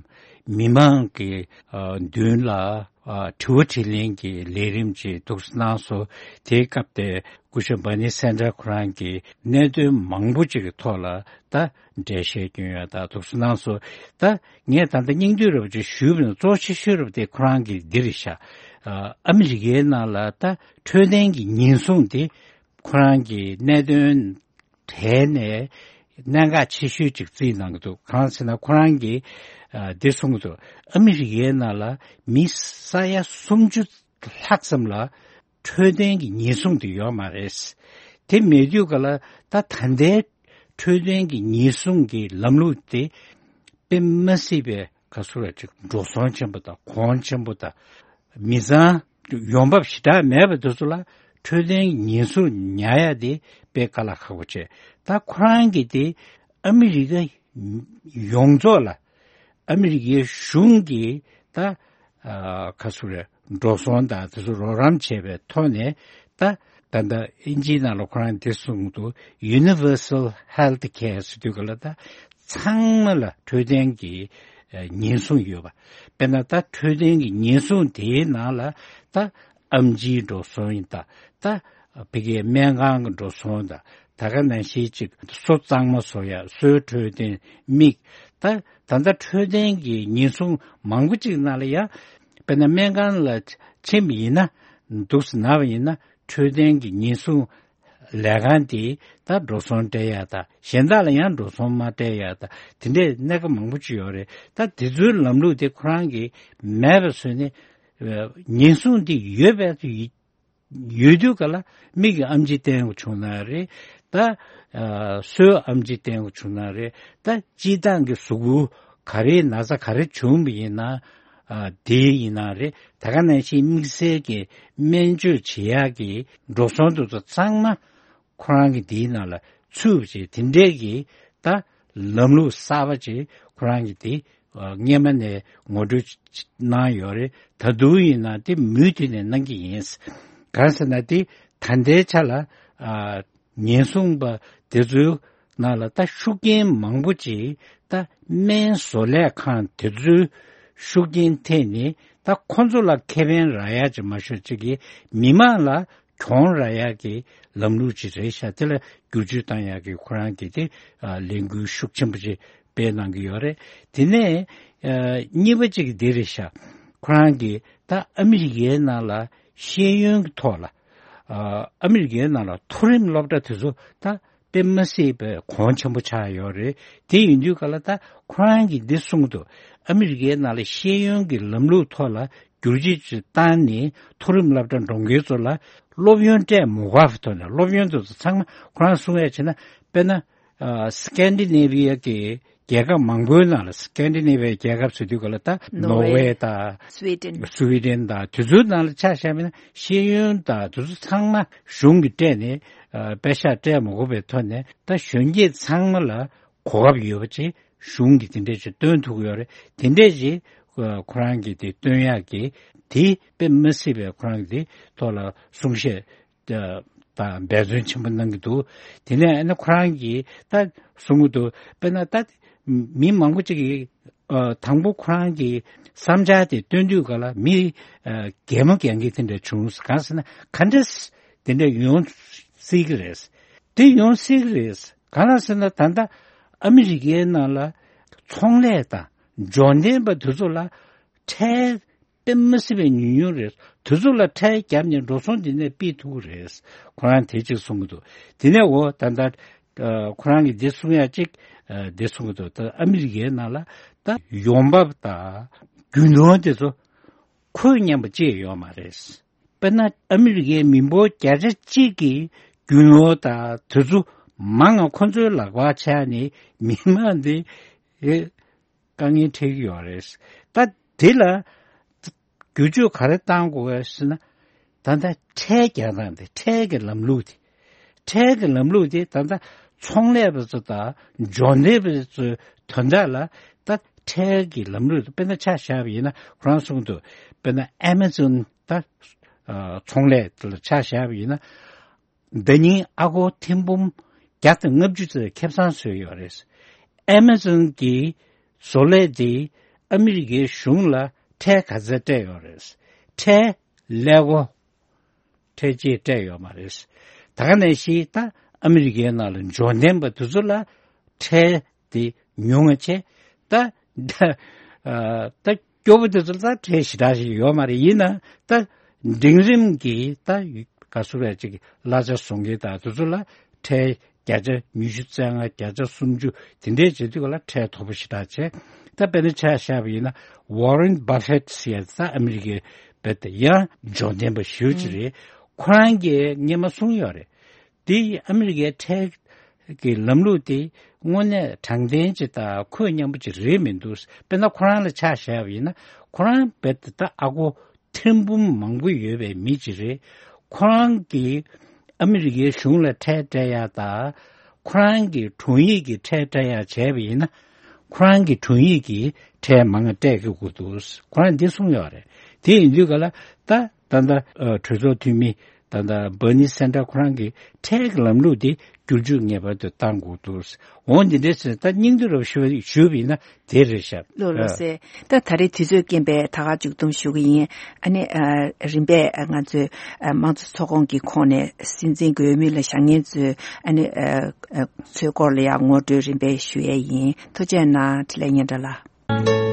མི་མང་གི་ཨ་མདུན་ལ་ཨ་དྲི་བ་དྲིས་ལན་གྱི་ལས་རིམ་ཅིག་འདུག་སེ་གནང་སོང་། དེའི་སྐབས་དེ་སྐུ་ཞབས་Bernie Sanders ཁོ་རང་གིས་གནད་དོན་མང་པོ་ཅིག་གི་ཐོག་ལ་ད་འགྲེལ་བཤད་སྐྱོན་ཡ་ད་འདུག་སེ་གནང་སོང་། ད་ངས་ད་ལྟ་སྙིང་བསྡུས་རབ་ཅིག་ཞུས་པ་ཡིན་ན་གཙོ་ཆེ་ཤོས་རབ་དེ་ཁོ་རང་གི་འདི་རེད་ཤག་ཨ་ཨ་མི་རི་ཀའི་ནང་ལ་ད་འཕྲོད་བསྟེན་གྱི་ཉེན་སྲུང་དེ་ཁོ་རང་གི་གནད་དོན་གྲས་ནས་གནད་འགག་ཆེ་ཤོས་ཅིག་བརྩིས་གནང་གི་འདུག་གང་ཟེར་ན་ཁོ་རང་གིས་ཨ་འདི་གསུངས་གི་འདུག་ཨ་མི་རི་ཀའི་ནང་ལ་མི་ས་ཡ་སུམ་ཅུ་ལྷག་ཙམ་ལ་འཕྲོད་བསྟེན་གྱི་ཉེན་སྲུང་དེ་ཡོད་མ་རེད། དེ་མེད་དུས་ག་ལ་ད་ད་ལྟའི་འཕྲོད་བསྟེན་གྱི་ཉེན་སྲུང་གི་ལམ་ལུགས་དེ་དཔེ་མ་སྲིད་པའི་ག་ཚོད་རེད་ཅིག་འགྲོ་སོང་ཆེན་པོ་དང་གོང་ཆེན་པོ་དང་མི་ཚང་ཡོང་འབབ་ཞེ་དྲག་མེད་པ་དེ་ཚོ་ལ་འཕྲོད་བསྟེན་གྱི་ཉེན་སྲུང་ཉར་ཡ་དེ་དཔེ་དཀའ་ལས་ཁག་པོ་བྱས། ད་ཁོ་རང་གིས་དེ་ཨ་མི་རི་ཀ་ཡོངས་རྫོགས་ལ་ཨ་མི་རི་ཀའི་གཞུང་གིས་ད་ཨ་ག་ཚོད་རེད་འགྲོ་སོང་དང་དེ་ཚོ་རོགས་རམ་བྱས་པའི་ཐོག་ནས་ད་ད་ལྟ་ཨིན་ཇིའི་ནང་ལ་ཁོ་རང་འདི་གསུངས་འདུག Universal Health Care ཟེར་དུས་ག་ལ་ད་ཚང་མ་ལ་འཕྲོད་བསྟེན་གྱི་ཨ་ཉེན་སྲུང་ཡོད་པ། དཔེར་ན་ད་འཕྲོད་བསྟེན་གྱི་ཉེན་སྲུང་དེའི་ནང་ལ་ད་ཨེམ་ཆིའི་འགྲོ་སོང་ཡིན་ད་ད་ཕ་གིའི་སྨན་ཁང་གི་འགྲོ་སོང་དང་། ད་ག་ནང་བཞིན་ཅིག་སོ་གཙང་མ་བཟོ་ཡ། སོའི་འཕྲོད་བསྟེན། མིག་ད་ད་ལྟ་འཕྲོད་བསྟེན་གྱི་ཉེན་སྲུང་མང་པོ་ཅིག་ནང་ལ་ཡ། དཔེར་ན་སྨན་ཁང་ལ་ཕྱིན་པ་ཡིན་ན། འདུག་སེ་ན་བ་ཡིན་ན་འཕྲོད་བསྟེན་གྱི་ཉེན་སྲུང་ལས་ཁང་དེ་ད་འགྲོ་སོང་སྤྲད་ཡ་ད་གཞན་དག་ལ་ཡང་འགྲོ་སོང་མ་སྤྲད་ཡ་ད་དེ་འདྲའི་གནད་འགག་མང་པོ་ཅིག་ཡོད་རེད། ད་དེ་ཚོའི་ལམ་ལུགས་དེ་ཁོ་རང་གིས་མེད་པ་བཟོས་ནས་ཉེན་སྲུང་དེ་ཡོད་པའི་ཡོད་དུས་ག་ལ་མིག་གི་ཨེམ་ཆི་བསྟན་དགོས་བྱུང་ན་རེད། ད་ཨ་སོའི་ཨེམ་ཆི་བསྟན་དགོས་བྱུང་ན་རེད། ད་སྤྱིར་བཏང་གི་གཟུགས་པོ་ག་རེའི་ན་ཚ་ག་རེ་བྱུང་བ་ཡིན་ན་ཨ་དེ་ཡིན་ན་རེད། ད་ག་ནང་བཞིན་དམིགས་བསལ་གྱི་སྨན་བཅོས་བྱེད་ཡག་གི་འགྲོ་སོང་དེ་ཚོ་ཚང་མ་ཁོ་རང་གི་དེའི་ནང་ལ་ཚུད་པ་བྱས། དེ་འདྲས་ཀྱི་ད་ལམ་ལུགས་གསར་པ་ཅིག་ཁོ་རང་གི་དེ་ཨ་སྔོན་མ་ནས་ངོ་སྤྲོད་གནང་ཡོད་རེད། ད་དུང་ཡིན་ན་དེ་མུ་མཐུད་ནས་གནང་གི་ཡིན། གང་ཟེར་ན་དེ་ད་ལྟའི་ཆ་ལ་ཨ་ཉེན་སྲུང་པ་དེ་ཚོའི་ནང་ལ་ད་ཤུགས་རྐྱེན་མང་པོ་ཅིག་ད་སྨན་བཟོ་ལས་ཁང་དེ་ཚོའི་ཤུགས་རྐྱེན་ཐེབས་ནས་ད་ཁོ་ཚོ་ལ་ཁེ་ཕན་རག་ཡག་ཅིག་མ་ཤོར་ཅིག་གིས་མི་མང་ལ་གྱོང་རག་ཡག་གི་ལམ་ལུགས་ཅིག་རེད་ཤག་དེ་ལ་བསྒྱུར་བཅོས་བཏང་ཡག་གི་ཁོ་རང་གིས་དེ་ཨ་ལས་འགུལ་ཤུགས་ཆེན་པོ་ཅིག་སྤེལ་གནང་གི་ཡོད་རེད། དེ་ནས་ཨ་གཉིས་པ་ཅིག་འདི་རེད་ཤག་ཁོ་རང་གིས་ད་ཨ་མི་རི་ཀའི་ནང་ལ་ཤེས་ཡོན་གྱི་ཐོག་ལ་ཨ་ཨ་མི་རི་ཀའི་ནང་ལ་མཐོ་རིམ་སློབ་གྲྭ་དེ་ཚོ་ད་དཔེ་མ་སྲིད་པའི་གོང་ཆེན་པོ་ཆགས་ཡོད་རེད། དེ་ཡིན་དུས་ག་ལ་ད་ཁོ་རང་གིས་འདི་གསུངས་འདུག་ཨ་མི་རི་ཀའི་ནང་ལ་ཤེས་ཡོན་གྱི་ལམ་ལུགས་ཐོག་ལ་བསྒྱུར་བཅོས་ཅིག་བཏང་ནས་མཐོ་རིམ་སློབ་གྲྭ་འགྲོ་མཁན་ཚོ་ལ་སློབ་ཡོན་སྤྲད་མི་དགོས་པའི་ཐོག་ནས། སློབ་ཡོན་དེ་ཚོ་ཚང་མ་ཁོ་རང་གསུང་ཡ་བྱས་ན་དཔེར་ན་ཨ་སི་ཀན་ཌི་ནེ་བི་ཡ་གི་རྒྱལ་ཁབ་མང་པོའི་ནང་ལ། སི་ཀན་ཌི་ནེ་བི་ཡ་རྒྱལ་ཁབ་ཟེར་དུས་ག་ལ་ད་ནོར་ཝེ་ནོར་ཝེ་དང་སུའི་ཌེན། སུའི་ཌེན་དང་དེ་ཚོའི་ནང་ལ་ཆ་བཞག་པ་ཡིན་ན་ཤེས་ཡོན་དང་དེ་ཚོ་ཚང་མ་གཞུང་གིས་སྤྲད་ནས་ཨ་པེ་ཤག་སྤྲད་མི་དགོས་པའི་ཐོག་ནས་ད་གཞོན་སྐྱེས་ཚང་མ་ལ་གོ་སྐབས་ཡོད་པ་ཅིག་གཞུང་གིས་དེ་འདྲས་ཅིག་སྟོན་ཐུབ་ཀྱི་ཡོད་རེད། དེ་འདྲས་ཅིག་ཨ་ཁོ་རང་གིས་དེ་སྟོན་ཡག་གི་དེ་དཔེ་མི་སྲིད་པའི་ཁོ་རང་གི་དེ་ཐོག་ལ་གསུང་བཤད་ཨ་དང་འབད་བརྩོན་ཆེན་པོ་གནང་གི་འདུག་དེ་ནས་ཨ་ནི་ཁོ་རང་གིས་ད་གསུང་གི་འདུག་དཔེར་ན་ད་མི་མང་པོ་ཅིག་གིས་ ཨ་དང་པོ་ཁོ་རང་གི་བསམ་འཆར་དེ་བཏོན་དུས་ག་ལ་མི་ཨ་གད་མོ་གད་མཁན་དེ་འདྲ་བྱུང་། གང་ཟེར་ན་ག་འདྲ་དེ་འདྲ་ཡོང་སྲིད་ཀྱི་རེད། དེ་ཡོང་སྲིད་ཀྱི་རེད། གང་ལ་ཟེར་ན་ད་ལྟ་ཨ་མི་རི་ཀའི་ནང་ལ་ཚོང་ལས་དང་འབྱོར་ལྡན་པ་དེ་ཚོ་ལ་ཁྲལ་དཔེ་མི་སྲིད་པའི་ཉུང་ཉུང་རེད། དེ་ཚོ་ལ་ཁྲལ་བརྒྱབ་ནས་འགྲོ་སོང་འདི་ནས་ཕུད་ཐུབ་ཀྱི་རེད། ཁོ་རང་དེ་གཅིག་གསུང་གི་འདུག་དེ་ནས་འོ་ད་ལྟ་ཨ་ཁོ་རང་གིས་འདི་གསུང་ཡ་གཅིག་ཨ་འདི་གསུང་གི་འདུག་ད་ཨ་མི་རི་ཀའི་ནང་ལ་ད་ཡོང་འབབ་དང་རྒྱུ་ནོར་དེ་ཚོ་ཁོས་མཉམ་པ་ཅིག་ཡོད་མ་རེད། དཔེར་ན་ཨ་མི་རི་ཀའི་མི་འབོར་བརྒྱ་ཆ་གཅིག་གི་རྒྱུ་ནོར་དང་དེ་ཚོ་མང་ང་ཁོ་ཚོའི་ལག་པར་ཆགས་ནས་མི་མང་འདི་ཨེ་དཀའ་ངལ་འཕྲད་ཀྱི་ཡོད་རེད། ད་དེ་ལ་བསྒྱུར་བཅོས་ག་རེ་བཏང་དགོས་པས་ཟེར་ན། ད་ལྟ་ཁྲལ་རྒྱག་སྟངས་དེ་ཁྲལ་གྱི་ལམ་ལུགས་དེ། ཁྲལ་གྱི་ལམ་ལུགས་དེ་ད་ལྟ་ཚོང་ལས་པ་ཚོ་དང་འབྱོར་འབྲེལ་པ་ཚོའི་དོན་དག་ལ་ད་ཁྲལ་གྱི་ལམ་ལུགས་དེ་དཔེར་ན་ཆ་བཞག་པ་ཡིན་ན་ཁོ་རང་གསུང་དུས་དཔེར་ན་ཨེ་མ་ཛོན་ད་ཨ་ཚོང་ལས་དེ་ལ་ཆ་བཞག་པ་ཡིན་ན། ཟླ་ཉིན་ཨ་སྒོར་ཐེར་འབུམ་བརྒྱ་དང་ལྔ་བཅུ་ཙམ་ཁེ་བཟང་བཟོས་ཡོད་རེད། ཨེ་མ་ཛོན་གྱི་བཟོ་ལས་དེ་ཨ་མི་རི་ཀའི་གཞུང་ལ་ཁྲལ་ག་ཚད་སྤྲད་ཡོད་རེད། ཁྲལ་ཀླད་ཀོར་ཁྲལ་ཅིག་སྤྲད་ཡོད་མ་རེད། ད་ག་ནང་བཞིན་ད་ཨ་མི་རི་ཀའི་ནང་ལ་འབྱོར་ལྡན་པ་དེ་ཚོ་ལ་ཁྲལ་དེ་ཉུང་ང་ཆེ། ད་ད་ཨ་ད་སྐྱོ་པོ་དེ་ཚོ་ལ་ད་ཁྲལ་ཞེ་དྲག་ཞིག་ཡོད་མ་རེད། ཡིན་ན་ད་འབྲིང་རིམ་གྱི་ད་ག་སུ་རེད་ཅིག་གླ་ཆ་བཟོ་མཁན་དང་དེ་ཚོ་ལ་ཁྲལ་བརྒྱ་ཆ་ཉི་ཤུ་རྩ་ལྔ་བརྒྱ་ཆ་སུམ་ཅུ་དེ་འདྲས་བྱེད་དུས་ག་ལ་ཁྲལ་མཐོ་པོ་ཞེ་དྲག་བྱས། ད་དཔེར་ན་ཆ་བཞག་པ་ཡིན་ན་ཝོ་རན་བྷ་ཕེད་ཟེར་ཡ་ད་ཨ་མི་རི་ཀའི་བེད་ཡང་འབྱོར་ལྡན་པ་ཞེ་པོ་ཅིག་རེད། ཁོ་རང་གིས་སྔོན་མ་གསུངས་ཡོད་རེད། དེ་ཨ་མི་རི་ཀའི་ཁྲལ་གྱི་ལམ་ལུགས་དེ་དངོས་གནས་དྲང་བདེན་ཅིག་དང་ཁོད་མཉམ་པོ་ཅིག་རེད་མི་འདུག་དཔེར་ན་ཁོ་རང་ལ་ཆ་བཞག་པ་ཡིན་ན་ཁོ་རང་རྦད་དེ་ད་ཨ་སྒོར་ཐེར་འབུམ་མང་པོ་ཡོད་པའི་མི་ཅིག་རེད། ཁོ་རང་གིས་ཨ་མི་རི་ཀའི་གཞུང་ལ་ཁྲལ་སྤྲད་ཡ་དང་ཁོ་རང་གི་དྲུང་ཡིག་གི་ཁྲལ་སྤྲད་ཡ་བྱས་པ་ཡིན་ན་ཁོ་རང་གི་དྲུང་ཡིག་གི་ཁྲལ་མང་ང་སྤྲད་དགོས་ཀྱི་འདུག་ཁོ་རང་འདི་གསུངས་ཡོད་རེད། དེ་ཡིན་དུས་ག་ལ་ད་ད་ལྟ་ཨ་གྲོས་ཚོགས་འཐུས་མི་ད་ལྟ་བྷར་ནི་སན་ཏར་ཁོ་རང་གིས་ཁྲལ་གྱི་ལམ་ལུགས་དེ་བསྒྱུར་བཅོས་ངེས་པར་དུ་གཏང་དགོས་འདུག་འོ་འདི་འདྲས་ཟེར་ད་སྙིང་བསྡུས་རབ་ཞུ་ཞུས་པ་ཡིན་ན་དེ་རེད་ཤག་ལགས་ལགས་སེ། ད་ད་རེས་དུས་ཚོད་རྐྱེན་པས་ད་ག་མཇུག་བསྡོམས་ཞུ་གི་ཡིན། ཨ་ནི་ཨ་རིམ་པས་ང་ཚོས་ཨ་དམངས་གཙོ་ཚོགས་ཁོངས་ཀྱི་ཁོངས་ནས་སྲིད་འཛིན་གྱི་འོས་མི་ལ་བཞེངས་མཁན་ཚོས་ཨ་ནི་ཨ་ཨ་ཚོའི་སྐོར་ལ་ཡང་ངོ་སྤྲོད་རིམ་པས་ཞུ་ཡས་ཡིན། ཐུགས་རྗེ་གནང་། འཕྲིན་ལས་སྙན་གྲགས་ལགས།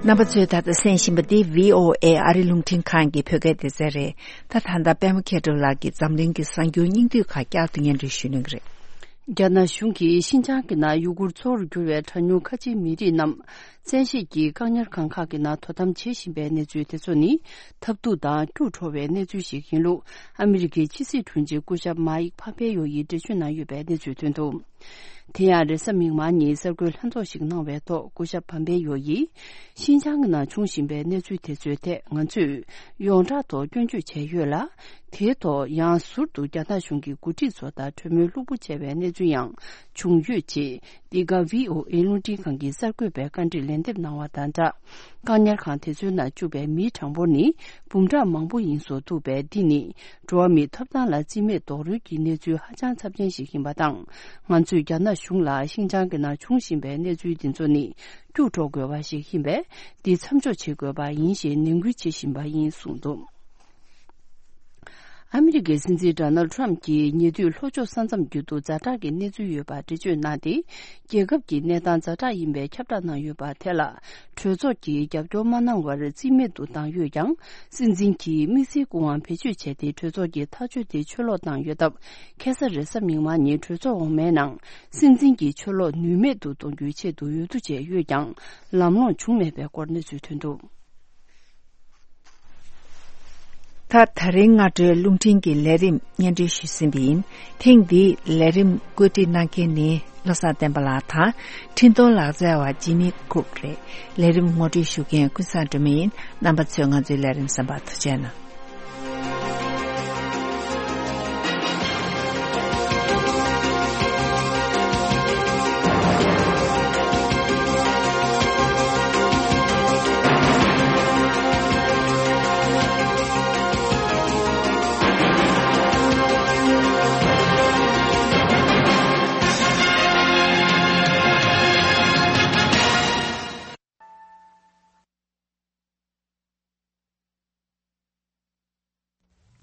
རྣམ་པ་ཚོས་ད་ལྟ་གསན་བཞིན་པ་འདི་བྷི་ཨོ་ཨེ་ཨ་རི་རླུང་འཕྲིན་ཁང་གི་བོད་སྐད་སྡེ་ཚན་རེད། ད་ད་ལྟ་པད་མ་མཁས་གྲུབ་ལགས་ཀྱིས་འཛམ་གླིང་གི་གསར་འགྱུར་སྙིང་བསྡུས་ཁག་བསྐྱར་དུ་སྙན་སྒྲོན་ཞུ་གནང་གི་རེད། རྒྱ་ནག་གཞུང་གིས་ཤིན་ཅང་གི་ནང་ཡུ་གུར་གཙོ་བོར་གྱུར་བའི་གྲངས་ཉུང་ཁ་ཆེའི་མི་རིགས་རྣམས་བཙན་ཤེད་ཀྱིས་བཀག་ཉར་ཁང་ཁག་གི་ནང་དོ་དམ་བྱེད་བཞིན་པའི་གནས་ཚུལ་དེ་ཚོ་ནི་ཐབས་སྡུག་དང་སྐྱུག་བྲོ་བའི་གནས་ཚུལ་ཞིག་ཡིན་ལུགས་ཨ་མི་རི་ཀའི་ཕྱི་སྲིད་དྲུང་ཆེ་སྐུ་ཞབས་མཱ་ཡིག་ཕམ་པེ་ཡོ་ཡིས་འགྲེལ་བརྗོད་གནང་ཡོད་པའི་གནས་ཚུལ་ཐོན་འདུག་དེ་ཡང་རེས་གཟའ་མིག་དམར་ཉིན་གསར་འགོད་ལྷན་ཚོགས་ཤིག་གནང་བའི་ཐོག་སྐུ་ཞབས་ཕམ་པེ་ཡོ་ཡིས། ཤིན་ཅང་གི་ནང་བྱུང་བཞིན་པའི་གནས་ཚུལ་དེ་ཚོའི་ཐད་ང་ཚོས་ཡོངས་གྲགས་ཐོག་སྐྱོན་བརྗོད་བྱས་ཡོད་ལ། དེའི་ཐོག་ཡང་ཟུར་དུ་རྒྱ་ནག་གཞུང་གི་འགོ་ཁྲིད་ཚོ་དང་གྲོས་མོལ་ལྷུག་པོ་བྱས་པའི་གནས་ཚུལ་ཡང་བྱུང་ཡོད་ཅེས། འདི་ག་བྷི་ཨོ་ཨེ་རླུང་འཕྲིན་ཁང་གི་གསར་འགོད་པས་བཀའ་འདྲི་ལན་འདེབས་གནང་བ་དང་སྦྲགས། བཀག་ཉར་ཁང་དེ་ཚོའི་ནང་བཅུག་པའི་མིའི་གྲངས་འབོར་ནི་འབུམ་ཕྲག་མང་པོ་ཡིན་བཟོ་ཐུབ་པས། འདི་ནི་འགྲོ་བ་མིའི་ཐོབ་ཐང་ལ་རྩིས་མེད་རྡོག་རོལ་གྱི་གནས་ཚུལ་ཧ་ཅང་ཚབས་ཆེན་ཞིག་ཡིན་པ་དང་། ང་ཚོས་རྒྱ་ནག་གཞུང་ལ་ཤིན་ཅང་གི་ནང་བྱུང་བཞིན་པའི་གནས་ཚུལ་འདི་ཚོ་ནི་སྐྱུག་བྲོ་དགོས་པ་ཞིག་ཡིན་པས། འདི་མཚམས་འཇོག་བྱེད་དགོས་པ་ཡིན་ཞེས་ནན་སྐུལ་བྱེད་བཞིན་པ་ཡིན་གསུངས་འདུག་ཨ་མི་རི་ཀའི་སྲིད་འཛིན་ཌོ་ནལ་ཌི་ཊརམ་ཕི་གྱིས་ཉེ་དུས་ལྷོ་ཕྱོགས་ས་མཚམས་རྒྱུད་དུ་ཛ་དྲག་གི་གནས་ཚུལ་ཡོད་པར་འགྲེལ་བརྗོད་གནང་སྟེ། རྒྱལ་ཁབ་ཀྱི་གནས་སྟངས་ཛ་དྲག་ཡིན་པའི་ཁྱབ་བསྒྲགས་གནང་ཡོད་པ་དེ་ལ་གྲོས་ཚོགས་ཀྱིས་རྒྱབ་སྐྱོར་མ་གནང་བར་རྩིས་མེད་དུ་བཏང་ཡོད་ཀྱང་། སྲིད་འཛིན་གྱིས་དམིགས་བསལ་སྐུ་དབང་བེད་སྤྱོད་བྱས་ཏེ་གྲོས་ཚོགས་ཀྱི་ཐག་གཅོད་དེ་ཆུད་ལོག་བཏང་ཡོད་སྟབས། ཁ་སང་རེས་གཟའ་མིག་དམར་ཉིན་གྲོས་ཚོགས་འོག་མའི་ནང་སྲིད་འཛིན་གྱི་ཆུད་ལོག་ནུས་མེད་དུ་གཏོང་རྒྱུའི་ཆེད་དུ་འོས་བསྡུ་བྱས་ཡོད་ཀྱང་། ལམ་ལྷོང་བྱུང་མེད་པའི་སྐོར་གནས་ཚུལ་ཐོན་འདུག་ད་ད་རིང་སྔ་དྲོའི་རླུང་འཕྲིན་གྱི་ལས་རིམ་སྙན་སྒྲོན་ཞུས་ཟིན་པ་ཡིན། ཐེངས་འདིའི་ལས་རིམ་བཀོད་སྒྲིག་གནང་མཁན་ནི་བློ་བཟང་བསྟན་པ་ལགས་དང་། འཕྲིན་གཏོང་ལག་རྩལ་བ་ཇི་མི་ཀུག་རེད། ལས་རིམ་ངོ་སྤྲོད་ཞུ་མཁན་ཀུན་བཟང་སྒྲོལ་མ་ཡིན། རྣམ་པ་ཚོས་ང་ཚོའི་ལས་རིམ་གསན་པར་ཐུགས་རྗེ་གནང་།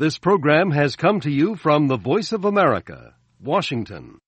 This program has come to you from the Voice of America, Washington.